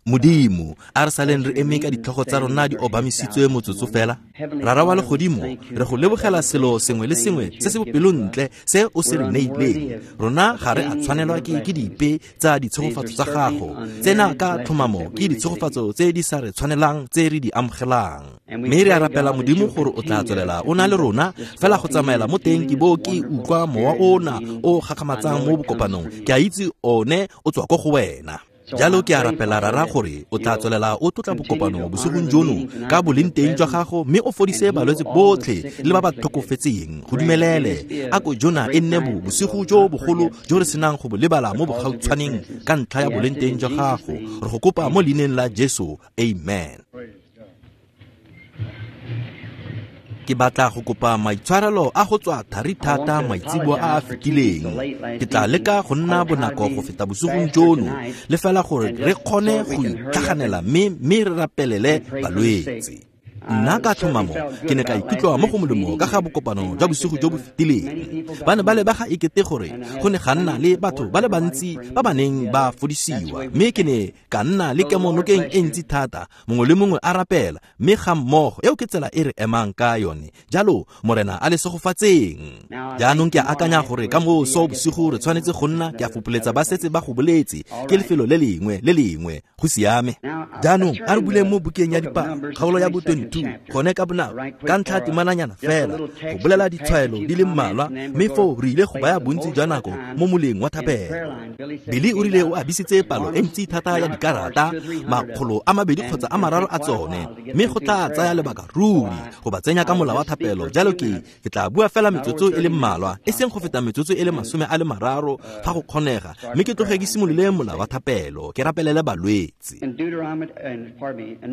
Modimo, a re saleng re eme ka ditlhogo tsa rona di obamisitswe motsotso fela. Rara wa legodimo, re go lebogela selo sengwe le sengwe se se bopelontle se o se re neileng. Rona ga re a tshwanelwa ke dipe tsa ditshegofatso tsa gago. Tsena ka tlhomamo ke ditshegofatso tse di sa re tshwanelang tse re di amogelang. Mme re a rapela Modimo gore o tla tswelela o na le rona fela go tsamaela mo teng ke bo ke utlwa mowa ona o gakgamatsang mo bokopanong. Ke a itse one o tswa ko go wena. Jalo ke a rapela Rara gore o tla tswelela o tlotla bokopano bosigong jono ka boleng teng jwa gago, mme o fodise balwetse botlhe le ba ba tlhokofetseng. Go dumelele a ko jona e nne bosigo jo bogolo jo re senang go bo lebala mo bogautshwaneng ka ntlha ya boleng teng jwa gago. Re go kopa mo leineng la Jesu, amen. Ke batla go kopa maitshwarelo a go tswa thari thata maitseboa a a fetileng. Ke tla leka go nna bonako go feta bosigong jono, le fela gore re kgone go itlhaganela mme re rapelele balwetse. Nna ka tlhomamo ke ne ka ikutlwa mo go molemo ka ga bokopano jwa bosigo jo bo fetileng. Ba ne ba lebega ekete gore go ne ga nna le batho ba le bantsi ba ba neng ba fodisiwa, mme ke ne ka nna le kemonokeng e ntsi thata, mongwe le mongwe a rapela, mme ga mmogo. Eo ke tsela e re emang ka yone. Jalo Morena a le segofatseng. Jaanong ke a akanya gore ka moso bosigo re tshwanetse go nna, ke a fopoletsa ba setse ba go boletse, ke lefelo le lengwe le lengwe. Go siame. Jaanong a re buleng mo bukeng ya Dipalo, kgaolo ya bo 22, gone ka bonako, ka ntlha temananyana fela, go bolela ditshwaelo di le mmalwa, mme foo re ile go baya bontsi jwa nako mo moleng wa thapelo. Billy o rile o abisitse palo e ntsi thata ya dikarata, 200 kgotsa a 3 a tsone, mme go tla tsaya lebaka ruri go ba tsenya ka mola wa thapelo. Jalo ke tla bua fela metsotso e le mmalwa, e seng go feta metsotso e le 30 fa go kgonega, mme ke tloge ke simolole mola wa thapelo, ke rapelele balwetse.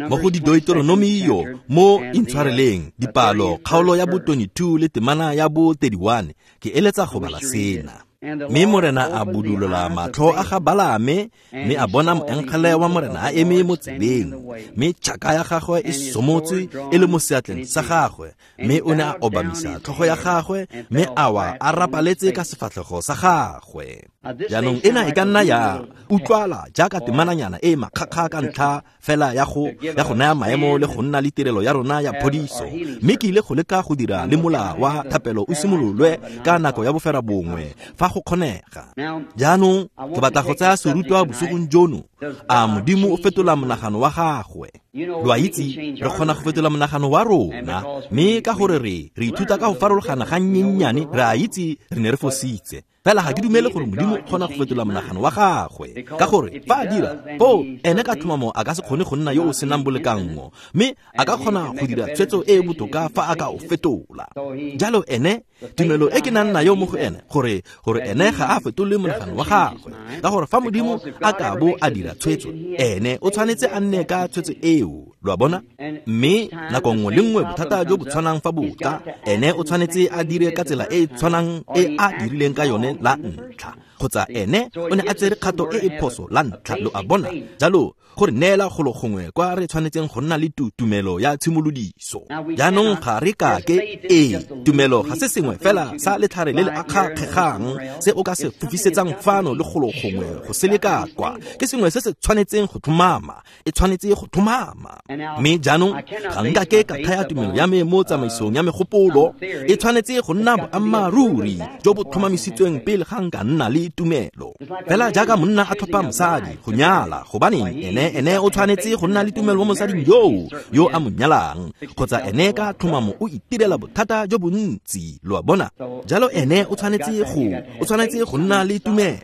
Mo go Deuteronomio, mo intshwareleng, dipalo, kgaolo ya bo 22 le temana ya bo 31, ke eletsa go bala sena. Mme Morena a budulola matlho a ga Balaame, mme a bona moengele wa Morena a eme mo tseleng, mme tšhaka ya gagwe e somotswe e le mo seatleng sa gagwe, mme o ne a obamisa tlhogo ya gagwe, mme a wa a rapaletse ka sefatlhego sa gagwe. Jaanong ena e ka nna ya utlwala jaaka temananyana e makgakga ka ntlha fela ya go naya maemo le go nna le tirelo ya rona ya phodiso, mme ke ile go leka go dira le mola wa thapelo o simololwe ka nako ya bofera bongwe fa go kgonega. Jaanong ke batla go tsaya serutwa bosigong jono, a Modimo o fetola monagano wa gagwe. Lo a itse, re kgona go fetola monagano wa rona, mme ka gore re ithuta ka go farologana ga nnyennyane, re a itse re ne re fositse. Fela ga ke dumele gore Modimo o kgona go fetola monagano wa gagwe, ka gore fa a dira foo ene ka tlhomamo a ka se kgone go nna yo o senang bolekanngo, mme a ka kgona go dira tshwetso e e botoka fa a ka o fetola. Jalo ene, tumelo e ke nang nayo mo go ene, gore ene ga a fetole monagano wa gagwe, ka gore fa Modimo a ka bo a dira tshwetso, ene o tshwanetse a nne ka tshwetso eo. Lo a bona? Mme nako nngwe le nngwe bothata jo bo tshwanang fa bo tla, ene o tshwanetse a dire ka tsela e e tshwanang e a dirileng ka yone la ntlha, kgotsa ene o ne a tsere kgato e e phoso la ntlha. Lo a bona? Jalo go re neela golo gongwe kwa re tshwanetseng go nna le tumelo ya tshimolodiso. Jaanong ga re kake, ee, tumelo ga se sengwe fela sa letlhare le le akgakgegang se o ka se fofisetsang fano le golo gongwe go se leka kwa. Ke sengwe se se tshwanetseng go tlhomama, e tshwanetse go tlhomama. Mme jaanong ga nka ke ka thaya tumelo ya me mo tsamaisong ya megopolo, e tshwanetse go nna boammaaruri jo bo tlhomamisitsweng pele ga nka nna le tumelo. Fela jaaka monna a tlhopha mosadi go nyala, gobaneng ene o tshwanetse go nna le tumelo mo mosading yoo yo a mo nyalang, kgotsa ene ka tlhomamo o itirela bothata jo bontsi. Lo a bona? Jalo ene o tshwanetse go nna le tumelo,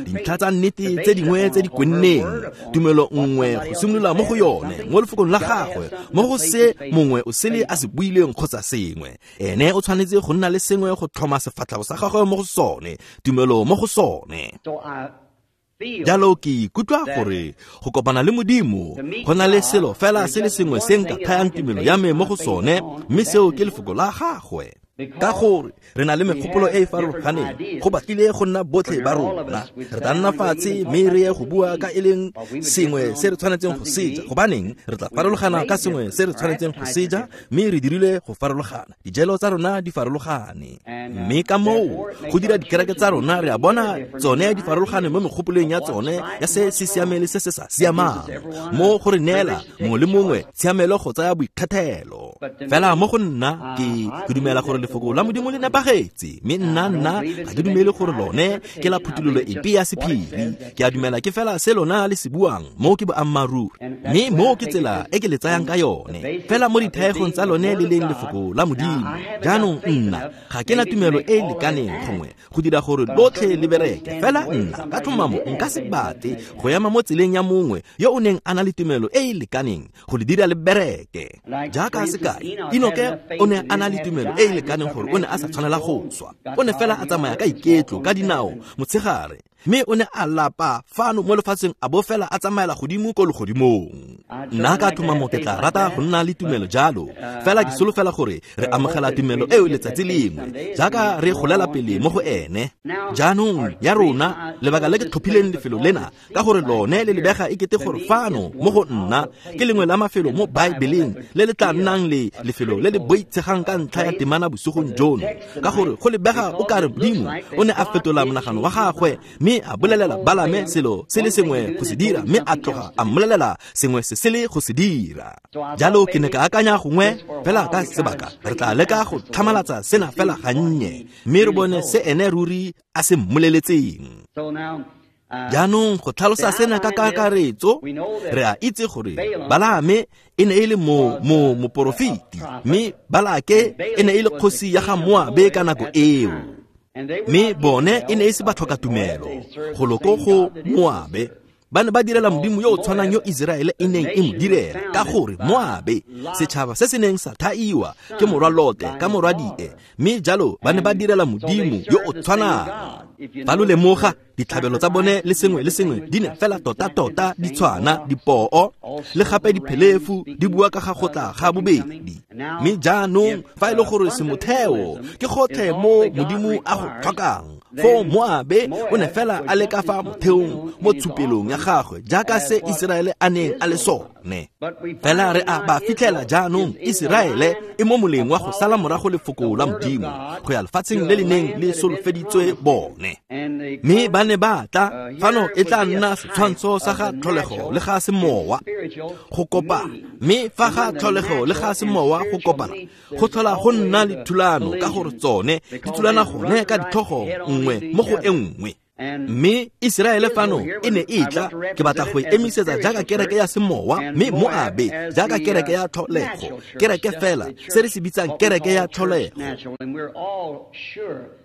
dintlha tsa nnete tse dingwe tse di kwenneng, tumelo nngwe go simolola mo go yone, mo lefokong la gagwe, mo go se mongwe o sele a se buileng kgotsa sengwe. Ene o tshwanetse go nna le sengwe go tlhoma sefatlhego sa gagwe mo go sone, tumelo mo go sone. Jalo ke ikutlwa gore go kopana le Modimo go na le selo fela se le sengwe se nka thayang tumelo ya me mo go sone, mme seo ke lefoko la gagwe. Ka gore re na le megopolo e e farologaneng, go batlile go nna botlhe ba rona re tla nna fatshe mme re ye go bua ka e leng sengwe se re tshwanetseng go seja. Gobaneng re tla farologana ka sengwe se re tshwanetseng go seja, mme re dirile go farologana, dijelo tsa rona di farologane. Mme ka moo go dira dikereke tsa rona, re a bona tsone di farologane mo megopolong ya tsone ya se se siameng le se se sa siamang, mo go re neela mongwe le mongwe tshiamelo go tsaya boikgethelo. Fela mo go nna ke dumela gore lefoko la Modimo le nepagetse, mme nna ga ke dumele gore lone ke la phuthololo epe ya sephiri. Ke a dumela ke fela se lona le se buang, mo ke boammaaruri, mme mo ke tsela e ke le tsayang ka yone, fela mo dithaegong tsa lone le leng lefoko la Modimo. Jaanong nna ga ke na tumelo e e lekaneng gongwe go dira gore lotlhe le bereke, fela nna ka tlhomamo nka se batle go ema mo tseleng ya mongwe yo o neng a na le tumelo e e lekaneng go le dira le bereke. Jaaka sekai, Enoke o ne a na le tumelo e e lekaneng gore o ne a sa tshwanela go swa. O ne fela a tsamaya ka iketlo ka dinao motshegare, mme o ne a lapa fano mo lefatsheng a bo fela a tsamaela godimo ko legodimong. Nna ka tlhomamo ke tla rata go nna le tumelo jalo, fela ke solofela gore re amogela tumelo eo letsatsi lengwe jaaka re golela pele mo go ene. Jaanong ya rona, lebaka le ke tlhophileng lefelo lena ka gore lone le lebega e kete gore fano mo go nna ke lengwe la mafelo mo Baebeleng le le tla nnang le lefelo le le boitshegang ka ntlha ya temana bosigong jono, ka gore go lebega o kare Modimo o ne a fetola monagano wa gagwe mme a bolelela Balame selo se le sengwe go se dira, mme a tloga a mmolelela sengwe se sele go se dira. Jalo ke ne ka akanya gongwe fela ka sebaka re tla leka go tlhamalatsa sena fela gannye, mme re bone se ene ruri a se mmoleletseng. Jaanong go tlhalosa sena ka kakaretso, re a itse gore Balame e ne e le moporofeti, mme Balake e ne e le kgosi ya ga Moabe ka nako eo. Mme bone e ne e se batlhokatumelo go loko go Moabe. Ba ne ba direla Modimo yo o tshwanang yo Iseraele e neng e mo direla, ka gore Moabe, setšhaba se se neng sa thaiwa ke morwa Lote ka morwadie, mme jalo ba ne ba direla Modimo yo o tshwanang. Fa lo lemoga, ditlhabelo tsa bone le sengwe le sengwe di ne fela tota-tota di tshwana, dipoo le gape diphelefu di bua ka ga go tla ga bobedi. Mme jaanong fa e le gore semotheo ke gotlhe mo Modimo a go tlhokang, foo Moabe o ne fela a le ka fa motheong mo tshupelong ya gagwe jaaka se Iseraele a neng a le sone. Fela re a ba fitlhela jaanong Iseraele e mo moleng wa go sala morago lefoko la Modimo go ya lefatsheng le le neng le solofeditswe bone. Mme ba ne ba tla fano e tla nna setshwantsho sa ga tlholego le ga semowa go kopana, mme fa ga tlholego le ga semowa go kopana go tlhola go nna le thulano, ka gore tsone di thulana gone ka ditlhogo nngwe mo go e nngwe. Mme Iseraele fano e ne e tla, ke batla go e emisetsa jaaka kereke ya semowa, mme Moabe jaaka kereke ya tlholego, kereke fela se re se bitsang kereke ya tlholego.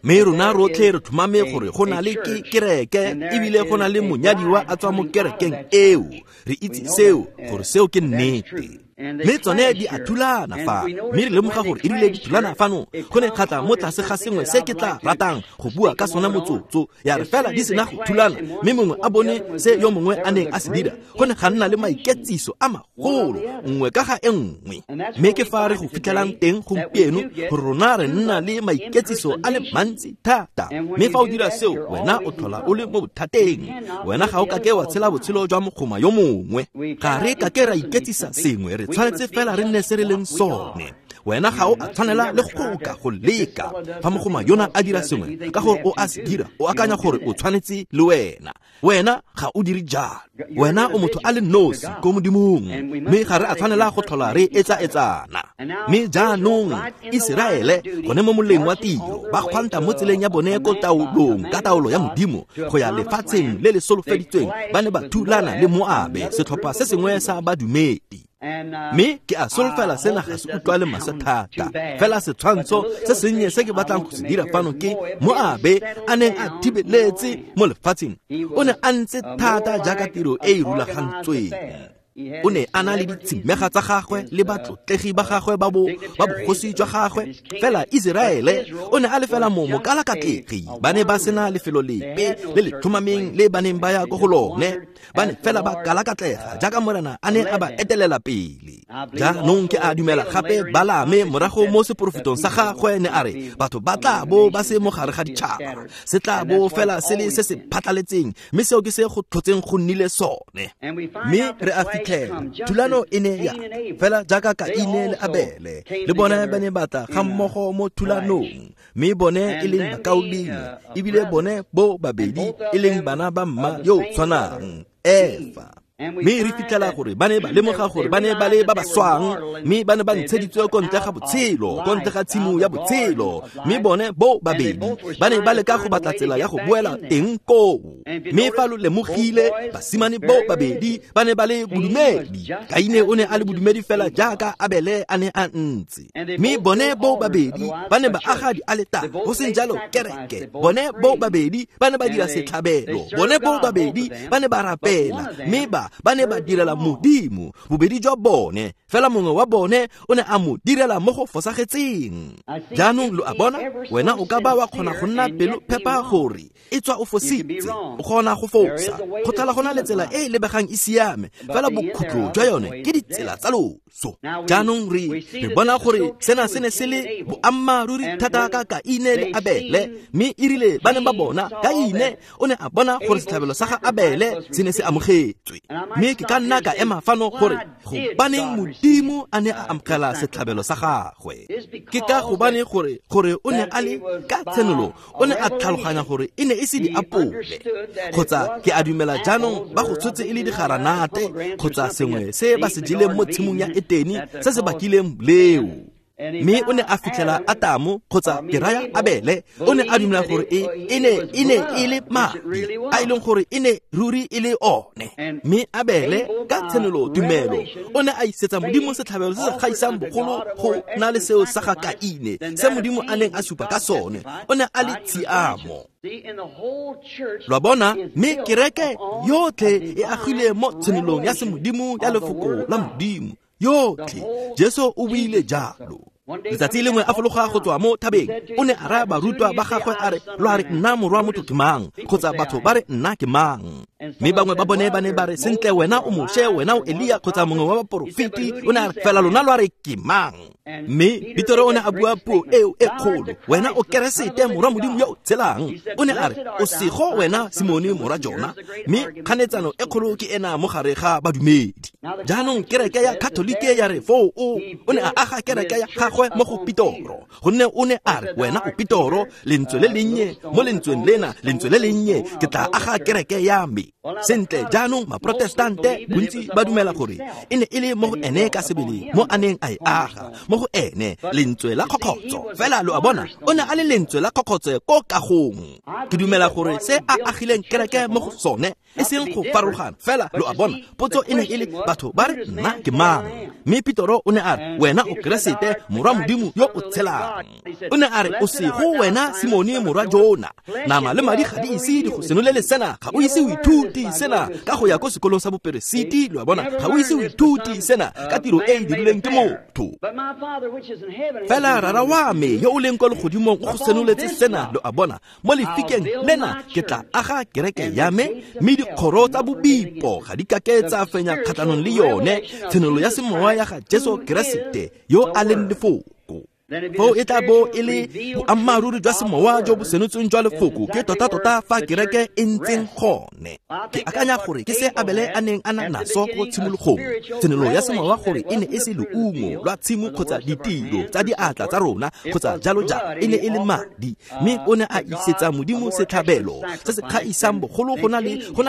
Mme rona rotlhe re tlhomame gore go na le ke kereke, ebile go na le monyadiwa a tswa mo kerekeng eo. Re itse seo, gore seo ke nnete. Mme tsone di a thulana fa, mme re lemoga gore e rile di thulana fano go ne kgatla mo tlase ga sengwe se ke tla ratang go bua ka sona motsotso. Ya re fela di sena go thulana, mme mongwe a bone se yo mongwe a neng a se dira, go ne ga nna le maiketsiso a magolo nngwe ka ga e nngwe. Mme ke fa re go fitlhelang teng gompieno, gore rona re nna le maiketsiso a le mantsi thata. Mme fa o dira seo, wena o tlhola o le mo bothateng. Wena ga o kake wa tshela botshelo jwa mogoma yo mongwe. Ga re kake ra iketsisa sengwe, re tshwanetse fela re nne se re leng sone. Wena ga o a tshwanela le go ka go leka. Fa mogoma yona a dira sengwe ka gore o a se dira, o akanya gore o tshwanetse le wena. Wena ga o dire jalo. Wena o motho a le nosi ko Modimong, mme ga re a tshwanela go tlhola re etsa-etsana. Mme jaanong Iseraele gone mo moleng wa tiro, ba kgwanta mo tseleng ya bone ko taolong ka taolo ya Modimo go ya lefatsheng le le solofeditsweng, ba ne ba thulana le Moabe, setlhopha se sengwe sa badumedi. Mme ke a solofela sena ga se utlwale maswe thata, fela setshwantsho se sennye se ke batlang go se dira fano ke Moabe a neng a thibeletse mo lefatsheng. O ne a ntse thata jaaka tiro e e rulagantsweng. O ne a na le ditshimega tsa gagwe le batlotlegi ba gagwe ba bogosi jwa gagwe. Fela Iseraele o ne a le fela mo mokalakatlegi. Ba ne ba sena lefelo lepe le le tlhomameng le ba neng ba ya ko go lone. Ba ne fela ba kalakatlega jaaka Morena a ne a ba etelela pele. Jaanong ke a dumela gape Balame morago mo seporofetong sa gagwe ne a re batho ba tla bo ba se mo gare ga ditšhaba, se tla bo fela se le se se phatlaletseng, mme seo ke se go tlhotseng go nnile sone. Mme re a fitlhela thulano e ne ya fela jaaka Kaine le Abele le bone ba ne ba tla ga mmogo mo thulanong, mme bone e leng bakaulengwe, ebile bone bo babedi e leng bana ba mma yo tshwanang, Efa. Mme re fitlhela gore ba ne ba lemoga gore ba ne ba le ba ba swang, mme ba ne ba ntsheditswe ko ntle ga botshelo, ko ntle ga tshimo ya botshelo. Mme bone bo babedi ba ne ba leka go batla tsela ya go boela teng koo. Mme fa lo lemogile, basimane bo babedi ba ne ba le bodumedi. Kaine o ne a le bodumedi fela jaaka Abele a ne a ntse. Mme bone bo babedi ba ne ba aga dialetare, go seng jalo kereke. Bone bo babedi ba ne ba dira setlhabelo, bone bo babedi ba ne ba rapela, mme ba ne ba direla Modimo. Bobedi jwa bone, fela mongwe wa bone o ne a mo direla mo go fosagetseng. Jaanong lo a bona, wena o ka ba wa kgona go nna pelo phepa gore e tswa o fositse, o kgona go fosa. Go tlhola go na le tsela e e lebegang e siame, fela bokhutlo jwa yone ke ditsela tsa loso. Jaanong re bona gore sena se ne se le boammaaruri thata ka Kaine le Abele, mme e rile ba ne ba bona Kaine o ne a bona gore setlhabelo sa ga Abele se ne se amogetswe. Mme ke ka nna ka ema fano gore gobaneng Modimo a ne a amogela setlhabelo sa gagwe. Ke ka gobane gore o ne a le ka tshenolo, o ne a tlhaloganya gore e ne e se diapole, kgotsa ke a dumela jaanong ba go tshotse e le digaranate kgotsa sengwe se ba se jeleng mo tshimong ya Eteni se se bakileng leo. Mme o ne a fitlhela Atamo kgotsa ke raya Abele, o ne a dumela gore e ne e le madi a e leng gore e ne ruri e le one. Mme Abele ka tshenolo tumelo o ne a isetsa Modimo setlhabelo se se gaisang bogolo go na le seo sa ga Kaine, se Modimo a neng a supa ka sone. O ne a le tshiamo. Lwa bona, mme kereke yotlhe e agile mo tshenolong ya semodimo ya lefoko la Modimo yotlhe. Jesu o buile jalo. Letsatsi lengwe a fologa go tswa mo thabeng, o ne a raya barutwa ba gagwe a re, lo a re nna morwa motho ke mang, kgotsa batho ba re nna ke mang? Mme bangwe ba bone ba ne ba re, sentle wena o Moshe, wena o Elia, kgotsa mongwe wa baporofeti. O ne a re, fela lona lo a re ke mang? Mme Petero o ne a bua puo eo e kgolo, wena o Keresete morwa Modimo yo o tshelang. O ne a re, o sego wena Simone morwa Jona. Mme kganetsano e kgolo ke ena mo gare ga badumedi. Jaanong kereke ya Katolike ya re foo o ne a aga kereke ya gagwe mo go Petoro, gonne o ne a re wena o Petoro, lentswe le lennye mo lentsweng lena, lentswe le lennye, ke tla aga kereke ya me. Sentle jaanong maprotestante bontsi ba dumela gore e ne e le mo go ene ka sebele mo a neng a e aga, mo go ene lentswe la kgokgotso. Fela lo a bona, o ne a le lentswe la kgokgotso ko kagong. Ke dumela gore se a agileng kereke mo go sone e seng go farologana. Fela lo a bona, potso e ne e le batho ba re nna ke mang? Mme Petoro o ne a re, wena o Keresete morwa Modimo yo o tshelang. O ne a re, o sego wena Simone morwa Jona, nama le madi ga di ise di go senolele sena, ga o ise o ithuti sena ka go ya ko sekolong sa boperesiti. Lo a bona, ga o ise o ithuti sena ka tiro e e dirilweng ke motho. Fela rara wa me yo o leng kwa legodimong o go senoletse sena. Lo a bona, mo lefikeng lena ke tla aga kereke ya me, mme dikgoro tsa bobipo ga di kake tsa fenya kgatlhanong le yone. Tshenolo ya semowa ya ga Jesu Keresete yo a leng lefoko. Foo e tla bo e le boammaaruri jwa semowa jo bo senotsweng jwa lefoko, ke tota-tota fa kereke e ntseng gone. Ke akanya gore ke se Abele a neng a na naso ko tshimologong, tshenolo ya semowa gore e ne e se leungo lwa tshimo kgotsa ditiro tsa diatla tsa rona kgotsa jalo jalo, e ne e le madi. Mme o ne a isetsa Modimo setlhabelo se se kgaisang bogolo go na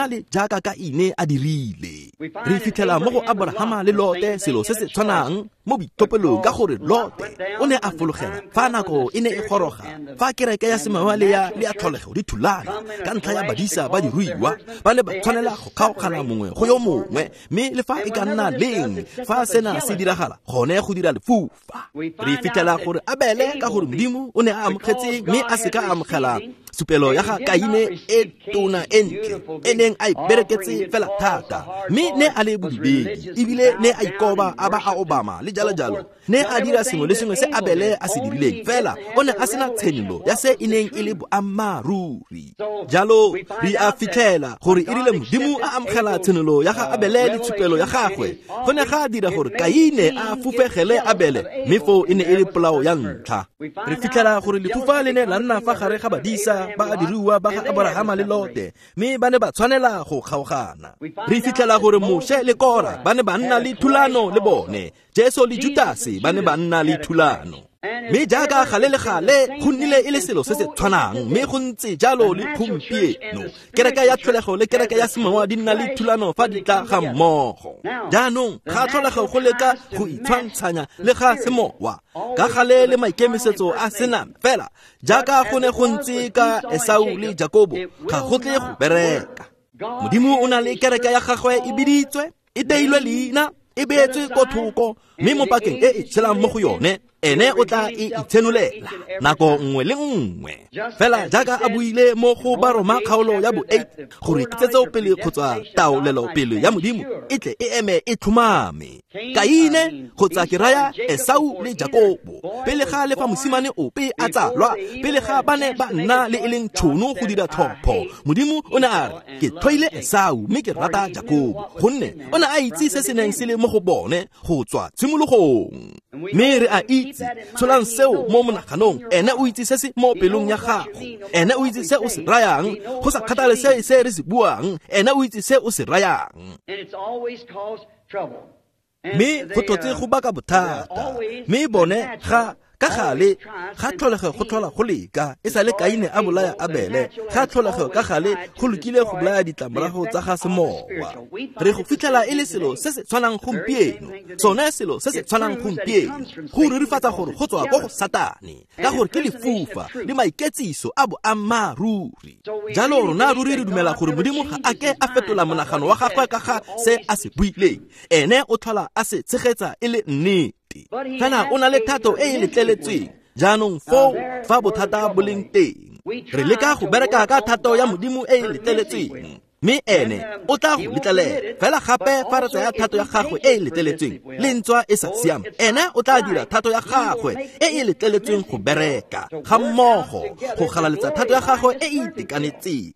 le jaaka Kaine a dirile. Re fitlhela mo go Abrahama le Lote selo se se tshwanang. mo boitlhophelo ka gore Lote o ne a fologela fa nako e ne e goroga fa kereke ya semowa le ya tlholego di thulana ka ntlha ya badisa ba diruiwa ba ne ba tshwanela go kgaogana mongwe go yo mongwe mme le fa e ka nna leng fa sena se diragala gone go dira lefufa. Re fitlhela gore Abele ka gore Modimo o ne a amogetse mme a seka a amogela supelo ya ga Kaine e tona e ntle e neng a e bereketse fela thata mme ne a le bodibedi ebile ne a ikoba a ba a obama le jalo jalo ne a dira sengwe le sengwe se Abele a se dirileng fela o ne a sena tshenolo ya se e neng e le boammaaruri. Jalo re a fitlhela gore e rile Modimo a amogela tshenolo ya ga Abele le tshupelo ya gagwe go ne ga dira gore Kaine a fufegele Abele mme foo e ne e le polao ya ntlha. Re fitlhela gore lefufa le ne la nna fa gare ga badisa ba a diruiwa ba ga Aborahama le Lote mme ba ne ba tshwanela go kgaogana. Re fitlhela gore Moshe le Kora ba ne ba nna le thulano le bone, Jesu le Judase ba ne ba nna le thulano. Mme jaaka gale le gale go nnile e le selo se se tshwanang mme go ntse jalo le gompieno. Kereke ya tlholego le kereke ya semowa di nna le thulano fa di tla ga mmogo. Jaanong ga tlholego go leka go itshwantshanya le ga semowa ka gale le maikemisetso a sename fela jaaka go ne go ntse ka Esau le Jakobo ga go tle go bereka. Modimo o na le kereke ya gagwe e biditswe, e teilwe leina, e beetswe ko thoko mme mo pakeng e e tshelang mo go yone ene o tla e itshenolela nako nngwe le nngwe fela jaaka a buile mo go Baroma kgaolo ya bo 8 gore kitsetsopele kgotsa taolelopele ya Modimo e tle e eme e tlhomame. Kaine kgotsa ke raya Esau le Jakobo pele ga le fa mosimane ope a tsalwa, pele ga ba ne ba nna le e leng tšhono go dira tlhopho, Modimo o ne a re ke tlhoile Esau mme ke rata Jakobo gonne o ne a itse se se neng se le mo go bone go tswa tshimologong. Mme re a itse, tsholang seo mo monaganong, ene o itse se se mo pelong ya gago, ene o itse se o se rayang, go sa kgathale se se re se buang, ene o itse se o se rayang. Mme go tlotse go baka bothata, mme bone ga ka gale ga tlholego go tlhola go leka e sa le Kaine a bolaya Abele, ga tlholego ka gale go lokile go bolaya ditlamorago tsa ga semowa. Re go fitlhela e le selo se se tshwanang gompieno, sone selo se se tshwanang gompieno, go rurifatsa gore go tswa ko go Satane ka gore ke lefufa le maiketsiso a boammaaruri. Jalo rona ruri re dumela gore Modimo ga a ke a fetola monagano wa gagwe ka ga se a se buileng, ene o tlhola a se tshegetsa e le nnete. Fela o na le thato e e letleletsweng. Jaanong foo fa bothata bo leng teng, re leka go bereka ka thato ya Modimo e e letleletsweng mme ene o tla go letlelela. Fela gape fa re tsaya thato ya gagwe e e letleletsweng le ntswa e sa siama, ene o tla dira thato ya gagwe e e letleletsweng go bereka ga mmogo go galaletsa thato ya gagwe e e itekanetseng.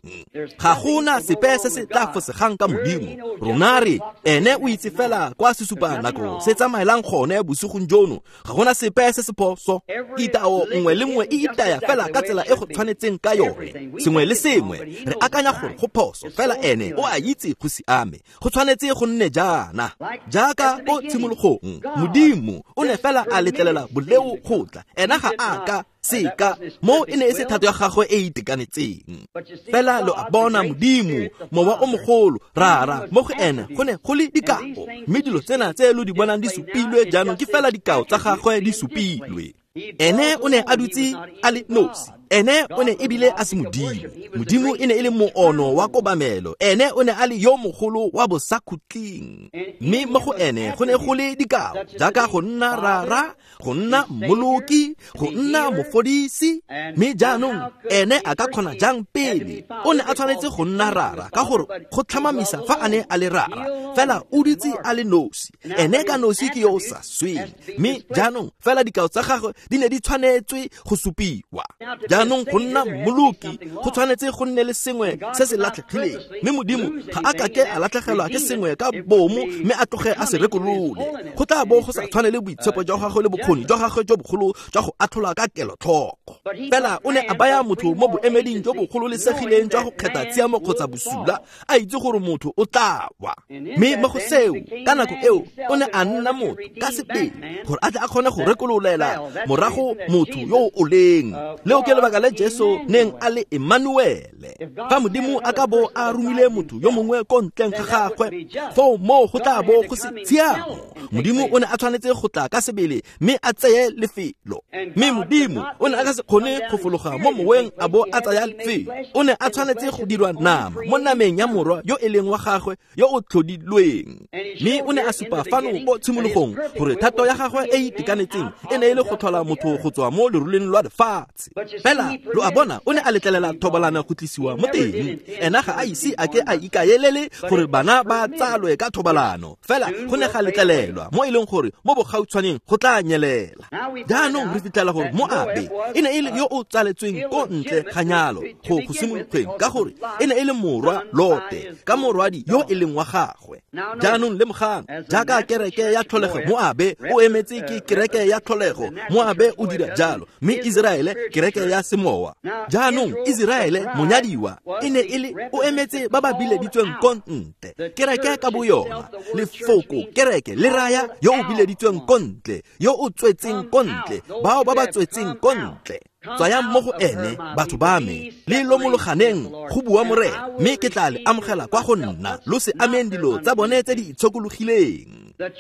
Ga gona sepe se se tla fosegang ka Modimo. Rona re ene o itse fela kwa sesupa nako se tsamaelang gone bosigong jono, ga gona sepe se se phoso. Itao nngwe le nngwe e itaya fela ka tsela e go tshwanetseng ka yone, sengwe le sengwe re akanya gore go phoso, fela ene o a itse go siame, go tshwanetse go nne jaana. Jaaka ko tshimologong Modimo o ne fela a letlelela boleo go tla, ena ga a ka seka mo e ne e se thato ya gagwe e itekanetseng. Fela lo a bona Modimo mowa o mogolo rara mo go ene go ne go le dikao, mme dilo tsena tse lo di bonang di supilwe jaanong ke fela dikao tsa gagwe di supilwe. Ene o ne a dutse a le nosi, ene o ne ebile a se Modimo. Modimo e ne e le moono wa kobamelo, ene o ne a le yo mogolo wa bosakhutleng, mme mo go ene go ne go le dikao jaaka go nna rara, go nna mmoloki, go nna mofodisi. Mme jaanong ene a ka kgona jang pele? O ne a tshwanetse go nna rara ka gore go tlhomamisa fa a ne a le rara, fela o dutse a le nosi, ene ka nosi ke yo o sa sweng. Mme jaanong fela dikao tsa gagwe di ne di tshwanetswe go supiwa. Jaanong go nna mmoloki go tshwanetse go nne le sengwe se se latlhegileng, mme Modimo ga a kake a latlhegelwa ke sengwe ka bomo mme a tloge a se rekolole. Go tla bo go sa tshwane le boitshepo jwa gagwe le bokgoni jwa gagwe jo bogolo jwa go atlhola ka kelotlhoko. lefoko. Fela o ne a baya motho mo boemeding jo bo gololesegileng jwa go kgetha tshiamo kgotsa bosula, a itse gore motho o tla wa. Mme mo go seo, ka nako eo, o ne a nna motho ka sebele gore a tle a kgone go rekololela morago motho yo o leng. Leo ke lebaka le Jesu neng a le Emmanuele. Fa Modimo a ka bo a romile motho yo mongwe ko ntleng ga gagwe, foo moo go tla bo go se tshiamo. Modimo o ne a tshwanetse go tla ka sebele mme a tseye lefelo. Mme Modimo o ne a ka se kgone go fologa mo moweng a bo a tsaya lefelo. O ne a tshwanetse go dirwa nama mo nameng ya morwa yo e leng wa gagwe yo o tlhodilweng. Mme o ne a supa fano ko tshimologong gore thato ya gagwe e itekanetseng e ne e le go tlhola motho go tswa mo leroleng lwa lefatshe. Fela lo a bona, o ne a letlelela thobalano go tlisiwa mo teng. Ena ga a ise a ke a ikaelele gore bana ba tsalwe ka thobalano. Fela go ne ga letlelelwa mo e leng gore mo bogautshwaneng go tla nyelela. Jaanong re fitlhela gore Moabe e ne e le yo o tsaletsweng ko ntle ga nyalo go simologeng, ka gore e ne e le morwa Lote ka morwadi yo e leng wa gagwe. Jaanong lemogang, jaaka kereke ya tlholego, Moabe o emetse ke kereke ya tlholego, Moabe o dira jalo, mme Iseraele kereke ya semowa. Jaanong Iseraele monyadiwa e ne e le o emetse ba ba bileditsweng ko ntle. Kereke ka boyona, lefoko kereke le raya yo o bileditsweng ko ntle, yo o tswetseng ko ntle, bao ba ba tswetseng ko ntle. Tswayang mo go ene, batho ba me, le lomologaneng, go bua Morena, mme ke tla le amogela kwa go nna, lo se ameng dilo tsa bone tse di itshokologileng.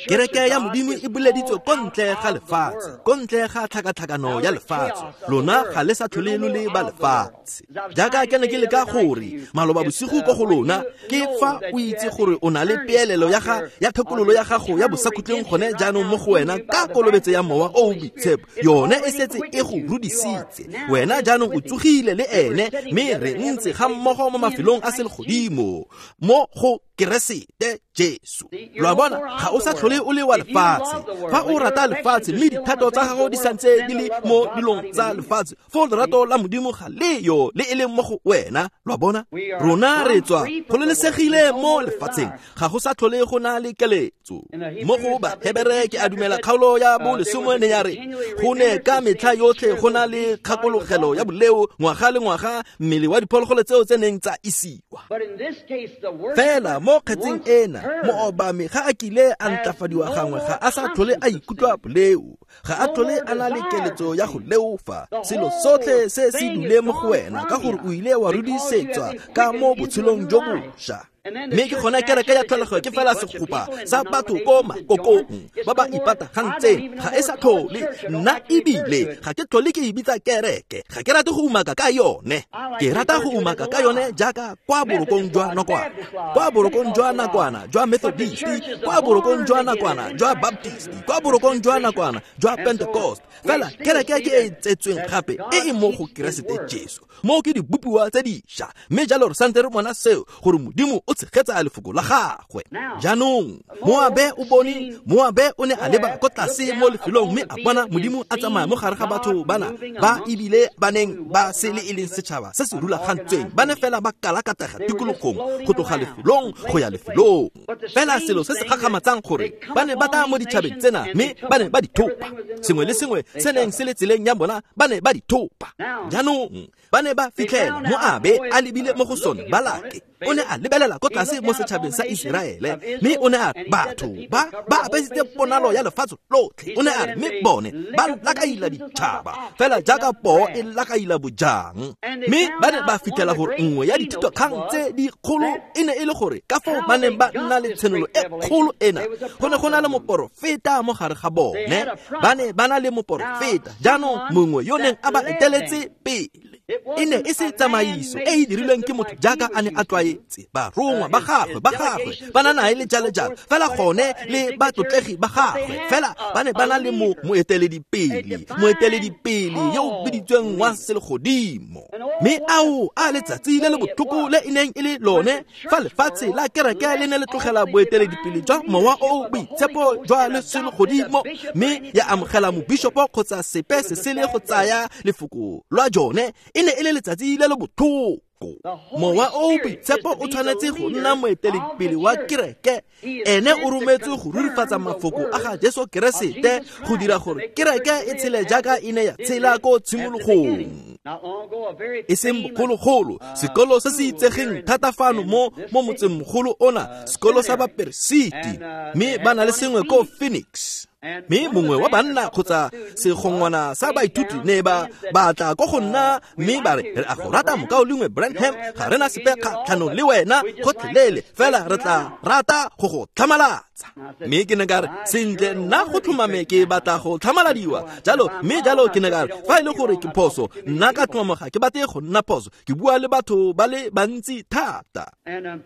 Kereke ya Modimo e boleditswe ko ntle ga lefatshe, ko ntle ga tlhakatlhakano ya lefatshe. Lona ga le sa tlhole lo le ba lefatshe. Jaaka ke ne ke leka gore maloba bosigo ko go lona, ke fa o itse gore o na le peelelo ya ga ya thekololo ya gago ya bosakhutleng gone jaanong mo go wena ka kolobetso ya Mowa o o Boitshepo. Yone e setse e go rudisitse. Wena jaanong o tsogile le ene, mme re ntse ga mmogo mo mafelong a selegodimo mo go Keresete Jesu. Lo a bona, ga o sa tlhole o le wa lefatshe. Fa o rata lefatshe mme dithato tsa gago di santse di le mo dilong tsa lefatshe, foo lerato la Modimo ga leyo le e leng mo go wena. Lo a bona, rona re tswa gololesegile mo lefatsheng, ga go sa tlhole go na le keletso. Mo go Bahebere ke a dumela kgaolo ya bolesome ne ya re go ne ka metlha yotlhe go na le kgakologelo ya boleo ngwaga le ngwaga, mmele wa diphologolo tseo tse neng tsa isiwa. Fela mo kgetseng ena, moobami ga a kile a ntlafadiwa gangwe, ga a sa tlhole a ikutlwa boleo, ga a tlhole a na le keletso ya go leofa. Selo sotlhe se se dule mo go wena ka gore o ile wa rudisetswa ka mo botshelong jo bošwa. Mme ke gone kereke ya tlholego ke fela segopa sa batho ko makokong ba ba ipatagantseng, ga e sa tlhole nna ebile ga ke tlhole ke e bitsa kereke. Ga ke rate go umaka ka yone, ke rata go umaka ka yone jaaka kwa borokong jwa nakwana, kwa borokong jwa nakwana jwa Methodist, kwa borokong jwa nakwana jwa Baptist, kwa borokong jwa nakwana jwa Pentecost. Fela kereke ke e tsetsweng gape e e mo go Keresete Jesu, mo ke dibopiwa tse dišwa. Mme jalo re santse re bona seo, gore Modimo o tshegetsa lefoko la gagwe. Jaanong Moabe o bone, Moabe o ne a leba ko tlase mo lefelong mme a bona Modimo a tsamaya mo gare ga batho bana ba ebile ba neng ba se le e leng setšhaba se se rulagantsweng, ba ne fela ba kalakatega tikologong go tloga lefelong go ya lefelong. Fela selo se se gakgamatsang gore ba ne ba tla mo ditšhabeng tsena mme ba ne ba di thopa. Sengwe le sengwe se neng se le tseleng ya bona ba ne ba di thopa. Jaanong ba ne ba fitlhela Moabe a lebile mo go sone Balake. O ne a lebelela ko tlase mo setšhabeng sa Iseraele, mme o ne a re batho ba ba apesitse ponalo ya lefatshe lotlhe. O ne a re mme bone ba lakaila ditšhaba fela jaaka poo e lakaila bojang. Mme ba ne ba fitlhela gore nngwe ya dithitokgang tse dikgolo e ne e le gore ka foo ba neng ba nna le tshenolo e kgolo ena, go ne go na le moporofeta mo gare ga bone. Ba ne ba na le moporofeta jaanong mongwe yo neng a ba eteletse pele. E ne e se tsamaiso e e dirilweng ke motho jaaka a ne a tlwaetse. Barongwa ba gagwe ba na nae le jalo jalo, fela gone le batlotlegi ba gagwe, fela ba ne ba na le moeteledipele yo o biditsweng wa selegodimo. Mme ao a letsatsi le le botlhoko le e neng e le lone fa lefatshe la kereke le ne le tlogela boeteledipele jwa Mowa o o Boitshepo jwa le selegodimo, mme ya amogela mobishopo kgotsa sepe se sele go tsaya lefoko lwa jone. E ne e le letsatsi le le botlhoko. Lefoko. Mowa o o Boitshepo o tshwanetse go nna moeteledipele wa kereke. Ene o rometswe go rurifatsa mafoko a ga Jesu Keresete go dira gore kereke e tshele jaaka e ne ya tshela ko tshimologong. E seng bogologolo, sekolo se se itsegeng thata fano mo motsengmogolo ona, sekolo sa baperesiti, mme ba na le sengwe ko Phoenix. Mme mongwe wa banna kgotsa segongwana sa baithuti ne ba batla ko go nna mme ba re, re a go rata mokaulengwe Branham, ga rena sepe kgatlhanong le wena gotlhelele, fela re tla rata go go tlhamalatsa. Mme ke ne ka re, sentle, nna go tlhomame ke batla go tlhamaladiwa jalo. Mme jalo ke ne ka re, fa e le gore ke phoso, nna ka tlhomamo ga ke batle go nna phoso, ke bua le batho ba le bantsi thata. Mme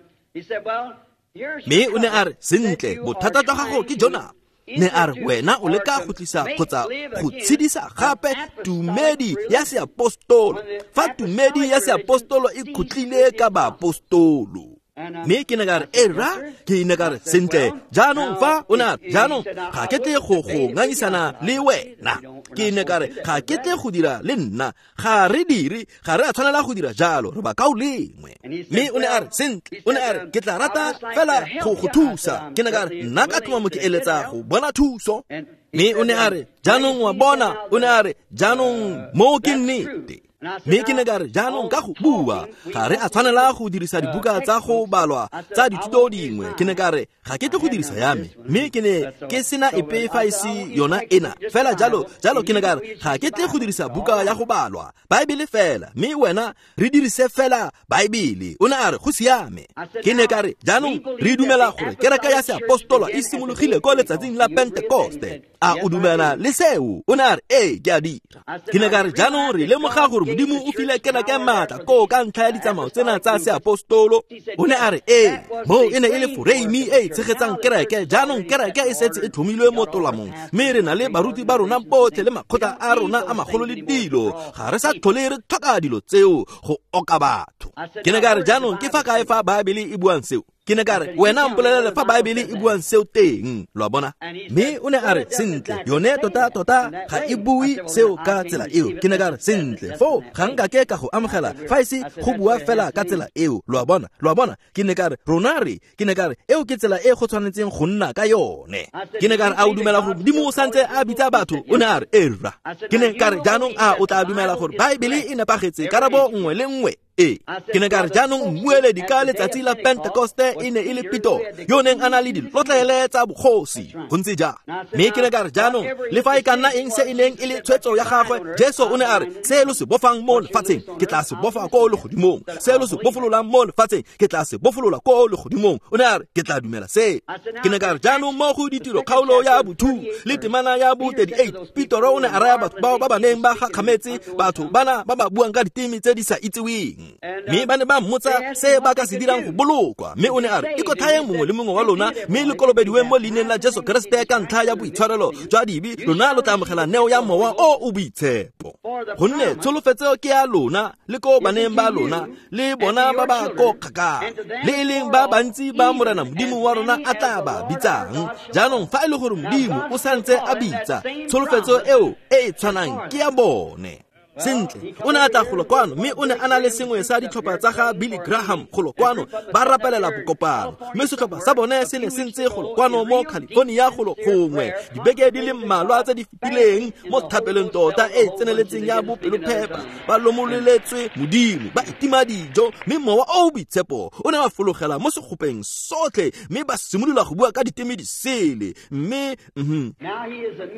o ne a re, sentle, bothata jwa gago ke jona. Ne a re, wena o leka go tlisa kgotsa go tshedisa gape tumedi ya seapostolo, fa tumedi ya seapostolo e khutlile ka baapostolo. Mme ke ne ka re, era, ke ne ka re, sentle, jaanong fa o ne a re, jaanong ga ke tle go go ngangisana le wena. Ke ne ka re, ga ke tle go dira le nna, ga re dire, ga re a tshwanela go dira jalo, re bakaulengwe. Mme o ne a re, sentle, o ne a re, ke tla rata fela go go thusa. Ke ne ka re, nna ka tlhomamo ke eletsa go bona thuso. Mme o ne a re, jaanong wa bona, o ne a re, jaanong moo ke nnete. Mme ke ne ka re, jaanong ka go bua, ga re a tshwanela go dirisa dibuka tsa go balwa tsa dithuto dingwe. Ke ne ka re, ga ke tle go dirisa ya me, mme ke ne ke sena epe fa e se yona ena fela. Jalo jalo ke ne ka re, ga ke tle go dirisa buka ya go balwa, Baebele fela, mme wena re dirise fela Baebele. O ne a re, go siame. Ke ne ka re, jaanong re dumela gore kereke ya seapostolo e simologile ko letsatsing la Pentekoste. A o dumela le seo? O ne a re, ee, ke a dira. Ke ne ka re, jaanong re lemoga gore Modimo o file kereke maatla koo ka ntlha ya ditsamao tsena tsa seapostolo. O ne a re, ee, moo e ne e le foreimi e e tshegetsang kereke. Jaanong kereke e setse e tlhomilwe mo tolamong, mme re na le baruti ba rona botlhe le makgotla a rona a magolo le dilo. Ga re sa tlhole re tlhoka dilo tseo go oka batho. Ke ne ka re, jaanong ke fa kae fa Baebele e buang seo? Ke ne ka re, wena mpolelele fa Baebele e buang seo teng, lo a bona. Mme o ne a re, sentle, yone tota tota ga e bue seo ka tsela eo. Ke ne ka re, sentle, foo ga nkake ka go amogela fa e se go bua fela ka tsela eo, lo a bona, lo a bona. Ke ne ka re, rona re, ke ne ka re, eo ke tsela e go tshwanetseng go nna ka yone. Ke ne ka re, a o dumela gore Modimo o santse a bitsa batho? O ne a re, erra. Ke ne ka re, jaanong a o tla dumela gore Baebele e nepagetse karabo nngwe le nngwe? Ee. Ke ne ka re, jaanong mmueledi ka letsatsi la Pentekoste e ne e le Peter, yo neng a na le dilotlele tsa bogosi. Go ntse jang? Mme ke ne ka re, jaanong le fa e ka nna eng se e neng e le tshwetso ya gagwe, Jesu o ne a re, se lo se bofang mo lefatsheng, ke tla se bofa ko legodimong. Se lo se bofololang mo lefatsheng, ke tla se bofolola ko legodimong. O ne a re, ke tla dumela se. Ke ne ka re, jaanong mo go ditiro kgaolo ya bo-2 le temana ya bo-38, Petero o ne a raya batho bao ba ba neng ba gakgametse, batho bana ba ba buang ka diteme tse di sa itseweng. Mme ba ne ba mmotsa se ba ka se dirang go bolokwa. Mme o ne a re, ikotlhayeng mongwe le mongwe wa lona, mme le kolobediweng mo leineng la Jesu Keresete ka ntlha ya boitshwarelo jwa dibe, lona lo tla amogela neo ya Mowa o o Boitshepo. Gonne tsholofetso ke ya lona le ko baneng ba lona le bona ba ba ko kgakala, le e leng ba bantsi ba Morena Modimo wa rona a tla ba bitsang. Jaanong fa e le gore Modimo o santse a bitsa, tsholofetso eo e e tshwanang ke ya bone. Sentle, o ne a tla golo kwano, mme o ne a na le sengwe sa ditlhopha tsa ga Billy Graham golo kwano, ba rapelela bokopano. Mme setlhopha sa bone se ne se ntse golo kwano mo California golo gongwe dibeke di le mmalwa tse di fetileng, mo thapelong tota e tseneletseng ya bopelophepa, ba lomololetswe Modimo, ba itima dijo, mme Mowa o o Boitshepo o ne wa fologela mo segopeng sotlhe, mme ba simolola go bua ka diteme disele. Mme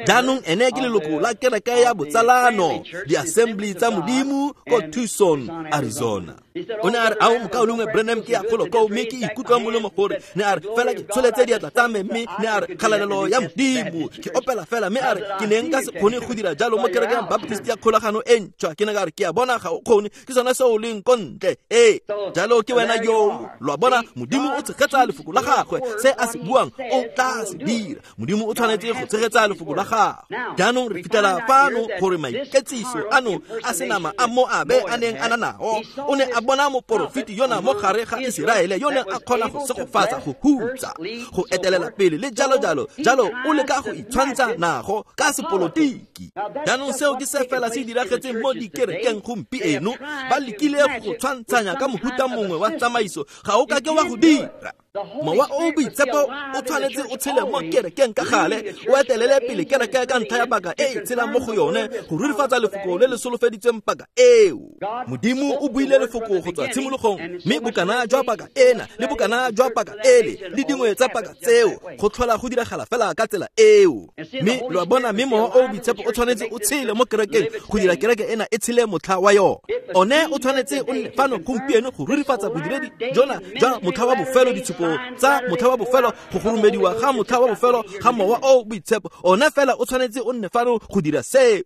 jaanong ene ke leloko la kereke ya botsalano, di-assembly tsa Modimo ko Tucson, Arizona. O ne a re, ao mokaulengwe Branham, ke ya golo koo, mme ke ikutlwa molemo gore, ne a re, fela ke tsholetse diatla tsa me, mme ne a re, kgalalelo ya Modimo, ke opela fela. Mme a re, ke ne nka se kgone go dira jalo mo kerekeng ya Baptist ya kgolagano e ntšhwa. Ke ne ka re, ke a bona ga o kgone, ke sone se o leng ko ntle. Ee, jalo ke wena yo, lo a bona. Modimo o tshegetsa lefoko la gagwe, se a se buang o tla se dira. Modimo o tshwanetse go tshegetsa lefoko la gagwe. Jaanong re fitlhela fano gore maiketsiso ano ano a senama a Moabe a neng a na nao. O ne a bona moporofeti yona mo gare ga Iseraele yo neng a kgona go segofatsa, go hutsa, go etelela pele le jalo jalo jalo. O leka go itshwantsha nago ka sepolotiki. Jaanong seo ke se fela se diragetseng mo dikerekeng gompieno. Ba lekile go tshwantshanya ka mohuta mongwe wa tsamaiso. Ga o ka ke wa go dira. Mowa o boitshepo o tshwanetse o tshele mo kerekeng ka gale, o etelele pele kereke ka ntlha ya paka e e tshelang mo go yone, go rurifatsa lefoko le le solofeditsweng paka eo. Modimo o buile lefoko go tswa tshimologong, mme bokana jwa paka ena le bokana jwa paka ele le dingwe tsa paka tseo go tlhola go diragala fela ka tsela eo. Mme lo a bona, mme mowa o boitshepo o tshwanetse o tshele mo kerekeng go dira kereke ena e tshele motlha wa yone. One o tshwanetse o nne fano gompieno go rurifatsa bodiredi jona jwa motlha wa bofelo, ditshupo tsa motlha wa bofelo, go goromediwa ga motlha wa bofelo ga mowa o boitshepo. Ona fela o tshwanetse o nne fano go dira seo,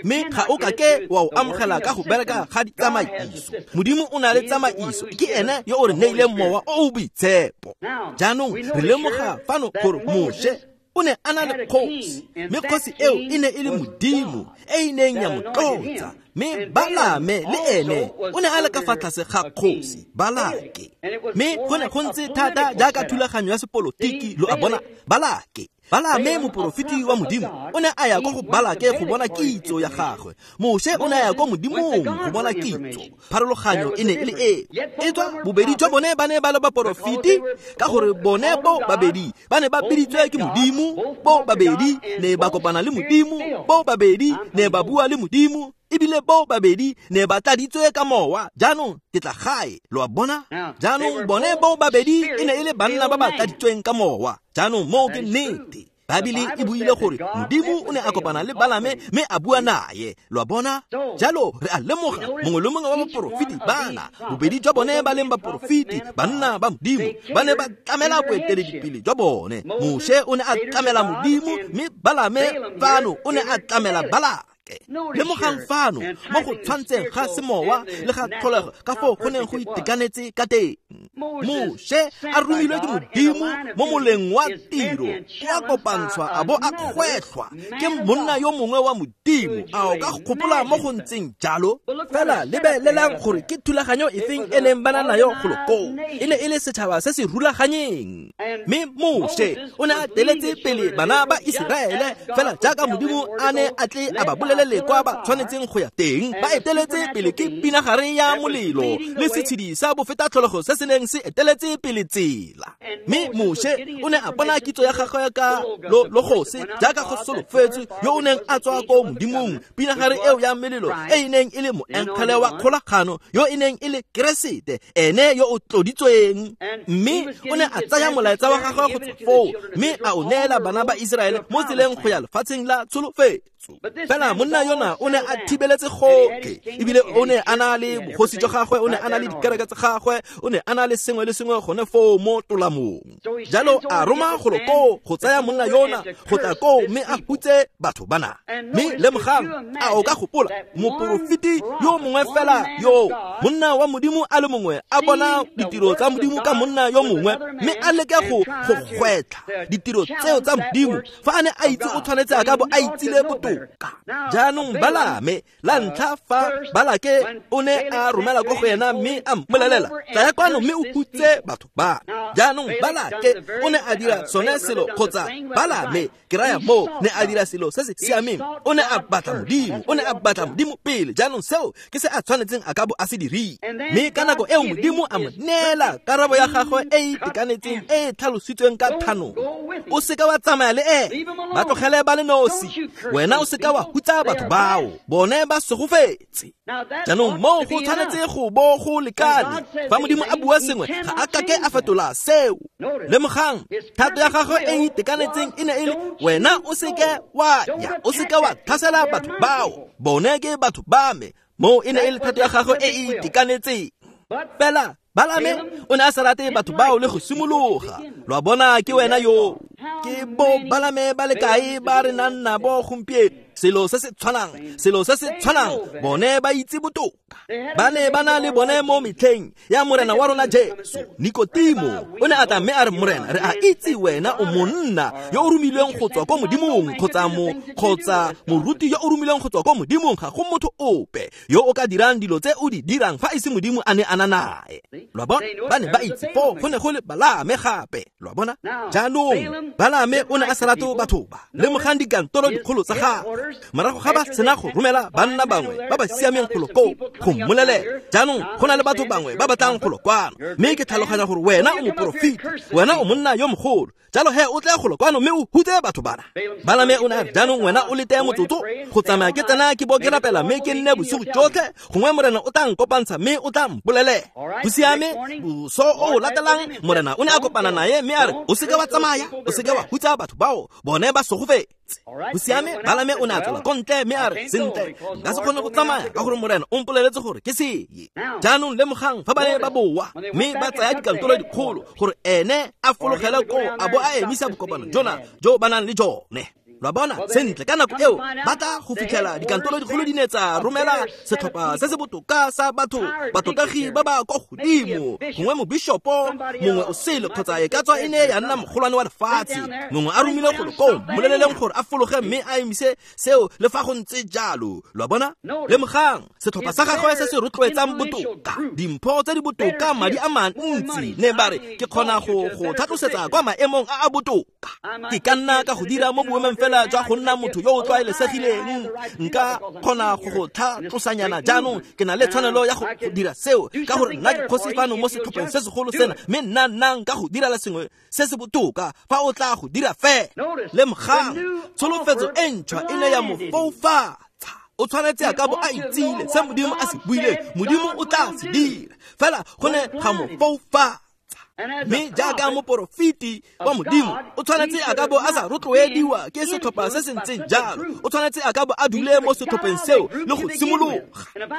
mme ga o ka ke wa o amogela ka go bereka ga ditsamaiso. Modimo o na le tsamaiso, ke ene yo o re neileng mowa o boitshepo. Jaanong re lemoga fano gore Moshe o ne a na le kgosi, mme kgosi eo e ne e le Modimo e e neng ya mo tlotsa. Mme Balame le ene o ne a le ka fa tlase ga kgosi Balake, mme go ne go ntse thata jaaka thulaganyo ya sepolotiki. Lo a bona, Balake, Balame moporofeti wa Modimo o ne a ya kwa go Balake go bona kitso ya gagwe. Moshe o ne a ya kwa Modimong go bona kitso. Pharologanyo e ne e le eo. E tswa bobedi jwa bone ba ne ba le baporofeti, ka gore bone bo babedi ba ne ba biditswe ke Modimo, bo babedi ne ba kopana le Modimo, bo babedi ne ba bua le Modimo, ebile bo babedi ne ba tladitswe ka mowa. Jaanong ke tla gae, lo a bona. Jaanong bone bo babedi e ne e le banna ba ba tladitsweng ka mowa. Jaanong moo ke nnete. Baebele e buile gore Modimo o ne a kopana le Balame mme a bua naye. Lo a bona? Jalo re a lemoga mongwe le mongwe wa baporofeti bana, bobedi jwa bone ba leng baporofeti, banna ba Modimo, ba ne ba tlamela boeteledipele jwa bone. Moshe o ne a tlamela Modimo, mme Balame fano o ne a tlamela Balake. Lemogang fano mo go tshwantseng ga semowa le ga tlholego ka foo go neng go itekanetse ka teng. Moshe a romilwe ke Modimo mo moleng wa tiro, o a kopantshwa a bo a kgwetlhwa ke monna yo mongwe wa Modimo. A o ka gopola mo go ntseng jalo? Fela lebelelang gore ke thulaganyo efeng e neng ba na nayo golo koo. E ne e le setšhaba se se rulaganyeng, mme Moshe o ne a teletse pele bana ba Iseraele fela jaaka Modimo a ne a tle a ba bolelele kwa ba tshwanetseng go ya teng. Ba eteletse pele ke pinagare ya molelo le setshedi sa bofeta tlholego se se neng se eteletse pele tsela. Mme Moshe o ne a bona kitso ya gagwe ka logose jaaka go solofetswe yo o neng a tswa ko Modimong, pinagare eo ya melelo e e neng e le moengele wa kgolagano yo e neng e le Keresete, ene yo o tloditsweng. Mme o ne a tsaya molaetsa wa gagwe go tswa foo mme a o neela bana ba Iseraele mo tseleng go ya lefatsheng la tsholofetso. Fela monna yona o ne a thibeletse gotlhe, ebile o ne a na le bogosi jwa gagwe, o ne a na le dikereke tsa gagwe, o ne a na le sengwe le sengwe gone foo mo tolamong. Jalo a roma golo koo go tsaya monna yona go tla koo mme a hutse batho bana. Mme lemogang, a o ka gopola moporofeti yo mongwe fela yo, monna wa Modimo a le mongwe a bona ditiro tsa Modimo ka monna yo mongwe, mme a leke go gwetlha ditiro tseo tsa Modimo fa a ne a itse o tshwanetse a ka bo a itsile botoka. Jaanong Balame la ntlha fa Balake o ne a romela ko go ena mme a mmolelela, tlaya kwano mme o hutse batho ba. Jaanong Balake o ne a dira sone selo, kgotsa Balame ke raya moo, ne a dira selo se se siameng. O ne a batla Modimo, o ne a batla Modimo pele. Jaanong seo ke se a tshwanetseng a ka bo a se dirile. Mme ka nako eo Modimo a mo neela karabo ya gagwe e e itekanetseng e e tlhalositsweng ka thanolo. O seka wa tsamaya le ene, ba tlogele ba le nosi. Wena o seka wa hutsa batho bao, bone ba segofetse. Jaanong moo go tshwanetse go bo go lekane. Fa Modimo a bua sengwe, ga a kake a fetola seo. Lemogang, thato ya gagwe e e itekanetseng e ne e le, wena o seke wa ya, o seke wa tlhasela batho bao, bone ke batho ba me. Moo e ne e le thato ya gagwe e e itekanetseng. Fela Balame o ne a sa rate batho bao le go simologa. Lo a bona, ke wena yo. Ke bo Balame ba le kae ba re nang nabo gompieno? Selo se se tshwanang, selo se se tshwanang, bone ba itse botoka. Ba ne ba na le bone mo metlheng ya Morena wa rona Jesu. Nikotimo o ne a tla mme a re, Morena, re a itse wena o monna yo o romilweng go tswa ko Modimong, kgotsa moruti yo o romilweng go tswa ko Modimong. Ga go motho ope yo o ka dirang dilo tse o di dirang fa e se Modimo a ne a na nae. Lo a bona? Ba ne ba itse foo go ne go le Balaame gape. Lo a bona? Jaanong Balaame o ne a sa rate batho ba. Lemogang dikantoro dikgolo tsa gagwe. Morago ga ba sena go romela banna bangwe ba ba siameng golo koo go mmolelela, jaanong go na le batho bangwe ba batlang golo kwano, mme ke tlhaloganya gore wena o moporofeti, wena o monna yo mogolo, jalo he o tle golo kwano mme o hutse batho bana. Balaame o ne a re, jaanong wena o lete motsotso go tsamaya ke tsena ke bo ke rapela mme ke nne bosigo jotlhe, gongwe Morena o tla nkopantsha mme o tla mpolelela. Go siame. Boso o latelang Morena o ne a kopana naye mme a re, o seke wa tsamaya, o seke wa hutsa batho bao, bone ba sogofetse. Go siame. Balaame o ne a tswela ko ntle mme a re, sentle, nka se kgone go tsamaya ka gore Morena o mpoleletse gore ke seye. Jaanong lemogang fa ba ne ba boa mme ba tsaya dikantoro dikgolo gore ene a fologele koo a bo a emisa bokopano jona jo ba nang le jone. Lo a bona? Sentle, ka nako eo ba tla go fitlhela dikantoro dikgolo di ne tsa romela setlhopha se se botoka sa batho, batotagi ba ba kwa godimo, gongwe mobishopo mongwe o sele, kgotsa e ka tswa e ne ya nna mogolwane wa lefatshe, mongwe a romile golo koo, mmoleleleng gore a fologe mme a emise seo le fa go ntse jalo. Lo a bona? Lemogang setlhopha sa gagwe se se rotloetsang botoka, dimpho tse di botoka, madi a mantsi, ne ba re, ke kgona go go tlhatlosetsa kwa maemong a a botoka. Ke ka nna ka go dira mo boemong fela jwa go nna motho yo o tlwaelesegileng, nka kgona go go tlhatlosanyana. Jaanong ke na le tshwanelo ya go dira seo ka gore nna ke kgosi fano mo setlhopheng se segolo sena, mme nna nka go direla sengwe se se botoka fa o tla go dira fela. Lemogang tsholofetso e ntšhwa e ne ya mo foufatsa. O tshwanetse a ka bo a itsile se Modimo a se buileng, Modimo o tla se dira, fela go ne ga mo foufatsa. Mme jaaka moporofeti wa Modimo, o tshwanetse a ka bo a sa rotloediwa ke setlhopha se se ntseng jalo. O tshwanetse a ka bo a dule mo setlhopheng seo le go simologa.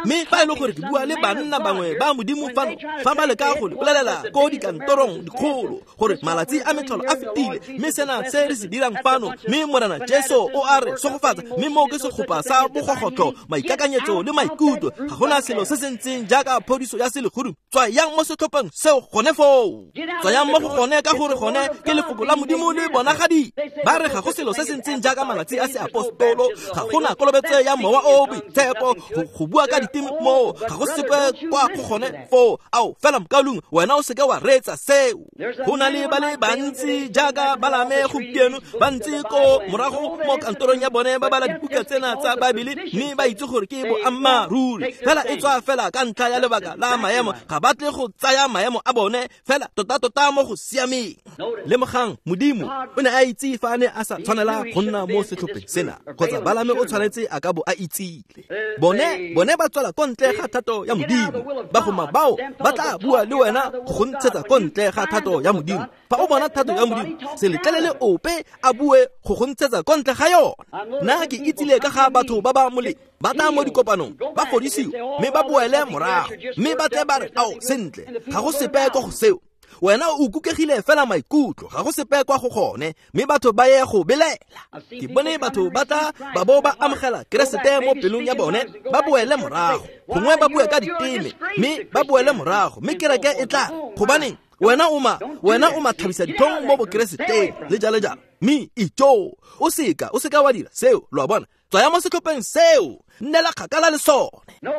Mme fa e le gore ke bua le banna bangwe ba Modimo fano, fa ba leka go le bolelela ko dikantorong dikgolo gore malatsi a metlholo a fetile, mme sena se re se dirang fano, mme Morena Jesu o a re sogofatsa, mme mo ke segopa sa bogogotlo, maikakanyetso le maikutlo, ga gona selo se se ntseng jaaka phodiso ya selegodimo. Tswayang mo setlhopheng seo gone foo. Tswayang mo go gone ka gore gone ke lefoko la Modimo le bonagadi. Ba re ga go selo se se ntseng jaaka malatsi a seapostolo, ga gona kolobetso ya mowa o boitshepo, go bua ka diteme moo, ga go sepe kwa go gone foo. Ao fela mokaulengwe, wena o seke wa reetsa seo. Go na le ba le bantsi jaaka Balaame gompieno, ba ntse ko morago mo kantorong ya bone ba bala dibuka tsena tsa Baebele mme ba itse gore ke boammaaruri, fela e tswa fela ka ntlha ya lebaka la maemo, ga ba tle go tsaya maemo a bone fela tota-tota mo go siameng. Lemogang Modimo o ne a itse fa a ne a sa tshwanela go nna mo setlhopheng sena, kgotsa Balaame o tshwanetse a ka bo a itsile. Bone ba tswela ko ntle ga thato ya Modimo. Bagoma bao ba tla bua le wena go go ntshetsa ko ntle ga thato ya Modimo. Fa o bona thato ya Modimo, se letlelele ope a bue go go ntshetsa ko ntle ga yona. Nna ke itsile ka ga batho ba ba molemo, ba tla mo dikopanong, ba fodisiwe, mme ba boele morago, mme ba tle ba re, ao sentle, ga go sepe kwa go seo. Wena o kukegile fela maikutlo, ga go sepe kwa go gone, mme batho ba ye go belaela. Ke bone batho ba tla ba bo ba amogela Keresete mo pelong ya bone, ba boele morago, gongwe ba bue ka diteme, mme ba boele morago, mme kereke e tla, gobaneng wena o mathabisa ditlhong mo bokereseteng le jalo jalo. Mme itjo, o seka wa dira seo. Lo a bona? Tswaya mo setlhopheng seo, nnela kgakala le sone.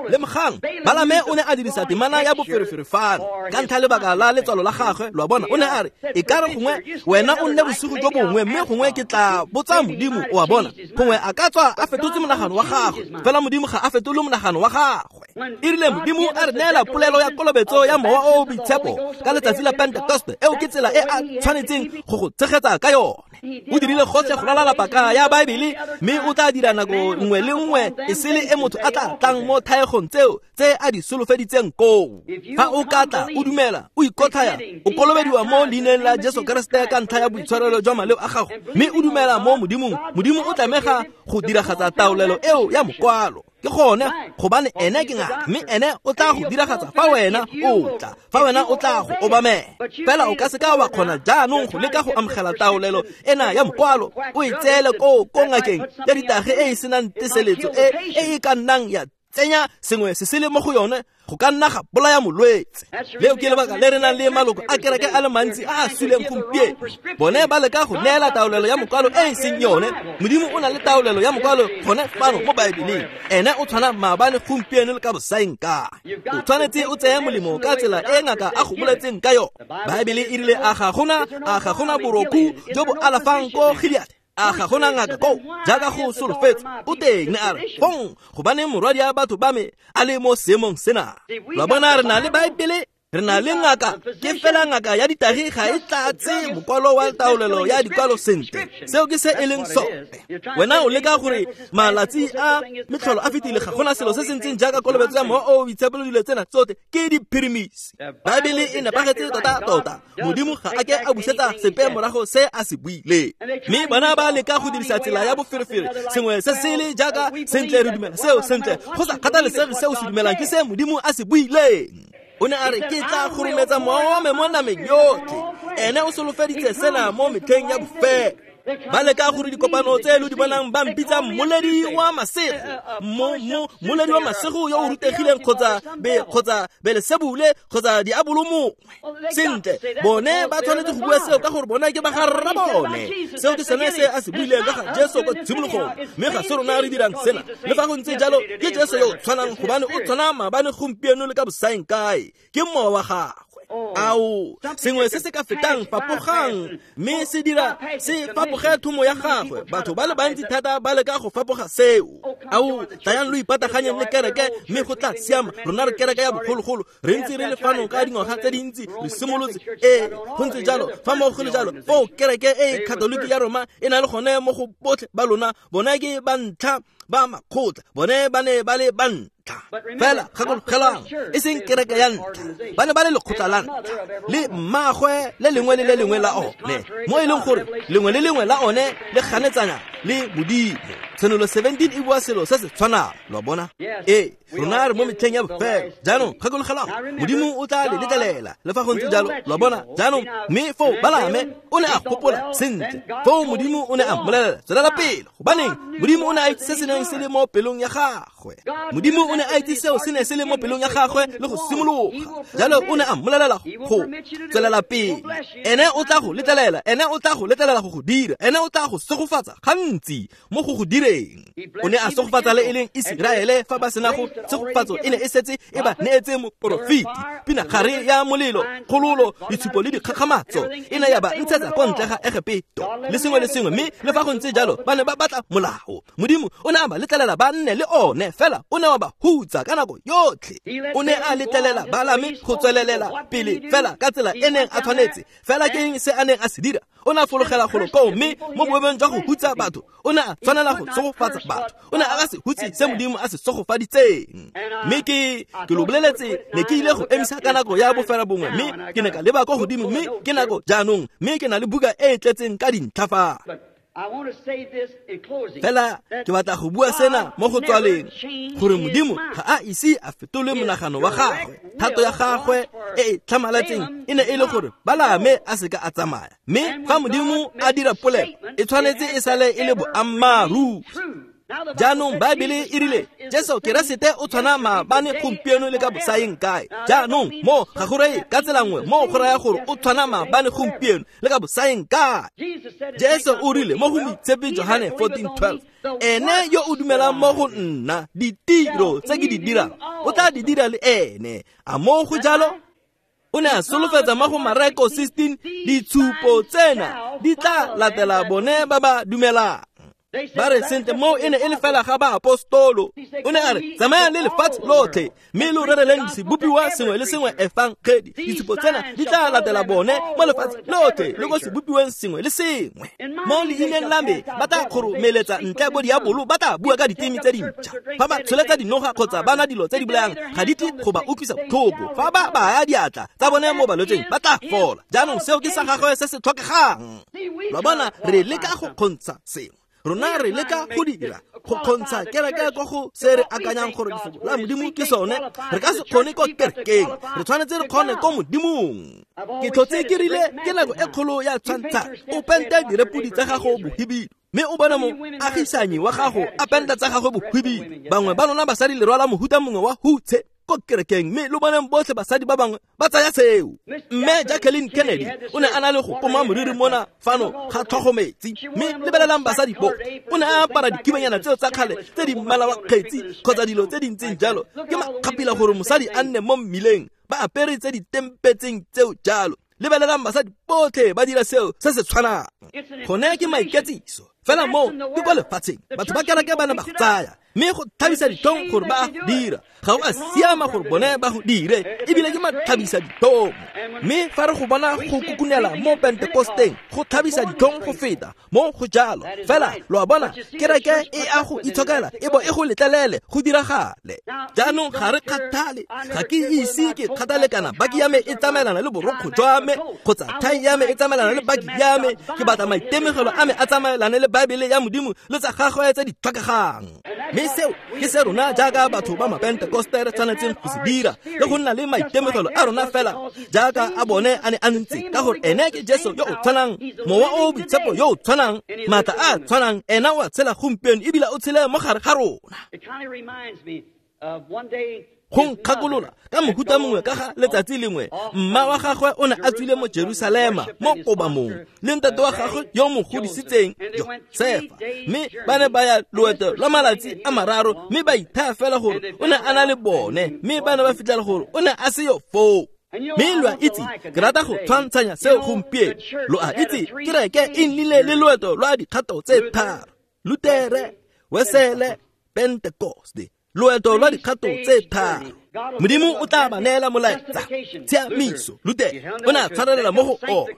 Lemogang Balaame o ne a dirisa temana ya boferefere fano ka ntlha lebaka la letswalo la gagwe. Lo a bona? O ne a re, e ka re gongwe wena o nne bosigo jo bongwe, mme gongwe ke tla botsa Modimo. O a bona? Gongwe a ka tswa a fetotse monagano wa gagwe, fela Modimo ga a fetole monagano wa gagwe. E rile Modimo a re neela polelo ya kolobetso ya mowa o o boitshepo ka letsatsi la Pentekoste, eo ke tsela e a tshwanetseng go go tshegetsa ka yone. O dirile gotlhe go ralala paka ya Baebele, mme o tla dira nako nngwe le nngwe e sele e motho a tla tlang mo thaegong tseo tse a di solofeditseng koo. Fa o ka tla o dumela, o ikotlhaya, o kolobediwa mo leineng la Jesu Keresete ka ntlha ya boitshwarelo jwa maleo a gago, mme o dumela mo Modimong, Modimo o tlamega go diragatsa taolelo eo ya mokwalo. Ke gone gobane ene ke ngaka, mme ene o tla go diragatsa fa wena o tla, fa wena o tla go obamela. Fela o ka se ka wa kgona jaanong go leka go amogela taolelo ena ya mokwalo, o e tseele ko ngakeng ya ditage e e senang teseletso e e ka nnang ya tsenya sengwe se sele mo go yone, go ka nna ga bolaya molwetse. Leo ke lebaka le re nang le maloko a kereke a le mantsi a a suleng gompieno. Bone ba leka go neela taolelo ya mokwalo e e seng yone. Modimo o na le taolelo ya mokwalo gone fano mo Baebeleng. Ene o tshwana maabane, gompieno le ka bosaeng kae. O tshwanetse o tseye molemo ka tsela e ngaka a go boletseng ka yone. Baebele e rile a ga gona borokhu jo bo alafang ko Gilead, a ga gona ngaka koo jaaka go solofetse. O teng ne a re fong gobane morwadi ya batho ba me a le mo seemong sena. Lwa bona, re na le Baebele, re na le ngaka, ke fela ngaka ya ditagi ga e tlatse mokwalo wa taolelo ya dikwalo sentle. Seo ke se e leng sone. Wena o leka gore malatsi a metlholo a fetile, ga gona selo se se ntseng jaaka kolobetso ya mowa o o boitshepo, dilo tsena tsotlhe ke diphirimisi. Baebele e nepagetse tota-tota. Modimo ga a ke a busetsa sepe morago se a se buileng. Mme bona ba leka go dirisa tsela ya boferefere, sengwe se sele jaaka sentle re dumela seo sentle, go sa kgathalesege seo se dumelang ke se Modimo a se buileng. O ne a re ke tla kgorometsa mowa wa me mo nameng yotlhe. Ene o solofeditse sena mo metlheng ya bofelo. Ba leka gore dikopano tse lo di bonang ba mpitsa mmoledi wa masego, mmoledi wa masego yo o rutegileng kgotsa Belesebule kgotsa diabolo mongwe. Sentle, bone ba tshwanetse go bua seo ka gore bona ke ba ga rra bone. Seo ke sone se a se buileng ka ga Jesu kwa tshimologong, mme ga se rona re dirang sena. Le fa go ntse jalo, ke Jesu yo o tshwanang, gobane o tshwana maabane, gompieno le ka bosaeng kae. Ke mowa wa gagwe. Ao, sengwe se se ka fetang fapogang, mme se dira se fapoge thomo ya gagwe. Batho ba le bantsi thata ba leka go fapoga seo. Ao, tlayang lo ipataganyeng le kereke, mme go tla siama. Rona re kereke ya bogologolo, re ntse re le fano ka dingwaga tse dintsi, re simolotse. Ee, go ntse jalo. Fa mo go le jalo, foo kereke e Katoliki ya Roma e na le gone mo go botlhe ba lona. Bona ke ba ntlha ba makgotla, bone ba ne ba le ba ntlha. Fela gakologelang, e seng kereke ya ntlha, ba ne ba le lekgotla la ntlha le mmaagwe le lengwe le le lengwe la one, mo e leng gore lengwe le lengwe la one le ganetsanya le Modimo. Tshenolo 17 e bua selo se se tshwanang. Lo bona? Ee, rona re mo metlheng ya bofelo. Jaanong gakologelang, Modimo o tla le letlelela le fa go ntse jalo. Lo bona? Jaanong mme foo Balame o ne a gopola sentle. Foo Modimo o ne a mmolelela, tswelela pele. Gobaneng? Modimo o ne a itse se se neng se le mo pelong ya gagwe. Modimo o ne a itse seo se ne se le mo pelong ya gagwe le go simologa. Jalo o ne a mmolelela go tswelela pele. Ene o tla go letlelela, ene o tla go letlelela go go dira, ene o tla go segofatsa gantsi mo go go direng. O ne a segofatsa le e leng Iseraele fa ba sena go tshegofatso e ne e setse e ba neetse moporofeti. Pinagare ya molelo, kgololo, ditshupo le dikgakgamatso e ne ya ba ntshetsa kwa ntle ga Egepeto le sengwe le sengwe. Mme le fa go ntse jalo, ba ne ba batla molao. Modimo o ne a ba letlelela ba nne le one, fela o ne wa ba hutsa ka nako yotlhe. O ne a letlelela Balame go tswelelela pele fela ka tsela e neng a tshwanetse. Fela ke eng se a neng a se dira? O ne a fologela golo koo, mme mo boemong jwa go hutsa batho, o ne a tshwanela go segofatsa batho. O ne a ka se hutse se Modimo a se segofaditseng. Mme ke lo boleletse, ne ke ile go emisa ka nako ya bofela bongwe, mme ke ne ka leba kwa godimo, mme ke nako jaanong, mme ke na le buka e e tletseng ka dintlha fa. Fela ke batla go bua sena mo go tswaleng, gore Modimo ga a ise a fetole monagano wa gagwe. Thato ya gagwe e e tlhamaletseng e ne e le gore Balame a seka a tsamaya. Mme fa Modimo a dira polelo, e tshwanetse e sale e le boammaaruri. Jaanong Baebele e rile Jesu Keresete o tshwana maabane, gompieno le ka bosaeng kae. Jaanong mo ga go reye ka tsela nngwe, mo go raya gore o tshwana maabane, gompieno le ka bosaeng kae. Jesu o rile mo go Moitshepi Johane 14:12, ene yo o dumelang mo go nna, ditiro tse ke di dirang o tla di dira le ene. A mo go jalo? O ne a solofetsa mo go Mareko 16, ditshupo tsena di tla latela bone ba ba dumelang. Ba re sentle, moo e ne e le fela ga baapostolo. O ne a re tsamayang le lefatshe lotlhe, mme lo rereleng sebopiwa sengwe le sengwe efangedi. Ditshupo tsena di tla latela bone mo lefatshe lotlhe le ko sebopiweng sengwe le sengwe. Mo leineng la me ba tla kgoromeletsa ntle bo diabolo, ba tla bua ka diteme tse dintšha. Fa ba tsholetsa dinoga kgotsa ba nwa dilo tse di bolayang, ga di tle go ba utlwisa botlhoko. Fa ba baya diatla tsa bone mo balwetseng, ba tla fola. Jaanong seo ke sa gagwe se se tlhokegang. Lwa bona, re leka go kgontsha sengwe. Rona re leka go dira go kgontsha kereke ko go se re akanyang gore lefoko la Modimo ke sone. Re ka se kgone ko kerekeng, re tshwanetse re kgone ko Modimong. Ke tlhotse ke rile ke nako e kgolo ya tshwantsha o pente direpodi tsa gago bohibidu, mme o bone moagisanyi wa gago a penta tsa gagwe bohibidu. Bangwe ba lona basadi le rwala mohuta mongwe wa hutshe ko kerekeng, mme lo boneng botlhe basadi ba bangwe ba tsaya seo. Mme Jacqueline Kennedy o ne a na le go poma moriri mona fano ga tlhogo metsi, mme lebelelang basadi bo, o ne a apara dikhibenyana tseo tsa kgale tse di mmala wa kgetsi kgotsa dilo tse di ntseng jalo. Ke makgapila gore mosadi a nne mo mmileng ba apere tse di tempetseng tseo jalo. Lebelelang basadi botlhe ba dira seo se se tshwanang. Gone ke maiketsiso fela mo ke kwa lefatsheng, batho ba kereke ba ne ba go tsaya, mme go tlhabisa ditlhong gore ba dira. Ga o a siama gore bone ba go dire, ebile ke matlhabisa ditlhong. Mme fa re go bona go kukunela mo Pentekosteng, go tlhabisa ditlhong go feta mo go jalo. Fela lo a bona, kereke e a go itshokela e bo e go letlelele go diragale. Jaanong ga re kgathale, ga ke ise ke kgathale kana baki ya me e tsamaelana le borokgo jwa me kgotsa thai ya me e tsamaelana le baki ya me. Ke batla maitemogelo a me a tsamaelane le Baebele ya Modimo le tsa gagwe tse di tlhokegang. Mme seo ke se rona jaaka batho ba Mapentekoste re tshwanetseng go se dira, le go nna le maitemogelo a rona fela jaaka a bone a ne a ntse, ka gore ene ke Jesu yo o tshwanang, Mowa o o Boitshepo yo o tshwanang, maatla a tshwanang. Ena o a tshela gompieno ebile o tshele mo gare ga rona. Go nkgakolola ka mohuta mongwe ka ga letsatsi lengwe mma wa gagwe o ne a tswile mo Jerusalema mo kobamong le ntate wa gagwe yo mo godisitseng Josefa, mme ba ne ba ya loeto lwa malatsi a mararo, mme ba ithaya fela gore o ne a na le bone, mme ba ne ba fitlhela gore o ne a se yo foo. Mme lo a itse, ke rata go tshwantshanya seo gompieno. Lo a itse, kereke e nnile le loeto lwa dikgato tse tharo: Lutere, Wesele, Pentekoste. Loeto lwa dikgato tse tharo. Modimo o tla ba neela molaetsa, tshiamiso. Lutere o ne a tshwarelela mo go ona,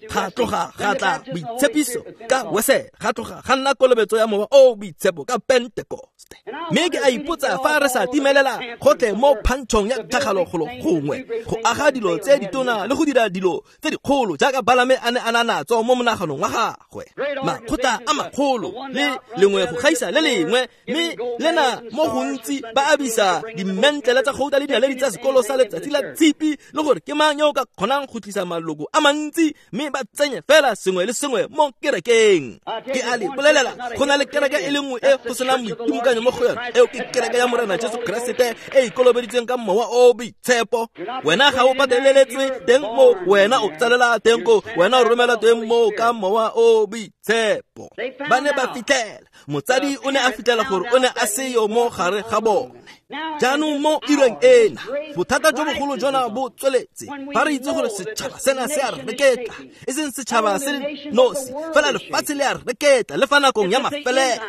ga tloga ga tla boitshepiso ka Wesele, ga tloga ga nna kolobetso ya Mowa o Boitshepo ka Pentekoste. Mme ke a ipotsa fa re sa timelela gotlhe mo phantšhong ya tlhagalo golo gongwe, go aga dilo tse ditona le go dira dilo tse dikgolo jaaka Balame a ne a na natso mo monaganong wa gagwe, makgotla a magolo le lengwe go gaisa le lengwe, mme lena mo gontsi ba abisa dimentlele tsa gouta le dinaledi tsa sekolo sa letsatsi la tshipi, le gore ke mang yo o ka kgonang go tlisa maloko a mantsi, mme ba tsenye fela sengwe le sengwe mo kerekeng. Ke a le bolelela, go na le kereke e le nngwe e go senang boitimokanyo mo go yone, eo ke kereke ya Morena Jesu Keresete e ikolobeditsweng ka Mowa o Boitshepo. Wena ga o pateleletswe teng mo, wena o tsalela teng ko, wena o romela teng mo ka Mowa o Boitshepo. Ba ne ba fitlhela motsadi o ne a fitlhela gore o ne a seyo mo gare ga bone. Jaanong mo ireng ena, bothata jo bogolo jona bo tsweletse. Fa re itse gore setšhaba sena se a re reketla, e seng setšhaba se nosi fela, lefatshe le a re reketla le fa nakong ya mafelelo.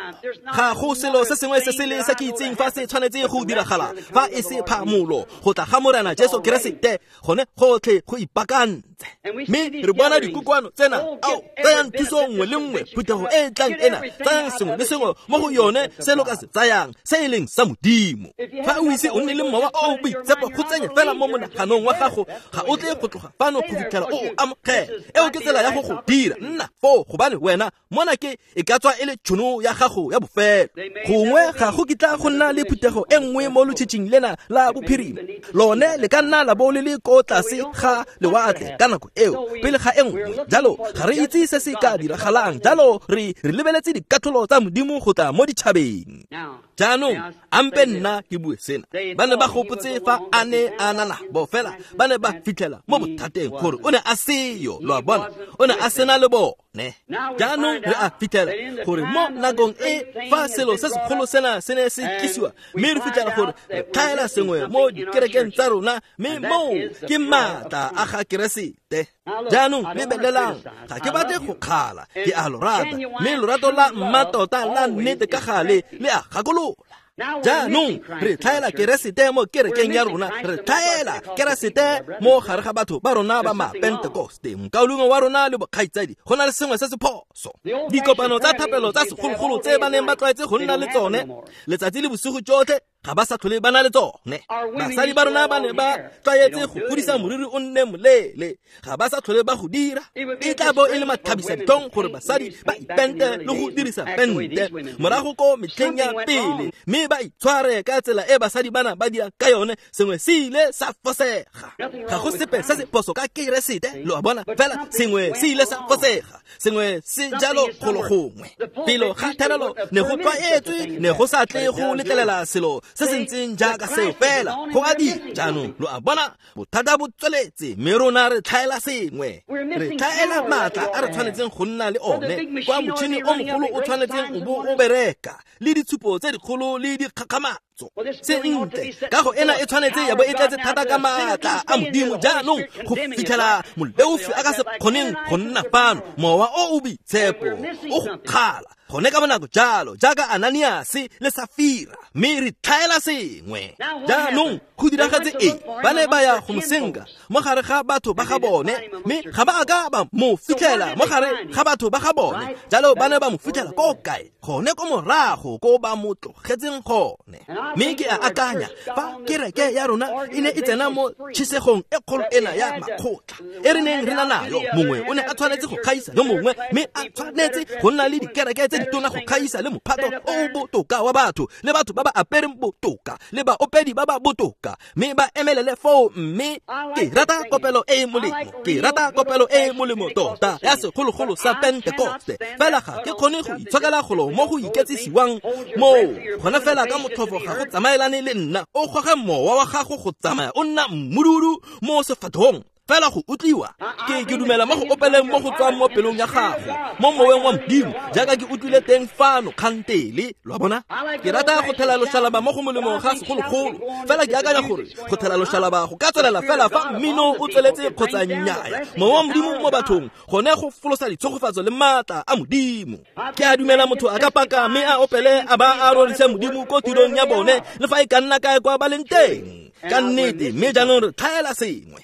Ga go selo se sengwe se sele se ke itseng fa se tshwanetse go diragala fa e se phamolo go tla ga Morena Jesu Keresete, gone gotlhe go ipaakantse. Mme re bona dikokoano tsena, ao, tsayang thuso nngwe le nngwe, phuthego e e tlang ena, tsayang sengwe le sengwe mo go yone se lo ka se tsayang se e leng sa Modimo. Fa o ise o nne le Mowa o o Boitshepo, go tsenye fela mo monaganong wa gago, ga o tle go tloga fano go fitlhela o o amogela. Eo ke tsela ya go go dira. Nna foo, gobane wena mona ke e ka tswa e le tšhono ya gago ya bofelo. Gongwe ga go kitla go nna le phuthego e nngwe mo lotšhitšhing lena la bophirima. Lone le ka nna la bo le le ko tlase ga lewatle ka nako eo pele ga e nngwe. Jalo ga re itse se se ka diragalang, jalo re lebeletse dikatlholo tsa Modimo go tla mo ditšhabeng. Jaanong ampe nna ke bue sena. Ba ne ba gopotse fa a ne a na nabo, fela ba ne ba fitlhela mo bothateng gore o ne a seyo. Lo a bona, o ne a sena le bone. Jaanong re a fitlhela gore mo nakong e fa selo se segolo sena se ne se tlisiwa, mme re fitlhela gore re tlhaela sengwe mo dikerekeng tsa rona, mme moo ke maatla a ga Keresete. Jaanong lebelelang, ga ke batle go kgala, ke a lo rata, mme lorato la mmatota la nnete ka gale le a gakolola. Jaanong re tlhaela Keresete mo kerekeng ya rona, re tlhaela Keresete mo gare ga batho ba rona ba Mapentekoste, mokaulengwe wa rona le bokgaitsadi. Go na le sengwe se se phoso. Dikopano tsa thapelo tsa segologolo tse ba neng ba tlwaetse go nna le tsone letsatsi le bosigo tsotlhe Ga ba sa tlhole ba na le tsone. Basadi ba rona ba ne ba tlwaetse go godisa moriri o nne moleele, ga ba sa tlhole ba go dira. E tla bo e le mathabisa ditlhong gore basadi ba ipente le go dirisa pente morago ko metlheng ya pele, mme ba itshware ka tsela e basadi bana ba dira ka yone. Sengwe se ile sa fosega. Ga go sepe se se phoso ka Keresete, lo a bona, fela sengwe se ile sa fosega, sengwe se jalo golo gongwe. Pelo ga therelo ne go tlwaetswe, ne go sa tle go letlelela selo se se ntseng jaaka seo, fela go a dira. Jaanong lo a bona, bothata bo tsweletse, mme rona re tlhaela sengwe. Re tlhaela maatla a re tshwanetseng go nna le one, kwa motšhini o mogolo o tshwanetseng o bo o bereka, le ditshupo tse dikgolo le dikgakgamatso. Sentle, kago ena e tshwanetse ya bo e tletse thata ka maatla a Modimo jaanong go fitlhela moleofi a ka se kgoneng go nna fano, mowa o o boitshepo o go kgala gone ka bonako jalo jaaka Ananiase le Safira, mme re tlhaela sengwe. Jaanong go diragetse eng? Ba ne ba ya go mo senka mo gare ga batho ba ga bone, mme ga ba a ka ba mo fitlhela mo gare ga batho ba ga bone. Jalo ba ne ba mo fitlhela ko kae? Gone ko morago ko ba mo tlogetseng gone. Mme ke a akanya fa kereke ya rona e ne e tsena mo tšhisegong e kgolo ena ya makgotla e re neng re na nayo, mongwe o ne a tshwanetse go kgaisa yo mongwe, mme a tshwanetse go nna le dikereke tse ditona go kgaisa le mophato o o botoka wa batho, le batho ba ba apereng botoka, le baopedi ba ba botoka, mme ba emelele foo. Mme ke rata kopelo e e molemo, ke rata kopelo e e molemo tota ya segologolo sa Pentekoste, fela ga ke kgone go itshokela golo mo go iketsisiwang moo gone fela ka motlhofo ga go tsamaelane le nna. O goge mowa wa gago go tsamaya o nna mmududu mo sefatlhong fela go utlwiwa. Ke dumela mo go opeleng mo go tswang mo pelong ya gago, mo moweng wa Modimo, jaaka ke utlwile teng fano kgantele, lo a bona. Ke rata go thela loshalaba mo go molemo ga segologolo, fela ke akanya gore go thela loshalaba go ka tswelela fela fa mmino o tsweletse kgotsa nnyaya. Mowa wa Modimo mo bathong gone go folosa ditshegofatso le maatla a Modimo. Ke a dumela motho a ka paka mme a opele a ba a rorise Modimo ko tirong ya bone, le fa e ka nna kae kwa ba leng teng. Ka nnete, mme jaanong re tlhaela sengwe.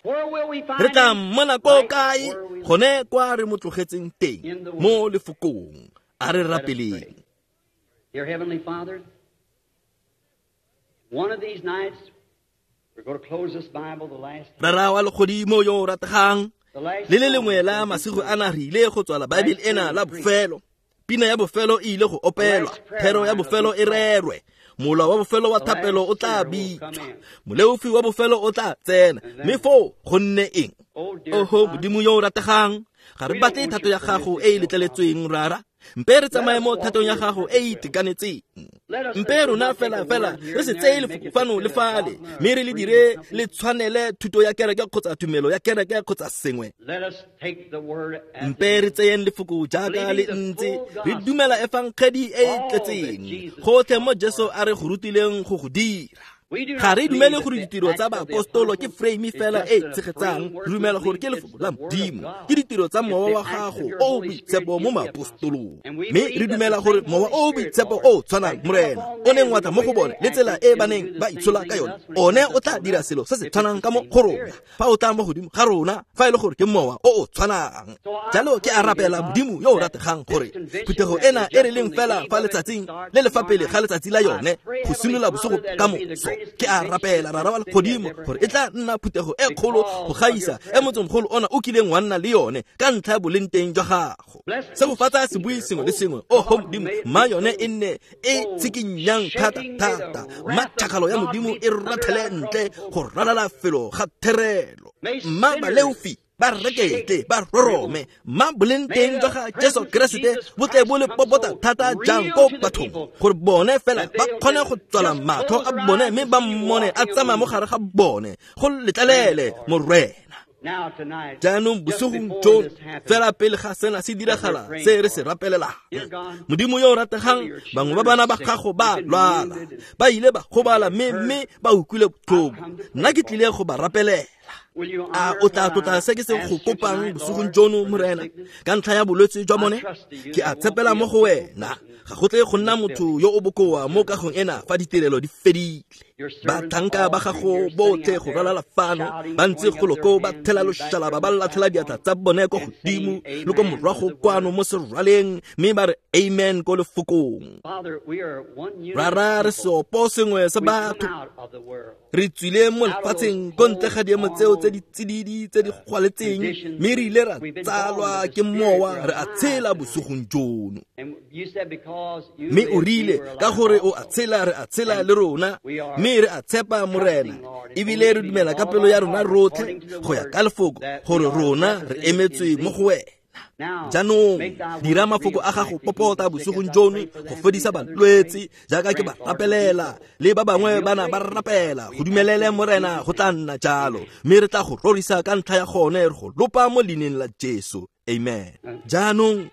Re tla mmona ko kae? Gone kwa re mo tlogetseng teng, mo lefokong. A re rapeleng. Dear Heavenly Father, one of these nights we're going to close this Bible the last time. Rara wa legodimo yo o rategang, le le lengwe la masigo ana re ile go tswala Bible ena la bofelo. Pina ya bofelo e ile go opelwa, thero ya bofelo e rerwe, mola wa bofelo wa thapelo o tla bitswa, moleofi wa bofelo o tla tsena, mme foo go nne eng? Oho Modimo yo o rategang, ga re batle thato ya gago e e letleletsweng, Rara. Mpe re tsamaye mo thatong ya gago e e itekanetseng. Mpe rona fela fela re se tseye lefoko fano le fale, mme re le dire le tshwanele thuto ya kereke kgotsa tumelo ya kereke kgotsa sengwe. Mpe re tseyeng lefoko jaaka le ntse, re dumela efangedi e e tletseng gotlhe mo Jesu a re go rutileng go go dira. Ga re dumele gore ditiro tsa baapostolo ke frame fela e tshegetsang, re dumela gore ke lefoko la Modimo, ke ditiro tsa mowa wa gago o o boitshepo mo maapostolong. Mme re dumela gore mowa o o boitshepo o tshwanang, Morena, o neng wa tla mo go bone le tsela e ba neng ba itshola ka yone, one o tla dira selo se se tshwanang ka mo go rona fa o tla mo godimo ga rona, fa e le gore ke mowa o o tshwanang. Jalo ke a rapela Modimo yo o rategang gore phuthego ena e re leng fela fa letsatsing le le fa pele ga letsatsi la yone go simolola bosigo ka moso, ke a rapela Rara wa legodimo gore e tla nna phuthego e kgolo go gaisa e motsomogolo ona o kileng wa nna le yone ka ntlha ya boleng teng jwa gago. Segofatsa sebui sengwe le sengwe, oho Modimo, mma yone e nne e tshikinyang thata thata, mma tšhakgalo ya Modimo e rathele ntle go ralala felo ga therelo, mma baleofi ba rekete ba rorome, mma boleng teng jwa ga Jesu Keresete bo tle bo le popota thata jang ko bathong, gore bone fela ba kgone go tswala matlho a bone mme ba mmone a tsamaya mo gare ga bone, go letlelele Morena. Jaanong bosigong jono, fela pele ga sena se diragala se re se rapelelang, Modimo yo o rategang, bangwe ba bana ba gago ba lwala, ba ile ba gobala mme ba utlwile botlhoko. Nna ke tlile go ba rapelela. A o tla tlotla se ke se go kopang bosigong jono, Morena, ka ntlha ya bolwetse jwa bone? Ke a tshepela mo go wena. Ga go tle go nna motho yo o bokoa mo kagong ena fa ditirelo di fedile. Batlhanka ba gago botlhe go ralala fano ba ntse golo koo ba thela loshalaba, ba latlhela diatla tsa bone ko godimo le ko morago kwano mo serwaleng, mme ba re amen ko lefokong. Rara, re seopo sengwe sa batho, re tswile mo lefatsheng ko ntle ga diemo tseo tse di tsididi tse di gwaletseng, mme re ile ra tsalwa ke mowa, re a tshela bosigong jono. Mme o rile ka gore o a tshela, re a tshela le rona, mme re a tshepa Morena, ebile re dumela ka pelo ya rona rotlhe go ya ka lefoko gore rona re emetswe mo go wena. Jaanong dira mafoko a gago popota bosigong jono go fodisa balwetse jaaka ke ba rapelela le ba bangwe bana ba rapela. Go dumelele Morena, go tla nna jalo, mme re tla go rorisa ka ntlha ya gone, re go lopa mo leineng la Jesu. Amen. Jaanong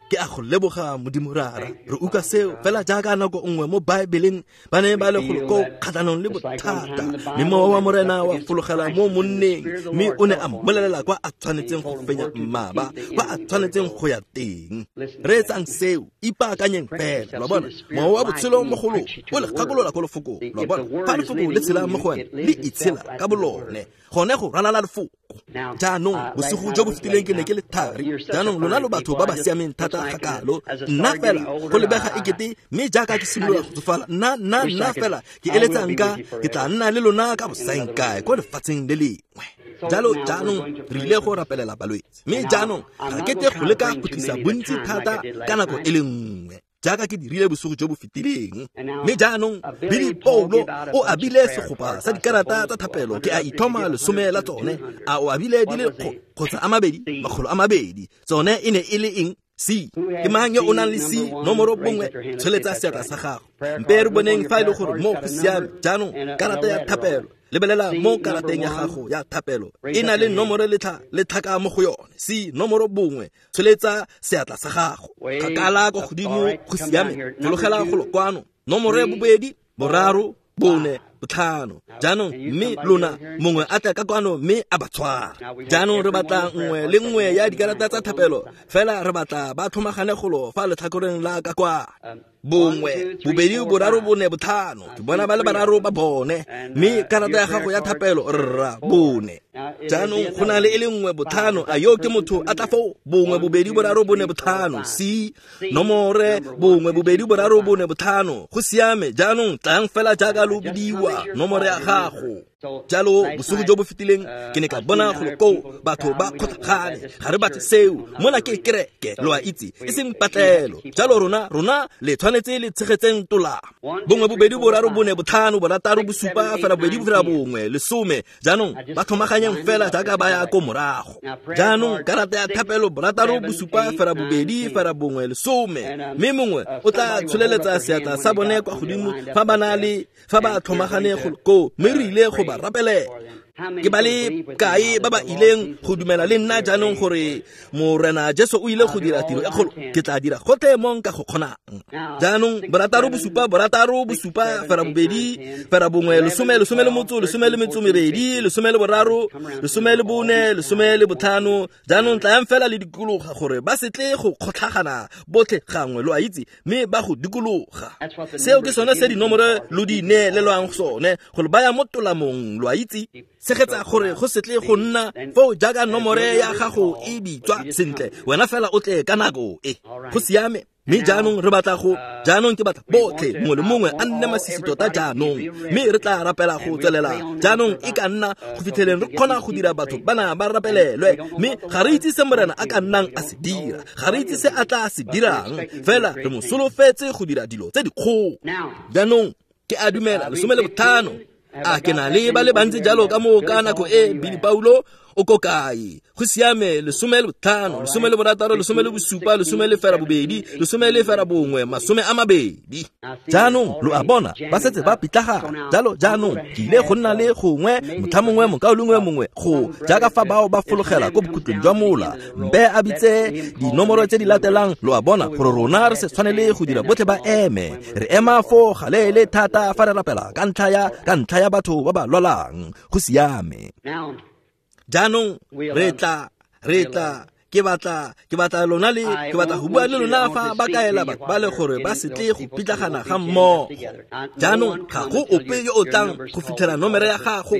ke a go leboga Modimo Rara. Re utlwa seo fela jaaka nako nngwe mo Baebeleng ba ne ba le golo ko kgatlhanong le bothata, mme mowa wa Morena wa fologela mo monneng, mme o ne a mmolelela kwa a tshwanetseng go fenya mmaba, kwa a tshwanetseng go ya teng. Reetsang seo, ipaakanyeng fela, lo a bona. Mowa wa botshelo mo go lona o le gakolola ko lefokong, lo a bona. Fa lefoko le tshela mo go wena, le itshela ka bolone, gone go ralala lefoko. Jaanong bosigo jo bo fetileng ke ne ke le thari. Jaanong lona lo batho ba ba siameng thata gakalo, nna fela go lebega ekete, mme jaaka ke simolola go tsofala, nna fela ke eletsa nka ke tla nna le lona ka bosaengkae ko lefatsheng le lengwe. Jalo jaanong re ile go rapelela balwetse, mme jaanong ga ke tle go leka go tlisa bontsi thata ka nako e le nngwe jaaka ke dirile bosigo jo bo fetileng. Mme jaanong Billy Paulo o abile segopa sa dikarata tsa thapelo, ke a ithoma 10 la tsone. A o abile di le kgotsa a mabedi, 200. Tsone e ne e le eng? C. Ke mang yo o nang le C nomoro 1? Tsholetsa seatla sa gago. Mpe re boneng fa e le gore mo go siame. Jaanong karata ya thapelo, lebelela mo karateng ya gago ya thapelo, e na le nomoro le tlhaka mo go yone. C nomoro 1, tsholetsa seatla sa gago. Kgakala ko godimo, go siame. Fologela golo kwano. Nomoro ya 2, 3, 4, 5. Jaanong mme lona mongwe a tla ka kwano mme a ba tshwara. Jaanong re batla nngwe le nngwe ya dikarata tsa thapelo, fela re batla ba tlhomagane golo fa letlhakoreng la ka kwa. 1, 2, 3, 4, 5. Ke bona ba le 3 ba bone, mme karata ya gago ya thapelo rra 4. Jaanong go na le e le 1, 5. A yo ke motho a tla foo? 1, 2, 3, 4, 5. C nomore 1, 2, 3, 4, 5. Go siame. Jaanong tlang fela jaaka lo bidiwa nomore ya gago. Jalo bosigo jo bo fetileng ke ne ka bona golo koo batho ba kgotlhagane. Ga re batle seo, mona ke kereke, lo a itse, e seng patlelo. Jalo rona le tshwanetse le tshegetseng tolamo. 1, 2, 3, 4, 5, 6, 7, 8, 9, 10. Jaanong ba tlhomaganyeng fela jaaka ba ya ko morago. Jaanong karata ya thapelo 6, 7, 8, 9, 10. Mme mongwe o tla tsholeletsa seatla sa bone kwa godimo fa ba na le fa ba tlhomagane go koo, mme re ile go ba rapelela. Ke ba le kae ba ba ileng go dumela le nna jaanong gore Morena Jesu o ile go dira tiro e kgolo? Ke tla dira gotlhe mo nka go kgonang. Jaanong 6, 7, 6, 7, 8, 9, 10, 12, 13, 14, 15. Jaanong tlayang fela le dikologa gore ba se tle go kgotlhagana botlhe gangwe, lo a itse, mme ba go dikologa. Seo ke sone se dinomoro lo di neelelwang sone, gore ba ya mo tolamong, lo a itse. Tshegetsa gore go se tle go nna foo jaaka nomore ya gago e bitswa sentle, wena fela o tle ka nako e. Go siame. Mme jaanong re batla go, jaanong ke batla botlhe mongwe le mongwe a nne masisi tota jaanong, mme re tla rapela go tswelela jaanong e ka nna go fitlheleng re kgona go dira batho bana ba rapelelwe. Mme ga re itse se Morena a ka nnang a se dira, ga re itse se a tla se dirang, fela re mo solofetse go dira dilo tse dikgolo. Jaanong ke a dumela 15. A ke na le ba le bantsi jalo ka moo ka nako e Billy Paulo o ko kae? Go siame. 15, 16, 17, 18, 19, 20. Jaanong lo a bona ba setse ba pitlagana. Jalo jaanong ke ile go nna le gongwe motlha mongwe mokaulengwe mongwe go jaaka fa bao ba fologela ko bokhutlong jwa mola, mpe a bitse dinomoro tse di latelang, lo a bona, gore rona re se tshwanele go dira botlhe ba eme. Re ema foo galeele thata fa re rapela ka ntlha ya batho ba ba lwalang. Go siame. Jaanong re tla Ke batla lona le ke batla go bua le lona fa ba kaela batho ba le gore ba se tle go pitlagana ga mmogo. Jaanong ga go ope yo o tlang go fitlhela nomere ya gago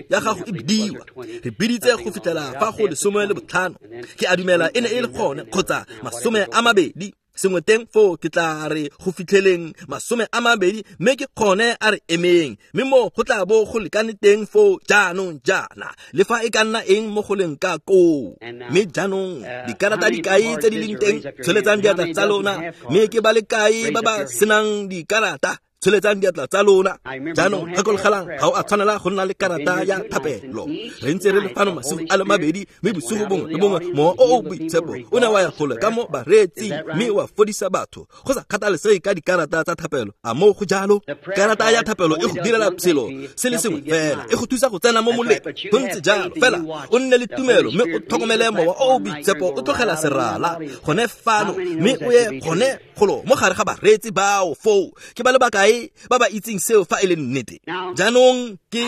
e bidiwa. Re biditse go fitlhela fa go 15. Ke a dumela e ne e le gone kgotsa 20. Sengwe teng foo ke tla re go fitlheleng 20 mme ke kgone a re emeng, mme mo go tla bo go lekane teng foo jaanong jaana le fa e ka nna eng mo go leng ka koo. Mme jaanong dikarata di kae tse di leng teng? Tsholetsang diatla tsa lona. Mme ke ba le kae ba ba senang dikarata? Tsholetsang diatla tsa lona. Jaanong gakologelang, ga o a tshwanela go nna le karata ya thapelo. Re ntse re le fano masigo a le mabedi, mme bosigo bongwe le bongwe mowa o o boitshepo o ne wa ya gole ka mo bareetsing mme wa fodisa batho go sa kgathalesege ka dikarata tsa thapelo. A moo go jalo? Karata ya thapelo e go direla selo se le sengwe fela, e go thusa go tsena mo moleng. Go ntse jalo fela, o nne le tumelo mme o tlhokomele mowa o o boitshepo o tlogela serala gone fano mme o ye gone golo mo gare ga bareetsi bao foo. Ke ba le bakae ba ba itseng seo fa e le nnete? Jaanong ke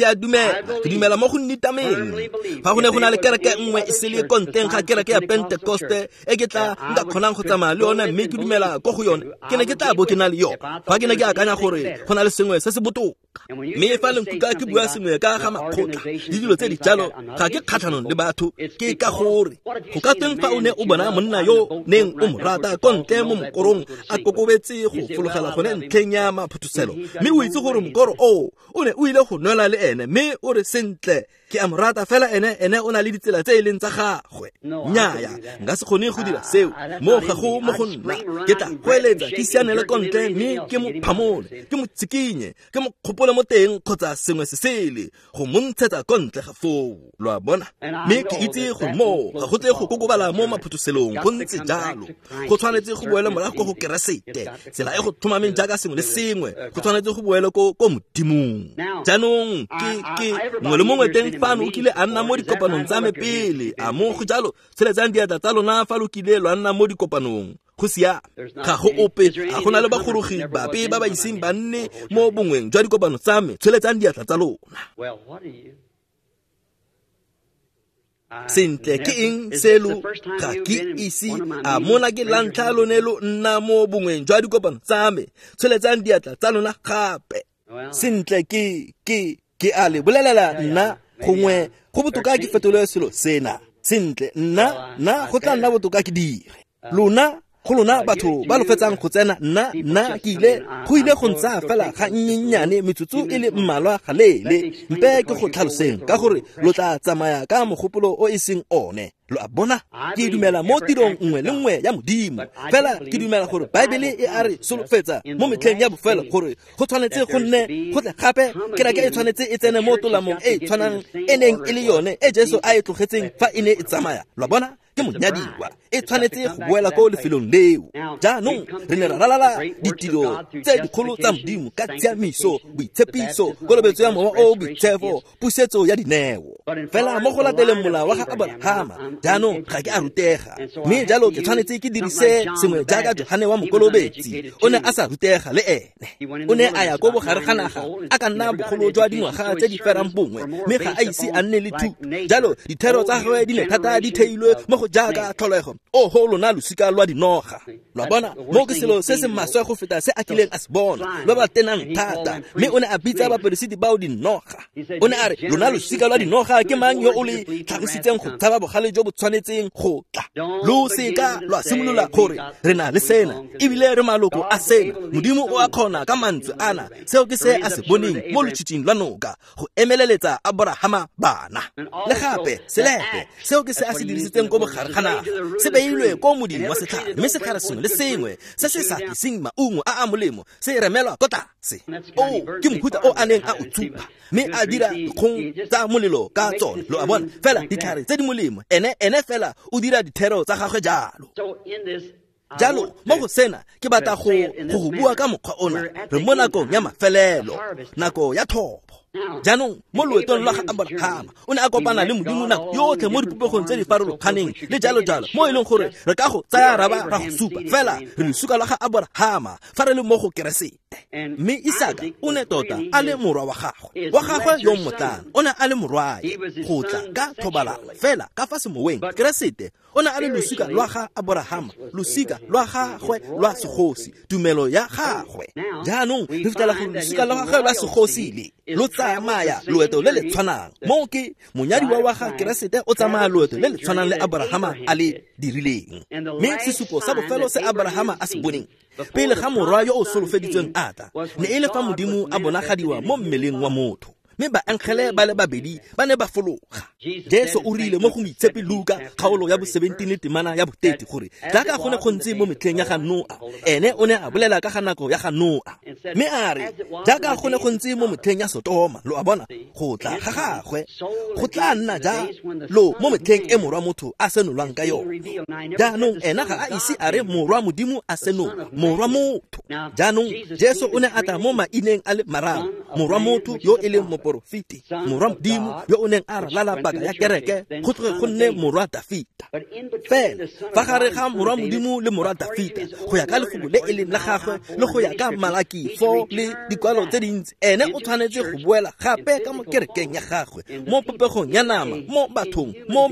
a dumela, ke dumela mo go nnitameng. Fa go ne go na le kereke nngwe e sele ko ntleng ga kereke ya Pentekoste e ke tla nka kgonang go tsamaya le yone mme ke dumela ko go yone, ke ne ke tla bo ke na le yone. Fa ke ne ke akanya gore go na le sengwe se se botoka. Mme fa le nkutlwa ke bua sengwe ka ga makgotla le dilo tse di jalo, ga ke kgatlhanong le batho. Ke ka gore go ka teng fa o ne o bona monna yo neng o mo rata ko ntle mo mokorong a kokobetse go fologela gone ntlheng ya maphuthuselo, mme o itse gore mokoro oo o ne o ile go nwela le ene, mme o re sentle ke a mo rata fela ene o na le ditsela tse e leng tsa gagwe. Nnyaya, nka se kgone go dira seo. Mo ga go mo go nna, ke tla goeletsa ke sianele ko ntle mme ke mo phamole, ke mo tsikinye, ke mo kgopole mo teng kgotsa sengwe se sele go mo ntshetsa ko ntle ga foo. Lo a bona? Mme ke itse gore moo ga go tle go kokobala mo maphutuselong. Go ntse jalo, go tshwanetse go boele morago ko go Keresete, tsela e go tlhomameng jaaka sengwe le sengwe go tshwanetse go boele ko Modimong. Jaanong ke mongwe le mongwe teng fano o kile a nna mo dikopanong tsa me pele. A mo go jalo? Tsholetsang diatla tsa lona fa lo kile lwa nna mo dikopanong. Go siame, ga go ope, ga go na le bagorogi bape ba ba iseng ba nne mo bongweng jwa dikopano tsa me. Tsholetsang diatla tsa lona. Sentle, ke eng selo? Ga ke ise a mona ke la ntlha lone lo nna mo bongweng jwa dikopano tsa me. Tsholetsang diatla tsa lona gape. Sentle, ke a le bolelela nna gongwe go botoka ke fetole selo sena. Sentle, nna go tla nna botoka ke dire. Lona go lona batho ba lo fetsang go tsena, nna ke ile go ile go ntsa fela ga nnyennyane metsotso e le mmalwa ga leele. Mpe ke go tlhaloseng ka gore lo tla tsamaya ka mogopolo o e seng one. Lo a bona? Ke dumela mo tirong nngwe le nngwe ya Modimo, fela ke dumela gore Baebele e a re solofetsa mo metlheng ya bofelo gore go tshwanetse go nne go tle gape kereke e tshwanetse e tsene mo tolamong e tshwanang e neng e le yone e Jesu a e tlogetseng fa e ne e tsamaya. Lo a bona? Ke monyadiwa, e tshwanetse go boela ko lefelong leo. Jaanong re ne ra ralala ditiro tse dikgolo tsa Modimo ka tshiamiso, boitshepiso, kolobetso ya mowa o boitshepo, pusetso ya dineo. Fela mo go lateleng molao wa ga Abrahama, jaanong ga ke a rutega, mme jalo ke tshwanetse ke dirise sengwe jaaka Johane wa Mokolobetsi. O ne a sa rutega le ene. O ne a ya ko bogare ga naga a ka nna bogolo jwa dingwaga tse di ferang bongwe, mme ga a ise a nne le thuto. Jalo dithero tsa gagwe di ne thata di theilwe mo go jaaka tlholego. Oho lona losika lwa dinoga. Lo a bona? Mo ke selo se se maswe go feta se a kileng a se bona, lo ba tenang thata. Mme o ne a bitsa baperesiti bao dinoga. O ne a re, lona losika lwa dinoga, ke mang yo o le tlhagisitseng go tshaba bogale jo bo tshwanetseng go tla? Lo seka lwa simolola gore re na le sena, ebile re maloko a sena. Modimo o a kgona ka mantswe ana. Seo ke se a se boneng mo lotshitshing lwa noka, go emeleletsa Abrahama bana. Le gape selepe, seo ke se a se dirisitseng ko bogare ga naga, se beilwe ko modimo wa setlhare, mme setlhare sengwe le sengwe se se sa tliseng maungo a a molemo se remelwa ko tlase. O ke mohuta o a neng a o tsupa, mme a dira dikgong tsa molelo ka tsone. Lo a bona? Fela ditlhare tse di molemo, ene fela o dira dithero tsa gagwe jalo. Jalo mo go sena ke batla go go bua ka mokgwa ona. Re mo nakong ya mafelelo, nako ya thobo. Jaanong mo loetong lwa ga Abrahama o ne a kopana le Modimo nako yotlhe mo dipopegong tse di farologaneng le jalo jalo, mo e leng gore re ka go tsaya raba ra go supa fela re losuka lwa ga Abrahama fa re le mo go Keresete. Keresete. Mme Isaka o ne tota a le morwa wa gagwe yo mmotlana, o ne a le morwae go tla ka thobalano fela ka fa semoweng. Keresete o ne a le losika lwa ga Aborahama, losika lwa gagwe lwa segosi, tumelo ya gagwe. Jaanong re fitlhela gore losika lwa gagwe lwa segosi le lo tsamaya loeto le le tshwanang. Moo ke monyadiwa wa ga Keresete o tsamaya loeto le le tshwanang le Aborahama a le dirileng. Mme sesupo sa bofelo se Aborahama a se boneng pele ga morwa yo o solofeditsweng a tla ne e le fa Modimo a bonagadiwa mo mmeleng wa motho, mme baangele ba le babedi ba ne ba fologa. Jesu o rile mo go Moitshepi Luka kgaolo ya bo 17 le temana ya bo 30 gore jaaka go ne go ntse mo metlheng ya ga Noa, ene o ne a bolela ka ga nako ya ga Noa, mme a re jaaka go ne go ntse mo metlheng ya Sotoma, lo a bona, go tla ga gagwe go tla nna jalo mo metlheng e morwa motho a senolwang ka yone. Jaanong ena ga a ise a re morwa Modimo a senolwa, morwa motho. Jaanong Jesu o ne a tla mo maineng a le mararo, morwa motho yo e leng moporofeti, morwa Modimo yo o neng a ralala paka ya kereke go tloge go nne morwa Dafita. Fela fa gare ga morwa Modimo le morwa Dafita, go ya ka lefoko le e leng la gagwe le go ya ka Malaki 4 le dikwalo tse dintsi, ene o tshwanetse go boela gape ka mo kerekeng ya gagwe, mo popegong ya nama, mo bathong, mo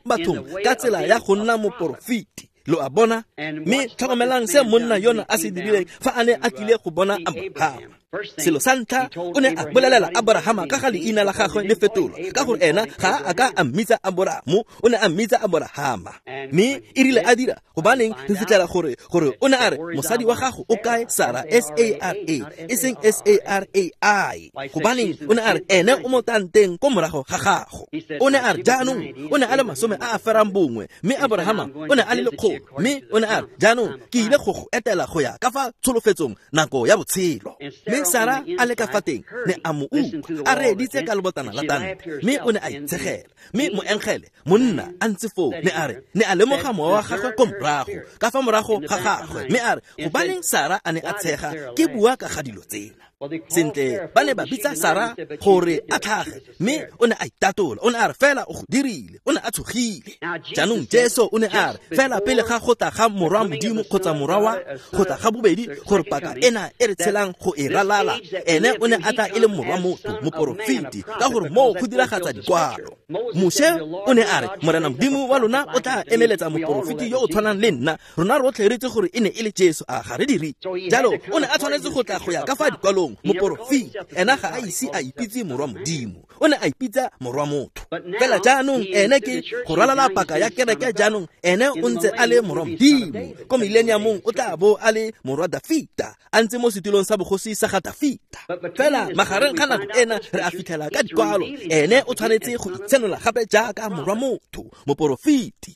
bathong ka tsela ya go nna moporofeti. Lo a bona? Mme tlhokomelang se monna yona a se dirileng fa a ne a tlile go bona Aborahama. Selo sa ntlha o ne a bolelela Aborahama ka ga leina la gagwe le fetolwa, ka gore ena ga a ka a mmitsa Aboramo, o ne a mmitsa Aborahama. Mme e rile a dira, gobaneng re fitlhela gore o ne a re mosadi wa gago o kae, Sara, S-A-R-A, e seng S-A-R-A-I. Gobaneng o ne a re ene o mo tanteng ko morago ga gago. O ne a re jaanong o ne a le 91, mme Aborahama o ne a le 100, mme o ne a re jaanong ke ile go go etela go ya ka fa tsholofetsong nako ya botshelo. Mme Sara a le ka fa teng ne a mo utlwa a reeditse ka lebotana la tante, mme o ne a itshegela. Mme moengele monna a ntse foo ne a re ne a lemoga mowa wa gagwe ko morago ka fa morago ga gagwe, mme a re gobaneng Sara a ne a tshega ke bua ka ga dilo tsena. Sentle ba ne ba bitsa Sara gore a tlhage, mme o ne a itatola, o ne a re fela o go dirile, o ne a tshogile. Jaanong Jesu o ne a re fela pele ga go tla ga morwa Modimo kgotsa morwa wa go tla ga bobedi, gore paka ena e re tshelang go e ralala, ene o ne a tla e le morwa motho, moporofeti, ka gore moo go diragatsa dikwalo. Moshe o ne a re Morena Modimo wa lona o tla emeletsa moporofeti yo o tshwanang le nna, rona rotlhe re itse gore e ne e le Jesu, a ga re dire jalo. O ne a tshwanetse go tla go ya ka fa dikwalong, moporofeti. Ena ga a ise a ipitse morwa Modimo, o ne a ipitsa morwa motho. Fela jaanong ene ke go ralala paka ya kereke, jaanong ene o ntse a le morwa Modimo. Ko millenniumong o tla bo a le morwa Dafita, a ntse mo setulong sa bogosi sa ga Dafita. Fela magareng ga nako ena re a fitlhela ka dikwalo, ene o tshwanetse go itsenola gape jaaka morwa motho, moporofeti.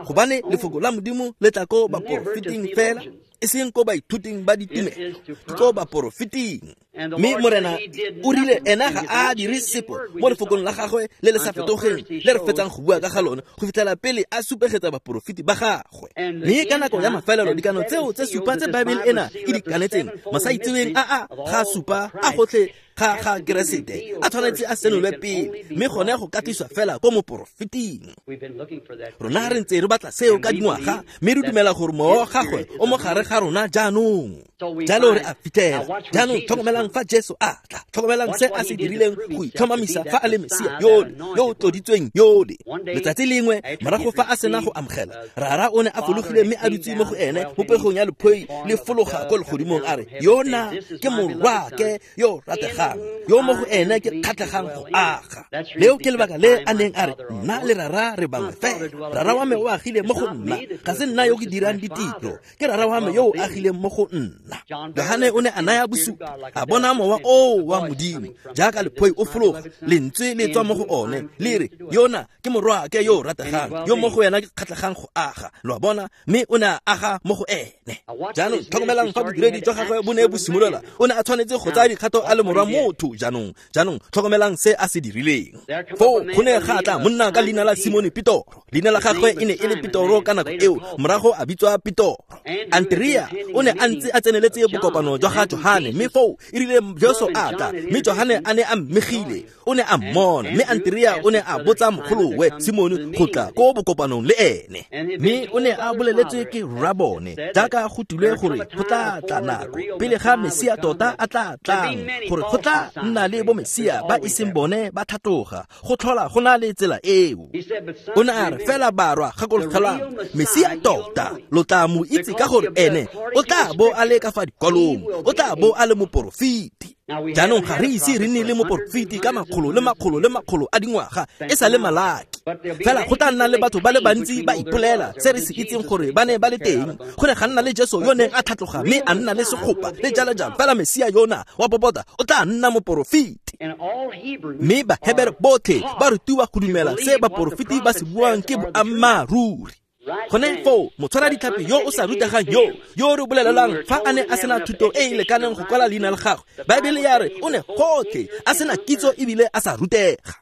Gobane lefoko la Modimo le tla ko baporofeting fela, e seng ko baithuting ba ditumelo, ke ko baporofeting. Mme Morena o rile ena ga a dire sepe mo lefokong la gagwe le le sa fetogeng le re fetsang go bua ka ga lone go fitlhela pele a supegetsa baporofeti ba gagwe. Mme ka nako ya mafelelo dikano tseo tse supa tse Baebele ena e di kanetseng, masaitseweng a ga supa a gotlhe ga ga Keresete a tshwanetse a senolwe pele, mme gone go katliswa fela ko moporofeting. Rona re ntse re batla seo ka dingwaga, mme re dumela gore mowa wa gagwe o mo gare ga rona jaanong. Jalo re a fitlhela. Jaanong tlhokomelang fa Jesu a tla, tlhokomelang se a se dirileng go itlhomamisa fa a le Mesia yole yo o tloditsweng yole. Letsatsi lengwe morago fa a sena go amogela, Rara o ne a fologile mme a dutse mo go ene mo pegong ya lephoi le fologa ko legodimong, a re yona ke morwake yo rategang, yo mo go ene ke kgatlhegang go aga. Leo ke lebaka le a neng a re nna le Rara re bangwe fela. Rara wa me o agile mo go nna, ga se nna yo ke dirang ditiro, ke Rara wa me yo o agileng mo go nna. Johane o ne a naya bosupi, a bona mowa oo wa Modimo jaaka lephoi o fologa, lentswe le tswa mo go one le re yona ke morwake yo o rategang, yo mo go yena ke kgatlhegang go aga. Lo a bona? Mme o ne a aga mo go ene. Jaanong tlhokomelang fa bodiredi jwa gagwe bo ne bo simolola, o ne a tshwanetse go tsaya dikgato a le morwa motho. Jaanong tlhokomelang se a se dirileng. Foo go ne ga tla monna ka leina la Simone Petoro. Leina la gagwe e ne e le Petoro ka nako eo, morago a bitswa Petoro. Andrea o ne a ntse a tseneletse bokopano jwa ga Johane, mme foo e rile Jesu a tla, mme Johane a ne a mmegile, o ne a mmona. Mme Andrea o ne a botsa mogolowe Simone go tla ko bokopanong le ene, mme o ne a boleletswe ke rrabone jaaka Jaaka go tilwe gore go tla tla nako pele ga Mesia tota a tla tlang, gore go tla nna le bo Mesia ba iseng bone ba tlhatloga, go tlhola go na le tsela eo. O ne a re fela barwa gakologelang Mesia tota lo tla mo itse ka gore ene o tla bo a le ka fa dikwalong, o tla bo a le moporofeti. Jaanong ga re ise re nne le moporofeti ka makgolo le makgolo le makgolo a dingwaga e sa le Malaki. Fela go tla nna le batho ba le bantsi ba ipolela se re se itseng gore ba ne ba le teng. Go ne ga nna le Jesu yo neng a tlhatloga mme a nna le segopa le jalo jalo. Fela Mesia yona wa popota o tla nna moporofeti. Mme Bahebere botlhe ba rutiwa go dumela se baporofeti ba se buang ke boammaaruri. Gone foo motshwara ditlhapi yo o sa rutegang yo re bolelelang fa a ne a sena thuto e e lekaneng go kwala leina la gagwe, Baebele ya re o ne gotlhe a sena kitso ebile a sa rutega.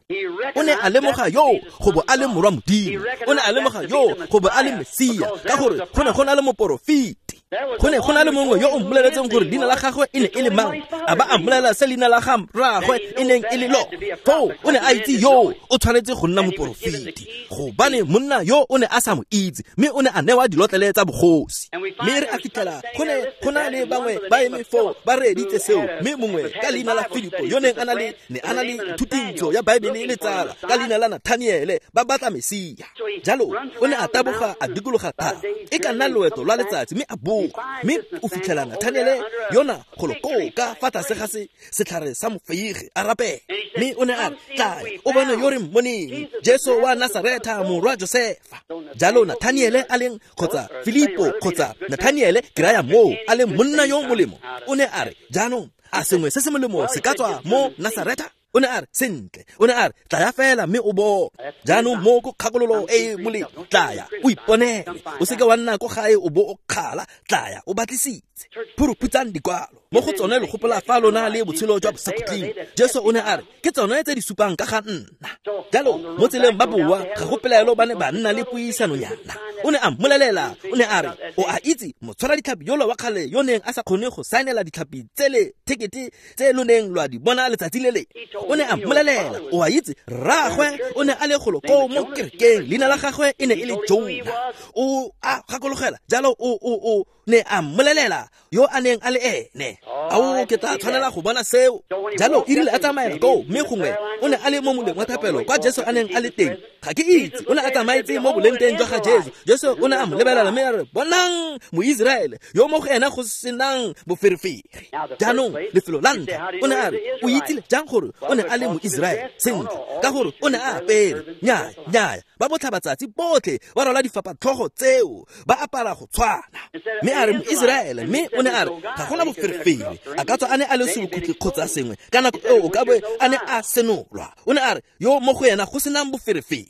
O ne a lemoga yo go bo a le morwa Modimo, o ne a lemoga yo go bo a le Mesia, ka gore go ne go na le moporofeti. Go ne go na le mongwe yo o mmoleletseng gore leina la gagwe e ne e le mang, a ba a mmolelela se leina la ga rraagwe e neng e le lo. Foo o ne a itse yo o tshwanetse go nna moporofeti, gobane monna yo o ne a sa mo itse, mme o ne a newa dilotlele tsa bogosi. Mme re a fitlhela go ne go na le bangwe ba eme foo ba reeditse seo, mme mongwe ka leina la Filipo yo neng a na le ne a na le thutintsho ya Baebele le tsala ka leina la Nathaniele, ba batla Mesia. Jalo o ne a taboga a dikologa thaba e ka nna loeto lwa letsatsi, mme a boa, mme o fitlhela Nathaniele yona golo koo ka fa tlase ga setlhare sa mofeige a rapela. Mme o ne a re, tlaya o bone yo re mmoneng, Jesu wa Nasaretha morwa Josefa. Jalo Nathaniele a leng kgotsa Filipo kgotsa Nathaniele ke raya moo a leng monna yo molemo, o ne a re, jaanong a sengwe se se molemo se ka tswa mo Nasaretha? O ne a re, sentle. O ne a re, tlaya fela mme o bone. Jaanong mo ko kgakololo e e molemo, tlaya o iponele, o seke wa nna ko gae o bo o kgala, tlaya o batlisitse. Phuruphutsang dikwalo mo go tsone lo gopola fa lona le botshelo jwa bosakhutleng. Jesu o ne a re, ke tsone tse di supang ka ga nna. Jalo mo tseleng ba boa, ga go pelaelo ba ne ba nna le puisanonyana. O ne a mmolelela, o ne a re, o a itse motshwara ditlhapi yola wa kgale yo neng a sa kgone go saenela ditlhapi tsele tekete tse lo neng lwa di bona letsatsi le le. O ne a mmolelela, o a itse rraagwe o ne a le golo koo mo kerekeng, leina la gagwe e ne e le Jona. O a gakologela jalo o ne a mmolelela yo a neng a le ene. Ao ke tla tshwanela go bona seo. Jalo e rile a tsamaela koo, mme gongwe o ne a le mo moleng wa thapelo kwa Jesu a neng a le teng. Ga ke itse, o ne a tsamaetse mo boleng teng jwa ga Jesu. Jesu o ne a mo lebelela mme a re, bonang Moiseraele yo mo go ena go senang boferefere. Jaanong lefelo la ntlha o ne a re, o itsile jang gore o ne a le Moiseraele? Sentle, ka gore o ne a apere. Nnyaya, nnyaya, ba botlhabatsatsi botlhe ba rwala difapatlhogo tseo, ba apara go tshwana. Mme a re Moiseraele, mme o ne a re ga gona boferefere, a ka tswa a ne a le serukutlhi kgotsa sengwe ka nako eo o ka be a ne a senolwa. O ne a re yo mo go yena go senang boferefere.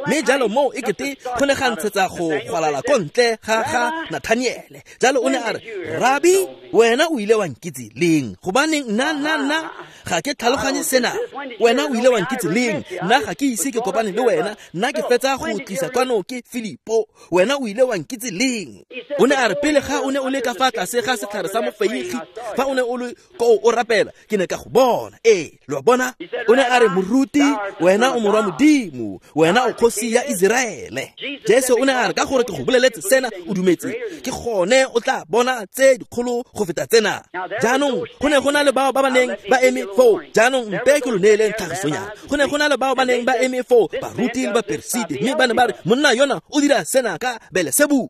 Mme jalo moo e kete go ne ga ntshetsa go gwalala ko ntle ga ga Nathaniele. Jalo o ne a re, Rabi, wena o ile wa nkitse leng? Gobaneng nna ga ke tlhaloganye sena. Wena o ile wa nkitse leng? Nna ga ke ise ke kopane le wena, nna ke fetsa go tlisa kwano ke Filipo. Wena o ile wa nkitse leng? O ne a re, pele ga o ne o le ka fa tlase ga setlhare sa mofeigi, fa o ne o le koo o rapela, ke ne ka go bona. Ee, lo a bona? O ne a re, moruti, wena o morwa Modimo, wena o kgosi ya Iseraele. Jesu o ne a re, ka gore ke go boleletse sena o dumetse, ke gone o tla bona tse dikgolo go feta tsena. Jaanong go ne go na le bao ba ba neng ba eme foo. Jaanong mpe ke lo neeleng tlhagisonyana. Go ne go na le bao ba neng ba eme foo, baruti le baperesiti, mme ba ne ba re, monna yona o dira sena ka Belesebule.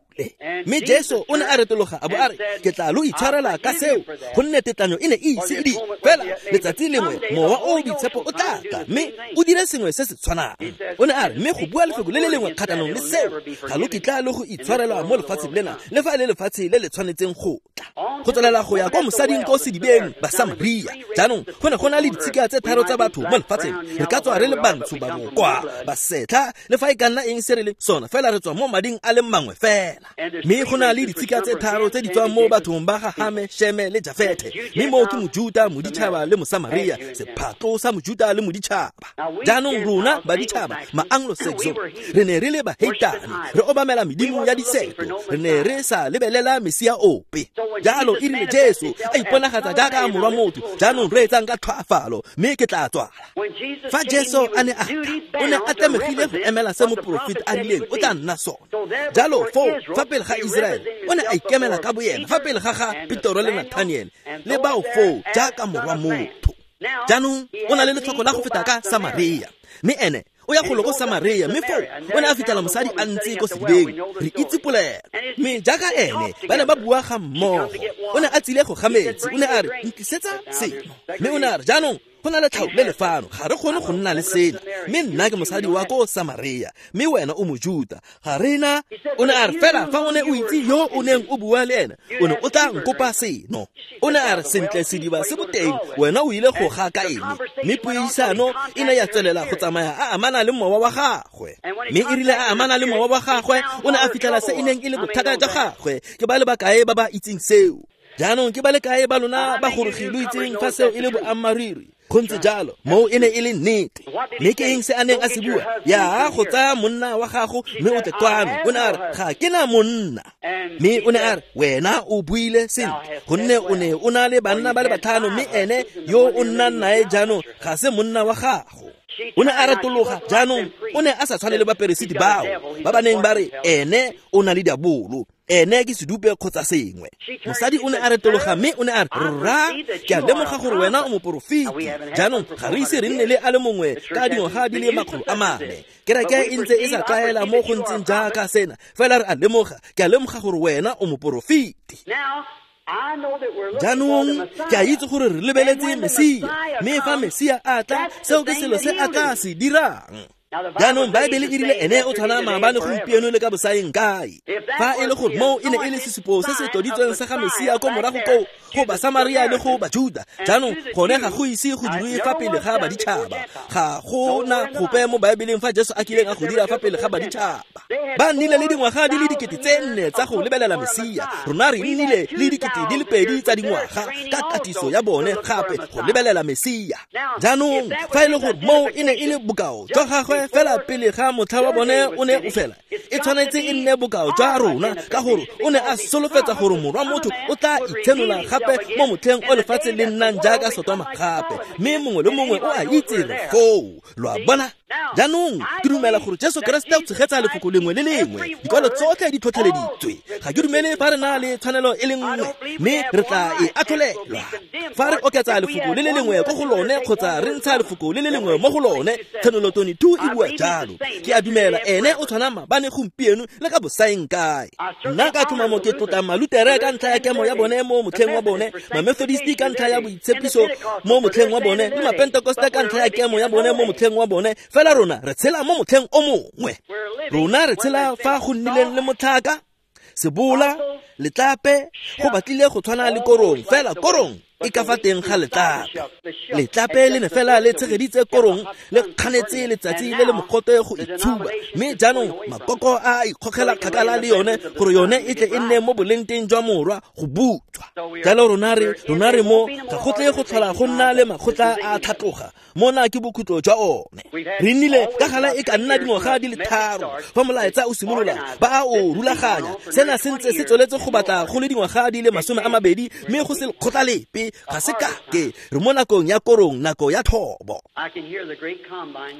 Mme Jesu o ne a retologa a bo a re, ke tla lo itshwarela ka seo, gonne tetlanyo e ne e ise e di. Fela letsatsi lengwe Mowa o o Boitshepo o tla tla mme o dire sengwe se se tshwanang. O ne a re, mme go bua lefoko le le lengwe kgatlhanong le seo, ga lo kitla le go itshwarelwa mo lefatsheng lena, le fa e le lefatshe le le tshwanetseng go tla. Go tswelela go ya kwa mosading ko sedibeng Basamaria. Jaanong go ne go na le ditshika tse tharo tsa batho mo lefatsheng. Re ka tswa re le bantsho, ba bokwa, basetlha, le fa e ka nna eng se re le sona, fela re tswa mo mading a le mangwe fela. Mme go na le ditshika tse tharo tse di tswang mo bathong ba ga Hame, Sheme le Jafethe. Mme moo ke Mojuta, Moditšhaba le Mosamaria, sephatlo sa Mojuta le Moditšhaba. Jaanong rona baditšhaba, ma-Anglo-Saxon, re ne re le baheitane, re obamela medimo ya diseto, re ne re sa lebelela Mesia ope. Jalo e Erile Jesu a iponagatsa jaaka morwa motho, jaanong reetsang ka tlhoafalo, mme ke tla tswala. Fa Jesu a ne a tla, o ne a tlamegile go emela se moporofeti a rileng o tla nna sone. Jalo foo fa pele ga Israele, o ne a ikemela ka boyena fa pele ga ga Petoro le Nathaniel le bao foo jaaka morwa motho. Jaanong o na le letlhoko la go feta ka Samaria, mme ene o ya golo ko Samaria, mme foo o ne a fitlhela mosadi a ntse ko sedibeng. Re itse polelo, mme jaaka ene ba ne ba bua ga mmogo, o ne a tsile go ga metsi. O ne a re, ntlisetsa seno. Mme o ne a re, jaanong go na le tlhao le lefano, ga re kgone go nna le sena, mme nna ke mosadi wa ko Samaria, mme wena o Mojuta, ga re na. O ne a re, fela fa o ne o itse yo o neng o bua le ene, o ne o tla nkopa seno. O ne a re, sentle, sediba se boteng, wena o ile go ga ka eng? Mme puisano e ne ya tswelela go tsamaya a amana le mowa wa gagwe. Mme e rile a amana le mowa wa gagwe, o ne a fitlhela se e neng e le bothata jwa gagwe. Ke ba le bakae ba ba itseng seo? Jaanong ke ba le kae ba lona ba gorogi lo itseng fa seo e le boammaaruri? Go ntse jalo, moo e ne e le nnete. Mme ke eng se a neng a se bua? Ya go tsaya monna wa gago mme o tle kwano. O ne a re, ga ke na monna. Mme o ne a re, wena o buile sentle, gonne o ne o na le banna ba le batlhano, mme ene yo o nnang nae jaanong ga se monna wa gago. O ne a retologa. Jaanong o ne a sa tshwane le baperesiti bao ba ba neng ba re ene o na le diabolo, ene ke sedupe kgotsa sengwe. Mosadi o ne a retologa mme o ne a re, rra, ke a lemoga gore wena o moporofeti. Jaanong ga re ise re nne le a le mongwe ka dingwaga di le 400. Kereke e ntse e sa tlwaela mo go ntseng jaaka sena, fela re a lemoga, ke a lemoga gore wena o moporofeti. Jaanong ke a itse gore re lebeletse Mesia, mme fa Mesia a tla, seo ke selo se a tla se dirang. Jaanong Baebele e rile ene o tshwana maabane, gompieno le ka bosaeng kae. Fa e le gore moo e ne e le sesupo se se tloditsweng sa ga Mesia ko morago koo go Basamaria le go Bajuda, jaanong gone ga go ise go dirwe fa pele ga baditšhaba. Ga go na gope mo Baebeleng fa Jesu a kileng a go dira fa pele ga baditšhaba. Ba nnile le dingwaga di le 4,000 tsa go lebelela Mesia. Rona re nnile le 2,000 tsa dingwaga ka katiso ya bone gape go lebelela Mesia. Jaanong fa e le gore moo e ne e le bokao jwa gagwe fela pele ga motlha wa bone o ne o fela, e tshwanetse e nne bokao jwa rona, ka gore o ne a solofetsa gore morwa motho o tla itshenola gape mo motlheng o lefatshe le nnang jaaka Sotoma gape, mme mongwe le mongwe o a itse re foo. Lo a bona? Jaanong ke dumela gore Jesu Keresete o tshegetsa lefoko lengwe le lengwe. Dikwalo tsotlhe di tlhotlheleditswe. Ga ke dumele fa re na le tshwanelo e le nngwe, mme re tla e atlholelwa. Fa re oketsa lefoko le le lengwe ko go lone kgotsa re ntsha lefoko le le lengwe mo go lone, Tshenolo 22 e bua jalo. Ke a dumela ene o tshwana maabane, gompieno le ka bosaeng kae. Nna ka tlhomamo ke tlotla Malutere ka ntlha ya kemo ya bone mo motlheng wa bone, Mamethodisti ka ntlha ya boitshepiso mo motlheng wa bone, le Mapentekoste ka ntlha ya kemo ya bone mo motlheng wa bone. Fela rona re tshela mo motlheng o mongwe. Rona re tshela fa go nnileng le motlhaka, sebola, letlape, go batlile go tshwana le korong, fela korong e ka fa teng ga letlape. Letlape le ne fela le tshegeditse korong, le kganetse letsatsi le le mogote go itshuba, mme jaanong makoko a ikgogela kgakala le yone gore yone e tle e nne mo bolengteng jwa morwa go butswa. Jalo rona re mo ga go tle go tlhola go nna le makgotla a tlhatloga. Mona ke bokhutlo jwa one. Re nnile ka gala e ka nna dingwaga di le 3 fa molaetsa o simolola ba a o rulaganya. Sena se ntse se tsweletse go batla go le dingwaga di le 20, mme go se lekgotla lepe ga se kake. Re mo nakong ya korong, nako ya thobo.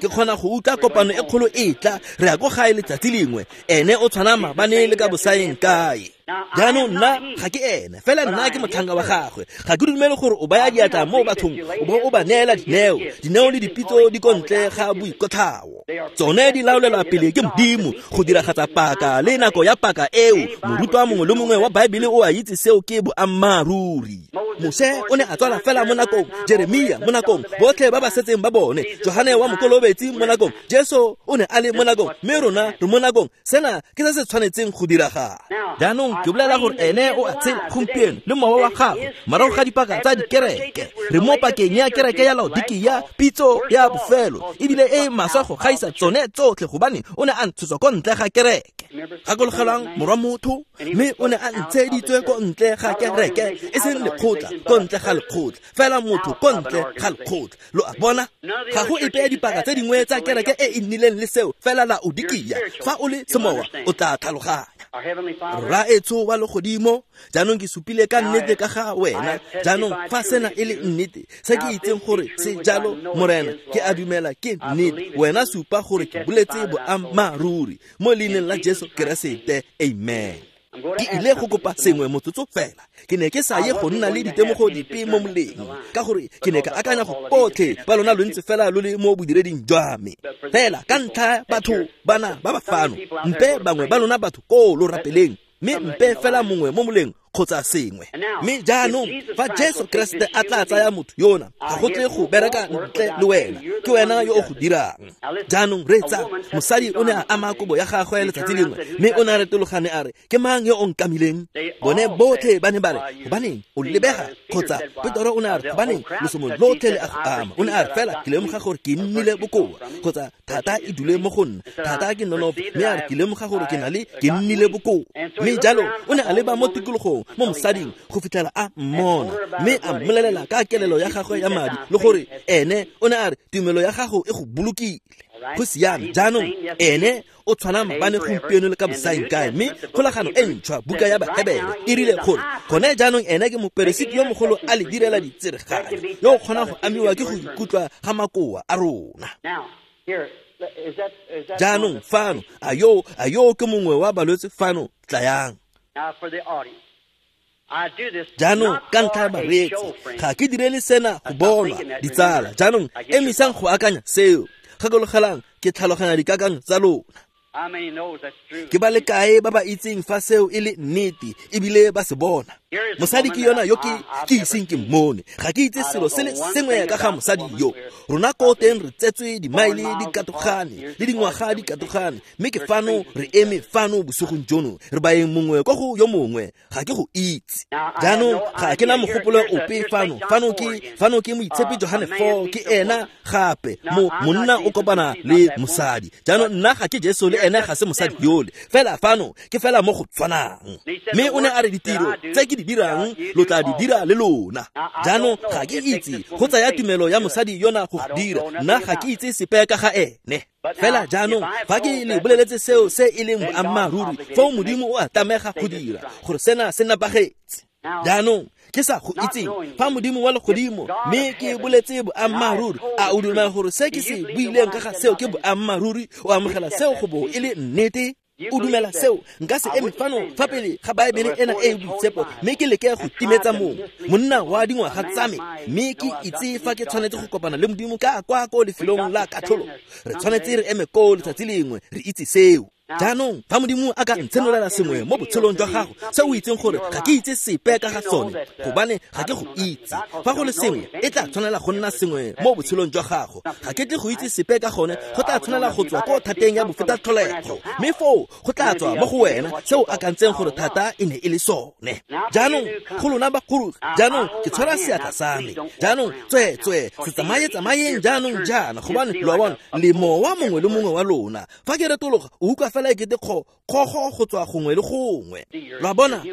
Ke kgona go utlwa kopano e kgolo e tla, re ya ko gae letsatsi lengwe. Ene o tshwana maabane le ka bosaeng kae. Jaanong nna ga ke ene, fela nna ke motlhanka wa gagwe. Ga ke dumele gore o baya diatla mo bathong o bo o ba neela dineo. Dineo le dipitso di ko ntle ga boikotlhao. Tsone di laolelwa pele ke Modimo go diragatsa paka le nako ya paka eo. Morutwa mongwe le mongwe wa Baebele o a itse seo ke boammaaruri. Moshe o ne a tswala fela mo nakong, Jeremia mo nakong, botlhe ba ba setseng ba bone, Johane wa Mokolobetsi mo nakong, Jesu o ne a le mo nakong, mme rona re mo nakong. Sena ke se se tshwanetseng go diragala. Jaanong ke bolela gore ene o a tshela gompieno le mowa wa gagwe morago ga dipaka tsa dikereke. Re mo pakeng ya kereke ya Laodikia, pitso ya bofelo, ebile e maswe go gaisa tsone tsotlhe, gobane o ne a ntshetswa ko ntle ga kereke. Gakologelwang morwa motho, mme o ne a ntsheditswe ko ntle ga kereke, e seng lekgotla, ko ntle ga lekgotla, fela motho ko ntle ga lekgotla. Lo a bona? Ga go epe ya dipaka tse dingwe tsa kereke e e nnileng le seo, fela Laodikia. Fa o le semowa, o tla tlhaloganya. Rraetsho Rraetsho wa legodimo, jaanong ke supile ka nnete ka ga wena. Jaanong fa sena e le nnete, se ke itseng gore se jalo, Morena, ke a dumela ke nnete. Wena supa gore ke boletse boammaaruri mo leineng la Jesu Keresete. Amen. Ke ile go kopa sengwe motsotso fela. Ke ne ke sa ye go nna le ditemogo dipe mo moleng, ka gore ke ne ka akanya go botlhe ba lona lo ntse fela lo le mo bodireding jwa me. Fela ka ntlha batho bana ba ba fano, mpe bangwe ba lona batho koo lo rapeleng, mme mpe fela mongwe mo moleng kgotsa sengwe. Mme jaanong fa Jesu Keresete a tla tsaya motho yona, ga go tle go bereka ntle le wena, ke wena yo o go dirang. Jaanong reetsa, mosadi o ne a ama kobo ya gagwe letsatsi lengwe, mme o ne a retologane a re, ke mang yo o nkamileng? Bone botlhe ba ne ba re, gobaneng o lebega? Kgotsa Petoro o ne a re, gobaneng lesomo lotlhe le a go ama? O ne a re, fela ke lemoga gore ke nnile bokoa, kgotsa thata e dule mo go nna, thata ke nonofo, mme a re ke lemoga gore ke na le ke nnile bokoa. Mme jalo o ne a leba mo tikologong mo mosading go fitlhela a mmona, mme a mmolelela ka kelelo ya gagwe ya madi, le gore ene o ne a re tumelo ya gago e go bolokile. Go siame. Jaanong ene o tshwana maabane, gompieno le ka bosaengkae. Mme kgolagano e ntšhwa, buka ya Bahebere, e rile gore gone jaanong ene ke moperesiti yo mogolo a le direla ditsereganyo, yo o kgonang go amiwa ke go ikutlwa ga makoa a rona. Jaanong fano, a yo ke mongwe wa balwetse fano, tlayang. Jaanong ka ntlha ya bareetsi, ga ke direle sena go bonwa, ditsala. Jaanong emisang go akanya seo. Gakologelang, ke tlhaloganya dikakanyo tsa lona. Ke ba le kae ba ba itseng fa seo e le nnete ebile ba se bona? Mosadi ke yona yo ke iseng ke mmone. Ga ke itse selo se le sengwe ka ga mosadi yo. Rona ko teng re tsetswe dimaele di katogane le dingwaga di katogane, mme ke fano re eme fano bosigong jono, re baeng mongwe kwa go yo mongwe. Ga ke go itse. Jaanong ga ke na mogopolo ope fano. Fano ke moitshepi Johane 4, ke ena gape monna o kopana le mosadi. Jaanong nna ga ke Jesu, le ene ga se mosadi yole. Fela fano ke fela mo go tshwanang. Mme o ne a re ditiro tse ke di dirang lo tla di dira le lona. Jaanong ga ke itse go tsaya tumelo ya mosadi yona go dira. Nna ga ke itse sepe ka ga ene. Fela jaanong fa ke le boleletse seo se e leng boammaaruri, foo Modimo o a tlamega go dira gore sena se nepagetse. Jaanong ke sa go itseng, fa Modimo wa legodimo, mme ke boletse boammaaruri, a o dumela gore se ke se buileng ka ga seo ke boammaaruri? O amogela seo go bo e le nnete? O dumela seo? Nka se eme fano fa pele ga Baebele ena e e boitshepo, mme ke leke go timetsa mongwe monna wa dingwaga tsa me, mme ke itse fa ke tshwanetse go kopana le Modimo ka kwa ko lefelong la katlholo. Re tshwanetse re eme koo letsatsi lengwe, re itse seo. Jaanong fa Modimo a ka ntshenolela sengwe mo botshelong jwa gago se o itseng gore ga ke itse sepe ka ga sone, gobane ga ke go itse, fa go le sengwe e tla tshwanela go nna sengwe mo botshelong jwa gago, ga ke tle go itse sepe ka gone, go tla tshwanela go tswa ko thateng ya bofetatlholego, mme foo go tla tswa mo go wena se o akantseng gore thata e ne e le sone. Jaanong go lona bagolo, jaanong ke tshwara seatla sa me. Jaanong tsweetswee se tsamaye-tsamayeng jaanong jaana, gobane lo a bona le mowa mongwe le mongwe wa lona. Fa ke retologa, o utlwa fela e kete kgogo go tswa gongwe le gongwe. Lo a bona,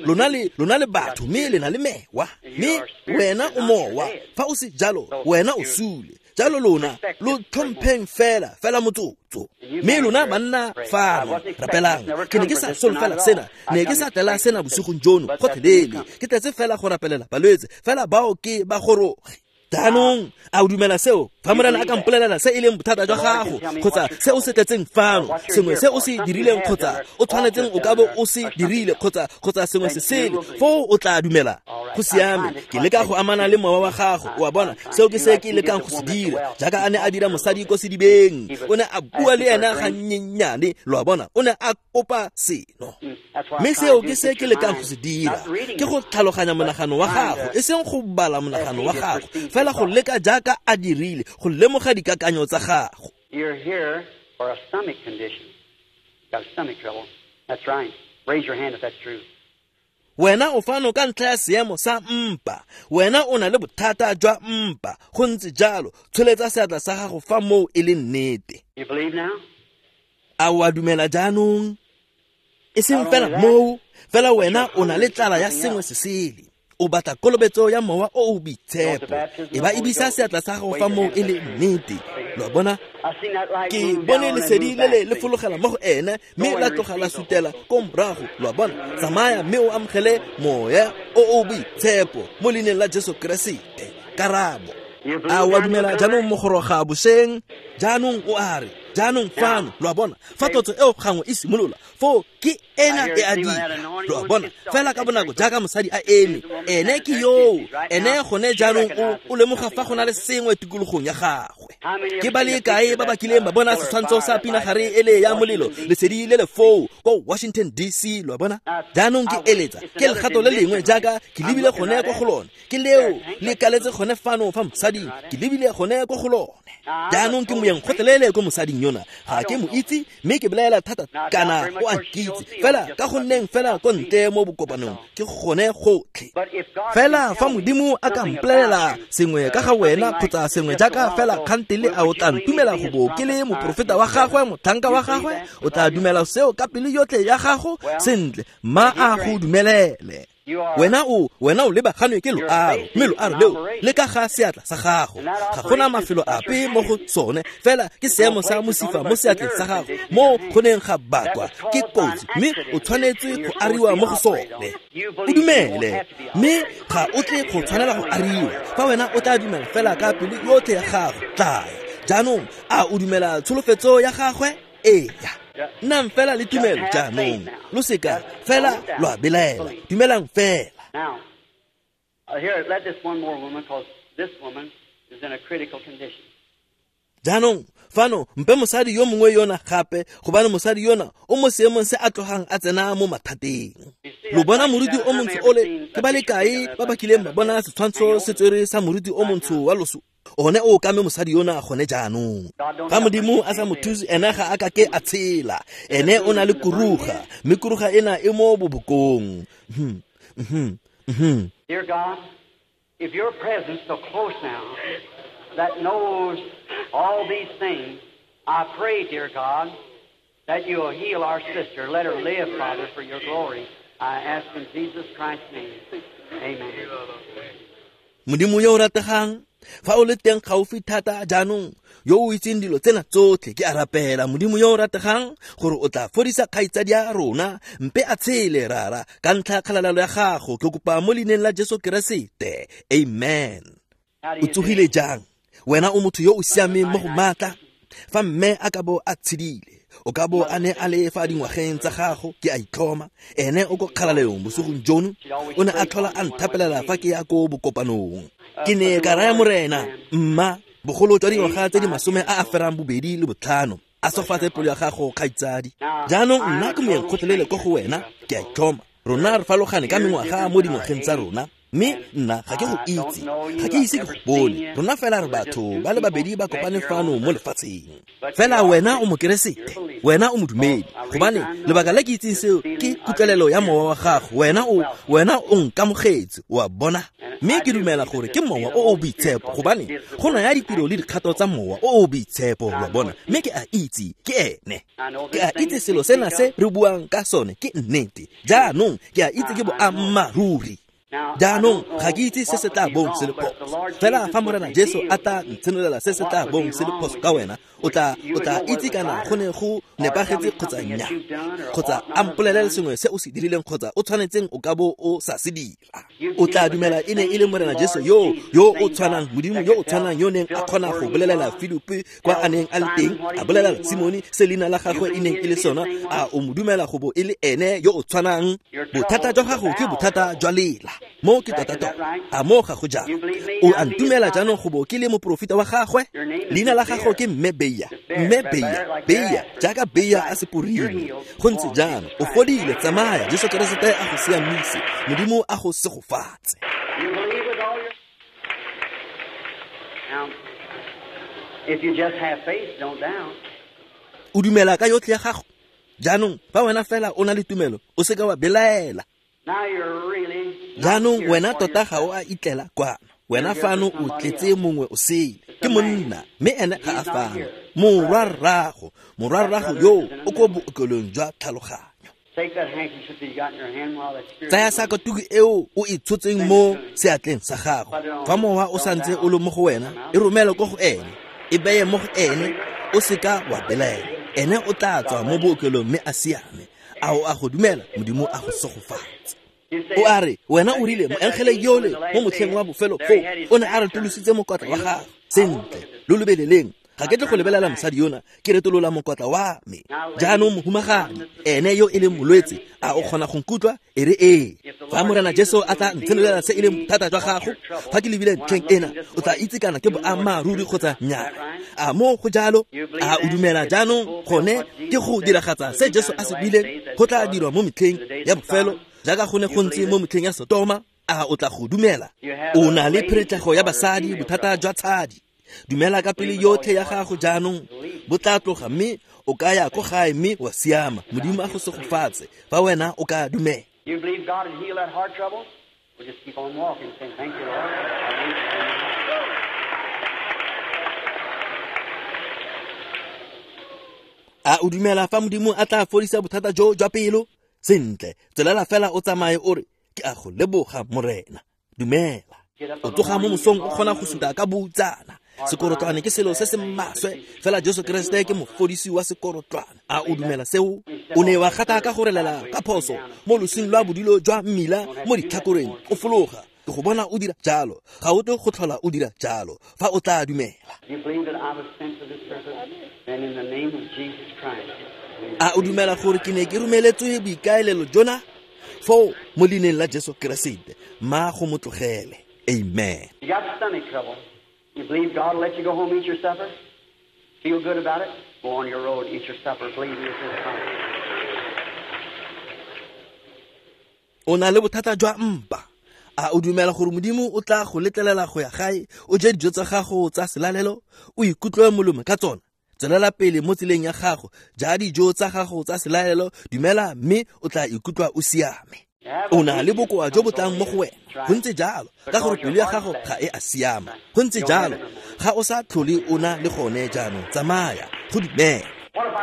lona le batho, mme le na le mewa. Mme wena o mowa, fa o se jalo, wena o sule. Jalo lona lo tlhompheng fela motsotso. Mme lona banna fano rapelang. Ke ne ke sa solofela sena, ne ke sa tlela sena bosigong jono gotlhelele. Ke tletse fela go rapelela balwetse, fela bao ke ba goroge. Jaanong a o dumela seo? Fa Morena a ka mpolelela se e leng bothata jwa gago, kgotsa se o se tletseng fano, sengwe se o se dirileng kgotsa o tshwanetseng o ka bo o se dirile, kgotsa sengwe se sele, foo o tla dumela. Go siame. Ke leka go amana le mowa wa gago, o a bona. Seo ke se ke lekang go se dira, jaaka a ne a dira mosadi ko sedibeng. O ne a bua le ena gannyenyane, lo a bona. O ne a kopa seno. Mme seo ke se ke lekang go se dira, ke go tlhaloganya monagano wa gago, e seng go bala monagano wa gago, fela go leka jaaka a dirile, go lemoga dikakanyo tsa gago. You're here for a stomach condition. Got stomach trouble. That's right. Raise your hand if that's true. Wena o fano ka ntlha ya seemo sa mpa. Wena o na le bothata jwa mpa. Go ntse jalo, tsholetsa seatla sa gago fa moo e le nnete. You believe now? A o a dumela jaanong? E seng fela moo, fela wena o na le tlala ya sengwe se sele. O batla kolobetso ya mowa o o boitshepo. E ba ebisa seatla sa gago fa moo e le nnete. Lo a bona? Ke bone lesedi le le le fologela mo go ene mme la tloga la sutela ko morago. Lo a bona? Tsamaya mme o amogele moya o o boitshepo mo leineng la Jesu Keresete. Karabo. A wa dumela jaanong mogoroga bošeng? Jaanong o a re, jaanong fano, lo a bona, fa tlotso eo gangwe e simolola, foo ke ena e a dira. Lo a bona, fela ka bonako jaaka mosadi a eme, ene ke yoo, ene gone jaanong o lemoga fa go na le sengwe tikologong ya gagwe. Ke ba le kae ba ba kileng ba bona setshwantsho sa pinagare ele ya molelo, lesedi le le foo ko Washington DC? Lo a bona? Jaanong ke eletsa, ke legato le lengwe jaaka ke lebile gone ko go lone, ke leo le kaletse gone fano fa mosading, ke lebile gone ko go lone. Jaanong ke moyeng gotlhelele ko mosading yona, ga ke mo itse mme ke belaela thata kana o a nkitse, fela ka go nneng fela ko ntle mo bokopanong ke gone gotlhe. Fela fa Modimo a ka mpolelela sengwe ka ga wena kgotsa sengwe jaaka fela kgantele, a o tla ntumela go bo ke le moporofeta wa gagwe, motlhanka wa gagwe? O tla dumela seo ka pelo yotlhe ya gago? Sentle, mma a go dumelele. Wena o lebaganwe ke loaro, mme loaro leo le ka ga seatla sa gago. Ga gona mafelo ape mo go sone, fela ke seemo sa mosifa mo seatleng sa gago mo go neng ga bakwa ke kotsi, mme o tshwanetse go ariwa mo go sone. O dumele, mme ga o tle go tshwanela go ariwa fa wena o tla dumela fela ka pelo yotlhe ya gago. Tlaya jaanong, a o dumela tsholofetso ya gagwe? Eya. Nnang fela le tumelo jaanong, lo seka fela lo a belaela, dumelang fela. Now, here, let this one more woman, because this woman is in a critical condition. Jaanong fano mpe mosadi yo mongwe yona gape, gobane mosadi yona o mo seemong se a tlogang a tsena mo mathateng. Lo bona moruti o montsho ole? Ke ba le kae ba ba kileng ba bona setshwantsho se tswere sa moruti o montsho wa loso? One o kame mosadi yona gone jaanong. Fa Modimo a sa mo thuse, ene ga a ka ke a tshela. Ene o na le kuruga, mme kuruga ena e mo bobokong. Dear God, if your presence so close now that knows all these things, I pray, dear God, that you will heal our sister. Let her live, Father, for your glory. I ask in Jesus Christ's name. Amen. Modimo yo o rategang, fa o le teng gaufi thata jaanong, yo o itseng dilo tsena tsotlhe, ke a rapela, Modimo yo o rategang, gore o tla fodisa kgaitsadi ya rona, mpe a tshele, Rara, ka ntlha kgalalelo ya gago. Ke kopa mo leineng la Jesu Keresete. Amen. O tsogile jang? Wena o motho yo o siameng mo go maatla. Fa mme a ka bo a tshedile, o ka bo a ne a le fa dingwageng tsa gago, ke a itlhoma. Ene o ko kgalalelong bosigong jono, o ne a tlhola a nthapelela fa ke ya ko bokopanong. Ke ne ka raya Morena, mma, bogolo jwa dingwaga tse di 25, a sofatse pelo ya gago, kgaitsadi. Jaanong nna ke moyeng gotlhelele ko go wena, ke a itlhoma. Rona re farologane ka mengwaga mo dingwageng tsa rona, mme nna ga ke go itse, ga ke ise ke go bone. Rona fela re batho ba le babedi ba kopane fano mo lefatsheng. Fela wena o mokeresete, wena o modumedi, gobane lebaka le ke itseng seo ke kutlwelelo ya mowa wa gago. Wena o nkamogetse, o a bona. Mme ke dumela gore ke mowa o o boitshepo, gobane go naya ditiro le dikgato tsa mowa o o boitshepo, lo a bona. Mme ke a itse ke ene. Ke a itse selo sena se re buang ka sone ke nnete. Jaanong ke a itse ke boammaaruri. Jaanong ga ke itse se se tla bong se le phoso, fela fa Morena Jesu a tla ntshenolela se se tla bong se le phoso ka wena, o tla itse kana go ne go nepagetse kgotsa nnya, kgotsa a mpolelele sengwe se o se dirileng kgotsa o tshwanetseng o ka bo o sa se dira. O tla dumela e ne e le Morena Jesu yo o tshwanang, Modimo yo o tshwanang yo neng a kgona go bolelela Filipi kwa a neng a le teng, a bolelela Simone se leina la gagwe e neng e le sona. A o mo dumela go bo e le ene yo o tshwanang? Bothata jwa gago ke bothata jwa lela, mo ke tota-tota. A mo ga go jalo? O a ntumela jaanong go bo ke le moporofeta wa gagwe? Leina la gago ke Mme Beya, Mme Beya, Beya, jaaka Beya a seporini. Go ntse jalo, o fodile, tsamaya, Jesu Keresete a go siamise, Modimo a go segofatse. If you just have faith, don't doubt. O dumela ka yotlhe ya gago? Jaanong fa wena fela o na le tumelo, o seka wa belaela. Jaanong wena tota ga o a itlela kwano. Wena fano o tletse mongwe o sele, ke monna, mme ene ga a fano. Morwarrago yo o ko bookelong jwa tlhaloganyo. Tsaya sakatuku eo o e tshotseng mo seatleng sa gago. Fa mowa o santse o le mo go wena, e romele ko go ene. E beye mo go ene, o seka wa belaela. Ene o tla tswa mo bookelong mme a siame. A o a go dumela, Modimo a go segofatse. O a re, wena o rile moengele yole mo motlheng wa bofelo foo o ne a retolositse mokotla wa gagwe. Sentle, lo lebeleleng. Ga ke tle go lebelela mosadi yona, ke retolola mokotla wa me. Jaanong mohumagadi, ene yo e leng molwetse, a o kgona go nkutlwa? E re ee. Fa Morena Jesu a tla ntshenolela se e leng bothata jwa gago, fa ke lebile ntlheng ena, o tla itse kana ke boammaaruri kgotsa nnyaa. A mo go jalo? A o dumela jaanong gone ke go diragatsa se Jesu a se buileng go tla dirwa mo metlheng ya bofelo, jaaka go ne go ntse mo metlheng ya Sotoma? A o tla go dumela? O na le pheretlego ya basadi, bothata jwa tshadi. Dumela ka pele yotlhe ya gago jaanong, bo tla tloga mme o ka ya ko gae mme wa siama. Modimo a go segofatse fa wena o ka dumela. You believe God will heal that heart trouble? We'll just keep on walking, saying, thank you, Lord. A o dumela fa Modimo a tla fodisa bothata jo jwa pelo? Sentle, tswelela fela o tsamaye o re, ke a go leboga Morena. Dumela. O tsoga mo mosong o kgona go suta ka boutsana. Sekorotlwane ke selo se se maswe, fela Jesu Kriste ke mofodisi wa sekorotlwane. A o dumela seo? O ne wa gata ka go relela ka phoso mo losing lwa bodilo jwa mmila mo ditlhakoreng, o fologa. Ke go bona o dira jalo. Ga o tle go tlhola o dira jalo fa o tla dumela. A o dumela gore ke ne ke romeletswe boikaelelo jona? Foo mo leineng la Jesu Keresete, ma go mo tlogele. Amen. You got stomach trouble. You believe God will let you go home, eat your supper? Feel good about it? Go on your road, eat your supper, believe in this time. O na le bothata jwa mpa. A o dumela gore Modimo o tla go letlelela go ya gae, o je dijo tsa gago tsa selalelo, o ikutlwe molemo ka tsona? Tswelela pele mo tseleng ya gago, ja dijo tsa gago tsa selalelo, dumela mme o tla ikutlwa o siame. O na le bokoa jo bo tlang mo go wena. Go ntse jalo, ka gore pelo ya gago ga e a siama. Go ntse jalo, ga o sa tlhole o na le gone jaanong. Tsamaya, go dumela.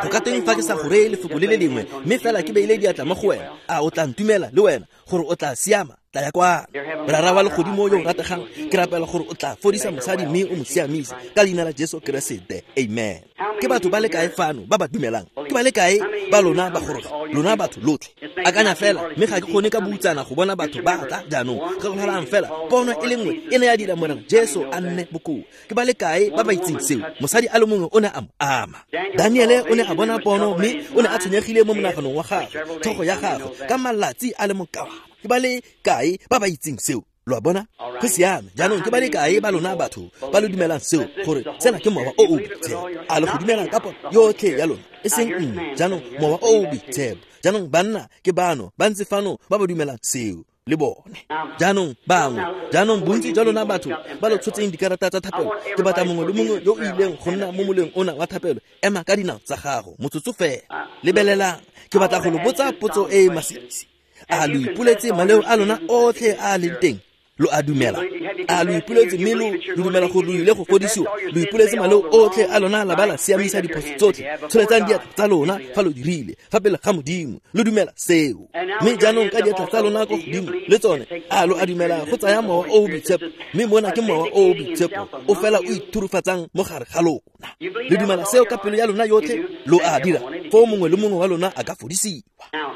Go ka teng fa ke sa go reye lefoko le le lengwe, mme fela ke beile diatla mo go wena, a o tla ntumela le wena gore o tla siama? Tla ya kwano. Rara wa legodimo yo o rategang, ke rapela gore o tla fodisa mosadi mme o mo siamise ka leina la Jesu Keresete. Amen. Ke batho ba le kae fano ba ba dumelang? Ke ba le kae ba lona ba goroga? Lona batho lotlhe. Akanya fela, mme ga ke kgone ka boutsana go bona batho ba tla jaanong. Gakologelang fela, pono e le nngwe e ne ya dira Morena Jesu a nne bokoa. Ke ba le kae ba ba itseng seo? Mosadi a le mongwe o ne a mo ama. Daniele o ne a bona pono mme o ne a tshwenyegile mo monaganong wa gagwe, tlhogo ya gagwe, ka malatsi a le mokawana. Ke ba le kae ba ba itseng seo? Lo a bona? Go siame. Jaanong ke ba le kae ba lona batho ba lo dumelang seo, gore sena ke mowa o o boitshepo? A le go dumela ka pono yotlhe ya lona, e seng nngwe? Jaanong mowa o o boitshepo. Jaanong banna ke bano ba ntse fano ba ba dumelang seo le bone. Jaanong bangwe, jaanong bontsi jwa lona batho ba lo tshotseng dikarata tsa thapelo, ke batla mongwe le mongwe yo o ileng go nna mo moleng ona wa thapelo, ema ka dinao tsa gago motsotso fela. Lebelelang, ke batla go lo botsa potso e e masisi. A lo ipoletse maleo a lona otlhe a leng teng? Lo a dumela? A lo ipoletse mme lo dumela gore lo ile go fodisiwa? Lo ipoletse maleo otlhe a lona la ba la siamisa diphoso tsotlhe? Tsholetsang diatla tsa lona fa lo dirile fa pele ga Modimo. Lo dumela seo? Mme jaanong ka diatla tsa lona ko godimo le tsone, a lo a dumela go tsaya mowa o o boitshepo? Mme mona ke mowa o o boitshepo o fela o ithurufatsang mo gare ga lona. Le dumela seo ka pelo ya lona yotlhe? Lo a dira? Foo mongwe le mongwe wa lona a ka fodisiwa.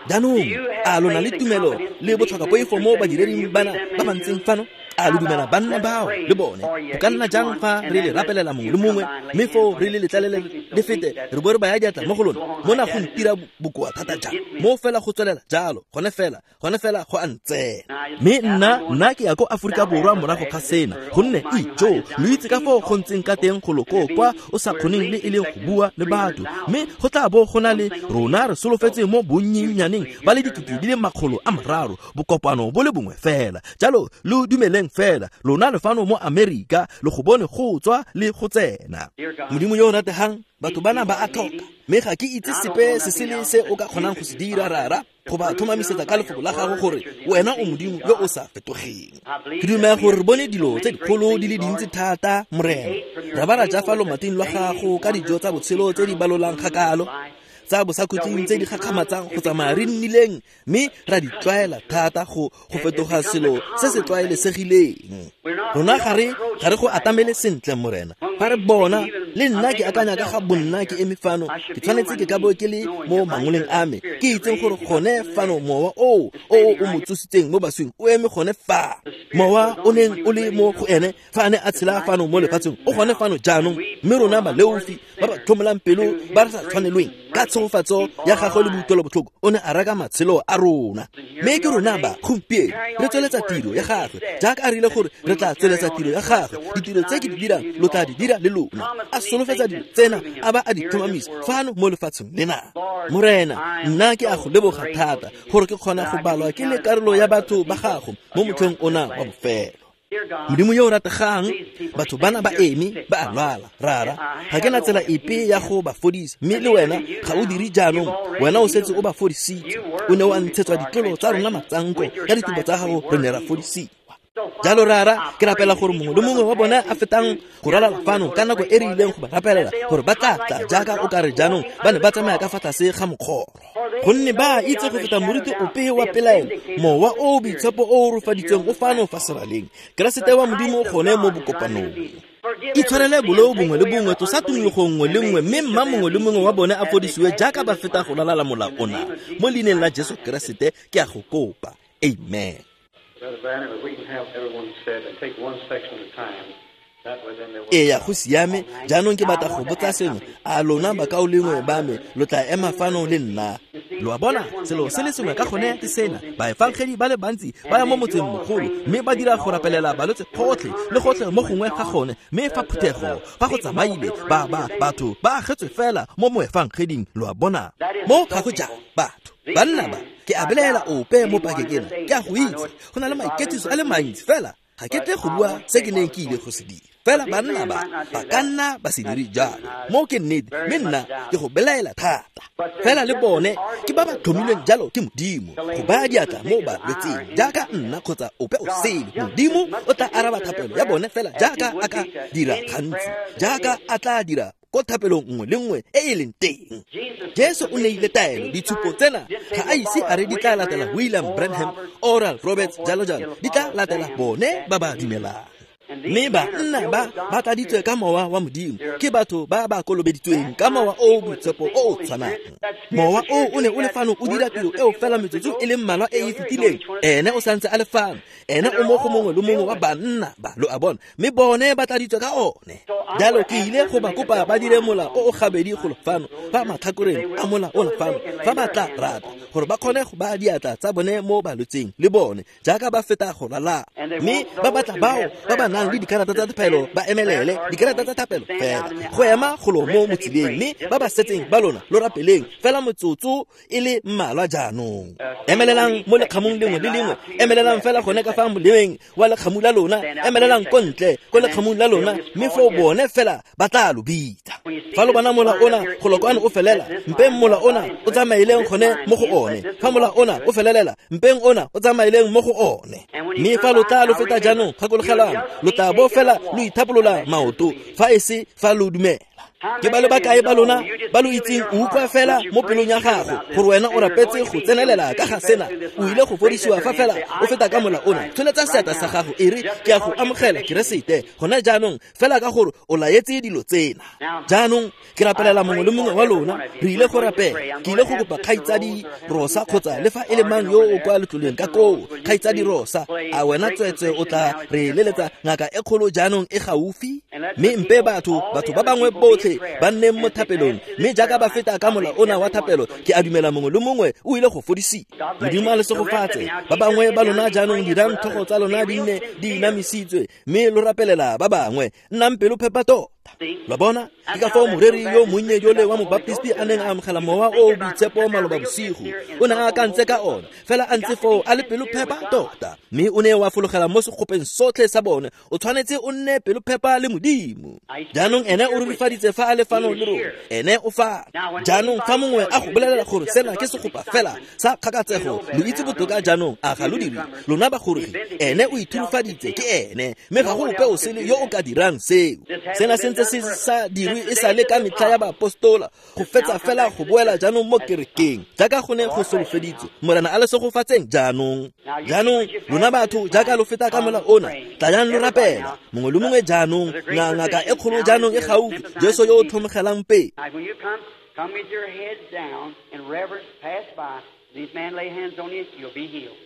Jaanong a lona le tumelo le botlhokapoifo mo badireding bana ba ba ntseng fano? A lo dumela banna bao le bone? Go ka nna jang fa re le rapelela mongwe le mongwe, mme foo re le letlalele le fete, re bo re baya diatla mo go lona? Mona go ntira bokoa thata jang? Mo fela go tswelela jalo, gone fela go a ntsena. Mme nna ke ya ko Aforika Borwa morago ga sena, gonne ijo lo itse ka foo go ntseng ka teng go loko kwa o sa kgoneng le e leng go bua le batho. Mme go tla bo go na le rona re solofetse mo bonnyennyaneng ba le 300,000, bokopano bo le bongwe fela. Jalo lo dumeleng fela, lona le fano mo Amerika, lo go bone go tswa le go tsena. Modimo yo o rategang, batho bana ba a tlhoka, mme ga ke itse sepe se se le se o ka kgonang go se dira, Rara, go ba tlhomamisetsa ka lefoko la gago gore wena o Modimo yo o sa fetogeng. Ke dumela gore re bone dilo tse dikgolo di le dintsi thata, Morena. Ra ba ra ja fa lomating lwa gago ka dijo tsa botshelo tse di balolang kgakalo, tsa bosakhutleng tse di gakgamatsang go tsamaya re nnileng, mme ra di tlwaela thata go fetoga selo se se tlwaelesegileng. Rona ga re go atamele sentle, Morena. Fa re bona Le nna ke akanya ka ga bonna ke eme fano, ke tshwanetse ke ka bo ke le mo mangoleng a me, ke itseng gore gone fano mowa o o mo tsositseng mo baswing o eme gone fa. Mowa o neng o le mo go ene fa a ne a tshela fano mo lefatsheng o gone fano jaanong, mme rona baleofi ba ba tlhomolang pelo ba re sa tshwanelweng ka tshegofatso ya gagwe le boikutlwelobotlhoko o ne a reka matshelo a rona. Mme ke rona ba gompieno re tsweletsa tiro ya gagwe jaaka a rile gore re tla tsweletsa tiro ya gagwe. Ditiro tse ke di dirang lo tla di dira le lona. A solofetsa dilo tsena a ba a di tlhomamisa fano mo lefatsheng lena. Morena, nna ke a go leboga thata gore ke kgona go balwa ke le karolo ya batho ba gago mo motlheng ona wa bofelo. Modimo yo o rategang, batho bana ba eme ba a lwala. Rara, ga ke na tsela epe ya go ba fodisa, mme le wena ga o dire jaanong. Wena o setse o ba fodisitse. O ne o a ntshetswa ditlolo tsa rona matsanko, ka ditubo tsa gago re ne ra fodisiwa. Jalo Rara, ke rapela gore mongwe le mongwe wa bone a fetang go ralala fano ka nako e re ileng go ba rapelela, gore ba tla tla jaaka o ka re jaanong ba ne ba tsamaya ka fa tlase ga mokgoro, gonne ba itse go feta moriti ope wa pelaelo. Mowa o boitshepo o o rufaditsweng o fano fa seraleng, Keresete wa Modimo o gone mo bokopanong. Itshwarele boleo bongwe le bongwe, tlosa tumologo nngwe le nngwe, mme mma mongwe le mongwe wa bone a fodisiwe jaaka ba feta go lalala mola ona. Mo leineng la Jesu Keresete ke a go kopa, amen. Eya, go siame. Jaanong ke batla go botsa sengwe. A lona bakaulengwe ba me lo tla ema fano le nna? Lo a bona, selo se le sengwe ka gone ke sena. Baefangedi ba le bantsi ba ya mo motseng mogolo mme ba dira go rapelela balwetse gotlhe le gotlhe mo gongwe ga gone, mme fa phuthego fa go tsamaile ba batho ba agetswe fela mo moefangeding. Lo a bona, mo ga go jang batho banna ba ke a belaela ope mo pakeng ena. Ke a go itse go na le maiketiso a le mantsi, fela ga ke tle go bua se ke neng ke ile go se dira. Fela banna ba ba ka nna ba se dire jalo, mo ke nnete, mme nna ke go belaela thata. Fela le bone ke ba ba tlhomilweng jalo ke Modimo go baya diatla mo balwetseng jaaka nna kgotsa ope o sele. Modimo o tla araba thapelo ya bone fela jaaka a ka dira gantsi, jaaka a tla dira ko thapelong nngwe le nngwe e e leng teng. Jesu o neile taelo, ditshupo tsena ga a ise a re di tla latela William Branham, Oral Roberts, jalo jalo, di tla latela bone ba ba dumelang. Mme banna ba ba tladitswe ka mowa wa Modimo ke batho ba ba kolobeditsweng ka mowa o boitshepo o o tshwanang. Mowa o o ne o le fano o dira tiro eo fela metsotso e le mmalwa e e fetileng. Ene o santse a le fano, ene o mo go mongwe le mongwe wa banna ba, lo a bona, mme bone ba tladitswe ka one. Jalo ke ile go ba kopa ba dire mola o o gabedi golo fano fa matlhakoreng a mola ona fano, fa ba tla rata gore ba kgone go baya diatla tsa bone mo balwetseng le bone jaaka ba feta go lala. Mme ba batla bao ba ba nang le dikarata tsa thapelo ba emelele dikarata tsa thapelo fela go ema golo mo motsileng, mme ba ba setseng ba lona lo rapeleng fela motsotso e le mmalwa jaanong. Emelelang mo lekgamong lengwe le lengwe, emelelang fela gone ka fa moleweng wa lekgamu la lona, emelelang ko ntle ko lekgamong la lona, mme foo bone fela ba tla lo bitsa. Fa lo bona mola ona golo kwano o felela, mpeng mola ona o tsamaileng gone mo go one. Fa mola ona o felelela, mpeng ona o tsamaileng mo go one. Mme fa lo tla lo feta jaanong, gakologelang, lo tla bo fela lo ithapolola maoto fa e se fa lo dumela. Ke ba le bakae ba lona ba lo itseng o utlwa fela mo pelong ya gago gore wena o rapetse go tsenelela ka ga sena, o ile go fodisiwa fa fela o feta ka mola ona. Tsholetsa seatla sa gago e re, ke a go amogela Keresete gona jaanong, fela ka gore o laetse dilo tsena. Jaanong ke rapelela mongwe le mongwe wa lona. Re ile go rapela. Ke ile go kopa kgaitsadi Rosa kgotsa le fa e le mang yo o kwa letloleng ka koo. Kgaitsadi Rosa, a wena tswetswe o tla re leletsa ngaka e kgolo jaanong e gaufi? Mme mpe batho ba bangwe botlhe ba nneng mo thapelong, mme jaaka ba feta ka mola ona wa thapelo, ke a dumela mongwe le mongwe o ile go fodisiwa. Modimo a le segofatse. Ba bangwe ba lona jaanong dirang tlhogo tsa lona di nne di inamisitswe, mme lo rapelela ba bangwe. Nnang pelo phepa tota. Lo bona, ke ka foo moreri yo monnye jole wa mobaptisti a neng a amogela mowa o o boitshepo maloba bosigo. O ne a akantse ka one, fela a ntse foo a le pelo phepa tota, mme o ne wa fologela mo segopeng sotlhe sa bone. O tshwanetse o nne pelo phepa le Modimo. Jaanong ene o rurifaditse fa a le fano le rona, ene o fa. Jaanong fa mongwe a go bolelela gore sena ke segopa fela sa kgakatsego, lo itse botoka jaanong, a ga lo dire? Lona bagorogi, ene o ithurufaditse ke ene, mme ga go ope o sele yo o ka dirang seo. Sena se ntse se sa dirwe e sa le ka metlha ya baapostola, go fetsa fela go boela jaanong mo kerekeng jaaka go ne go solofeditswe. Morena a le segofatseng jaanong. Jaanong lona batho jaaka lo feta ka mola ona, tlayang lo rapela mongwe le mongwe jaanong. Ngaka e kgolo jaanong e gaufi, Jesu yo o tlhomogelang pele. Come with your heads down in reverence, pass by. These men lay hands on you, you'll be healed.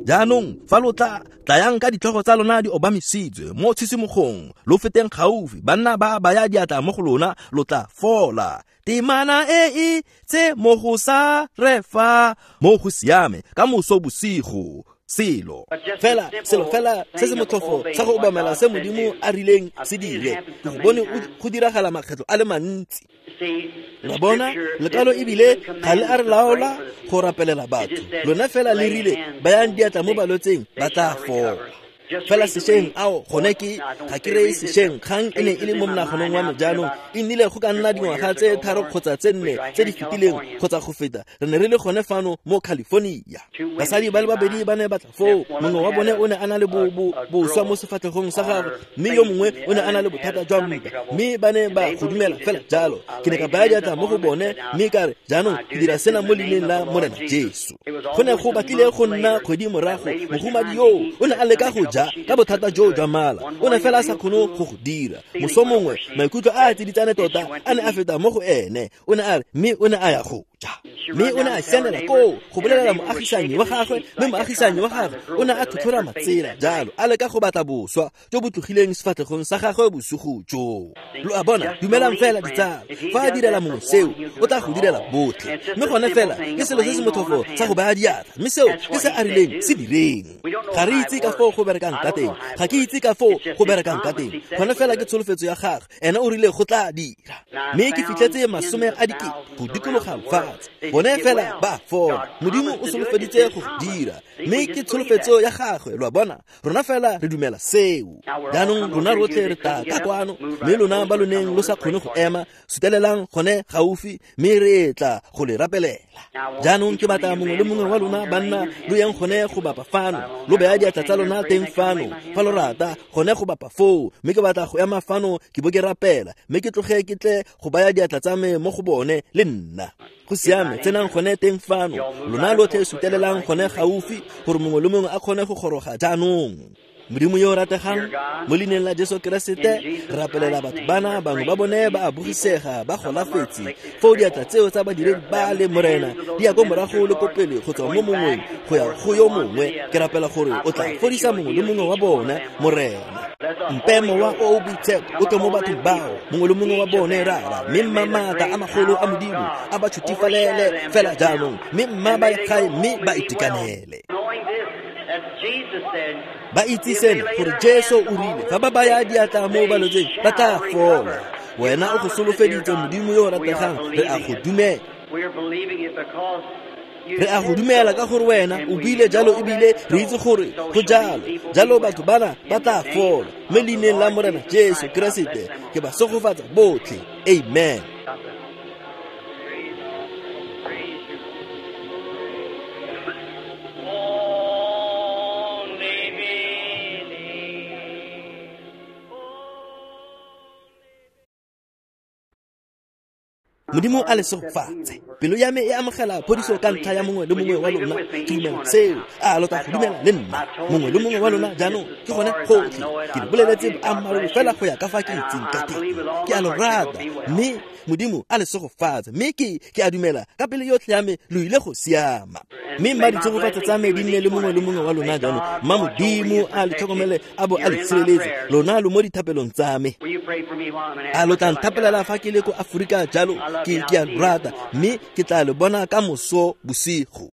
Jaanong fa lo tla tlayang ka ditlhogo tsa lona di obamisitswe mo tshisimogong, lo feteng gaufi, banna ba baya diatla mo go lona, lo tla fola. Temana e e tse mo go sa re fa mo go siame ka moso bosigo. Selo fela se se motlhofo sa go obamela se Modimo a rileng se dire, ke go bone go diragala makgetlo a le mantsi. La bona lekalo ebile ga le a re laola go rapelela batho, lona fela le rile bayang diatla mo balwetseng ba tla fola. Fela sešweng ao gone ke ga ke reye sešweng, kgang e ne e le mo monaganong wa me jaanong e nnile go ka nna dingwaga tse 3 kgotsa tse 4 tse di fetileng kgotsa go feta. Re ne re le gone fano mo California. Basadi ba le babedi ba ne ba tla foo, mongwe wa bone o ne a na le boswa mo sefatlhegong sa gagwe, mme yo mongwe o ne a na le bothata jwa mpa, mme ba ne ba go dumela fela jalo. Ke ne ka baya diatla mo go bone mme ka re, jaanong ke dira sena mo leineng la Morena Jesu. Go ne go batlile go nna kgwedi morago, mohumadi yoo o ne a leka go ja ka bothata joo jwa mala, o ne fela a sa kgone go go dira. Moso mongwe maikutlo a a tsiditsane tota a ne a feta mo go ene, o ne a re, mme o ne a ya go ja, mme o ne a sianela koo go bolelela moagisanyi wa gagwe, mme moagisanyi wa gagwe o ne a tlhotlhora matsela jalo a leka go batla boswa jo bo tlogileng sefatlhegong sa gagwe bosigo joo. Lo a bona, dumelang fela ditsala, fa a direla mongwe seo o tla go direla botlhe. Mme gone fela ke selo se se motlhofo sa go baya diatla, mme seo ke se a rileng se direng. Ga re itse ka foo go berekang ka teng, ga ke itse ka foo go berekang ka teng, gone fela ke tsholofetso ya gagwe, ene o rile go tla dira. Mme ke fitlhetse 100,000 go dikologa lefatshe, bone fela ba fola. Modimo o solofeditse go dira, mme ke tsholofetso ya gagwe. Lo a bona, rona fela re dumela seo. Jaanong rona rotlhe re tla ka kwano, mme lona ba lo neng lo sa kgone go ema, sutelelang gone gaufi, mme re tla go le rapelela. Jaanong ke batla mongwe le mongwe wa lona banna lo yang gone go bapa fano, lo beya diatla tsa lona teng fano fa lo rata, gone go bapa foo. Mme ke batla go ema fano ke bo ke rapela, mme ke tloge ke tle go baya diatla tsa me mo go bone le nna. Go siame, tsenang gone teng fano, lona lotlhe sutelelang gone gaufi gore mongwe le mongwe a kgone go goroga jaanong. Modimo yo o rategang, mo leineng la Jesu Keresete, re rapelela batho bana, bangwe ba bone ba a bogisega, ba golafetse. Foo diatla tseo tsa badiredi ba le Morena di ya ko morago le ko pele go tswa mo mongweng go ya go yo mongwe. Ke rapela gore o tla fodisa mongwe le mongwe wa bona, Morena. Mpe mowa o o boitshepo o tle mo bathong bao, mongwe le mongwe wa bone, Rara, mme mma maatla a magolo a Modimo a ba tshutifalele fela jaanong, mme mma ba ye gae mme ba itekanele. Ba itse sena gore Jesu o rile fa ba baya diatla mo balwetseng ba tla fola. Wena o go solofeditse, Modimo yo o rategang, re a go dumela. Re a go dumela ka gore wena o buile jalo, ebile re itse gore go jalo. Jalo batho bana ba tla fola. Mme leineng la Morena Jesu Keresete ke ba segofatsa botlhe. Amen. Modimo a le segofatse. Pelo ya me e amogela phodiso ka ntlha ya mongwe le mongwe wa lona. Ke dumela seo. A lo tla go dumela le nna, mongwe le mongwe wa lona jaanong? Ke gone gotlhe. Ke le boleletse boammaaruri fela go ya ka fa ke itseng ka teng. Ke a lo rata, mme Modimo a le segofatse. Mme ke a dumela ka pele yotlhe ya me lo ile go siama. Mme mma ditshegofatso tsa me di nne le mongwe le mongwe wa lona jaanong. Mma Modimo a le tlhokomele a bo a le sireletse. Lona lo mo dithapelong tsa me. A lo tla nthapelela fa ke le ko Aforika jalo? Ke a lo rata, mme ke tla le bona ka moso bosigo.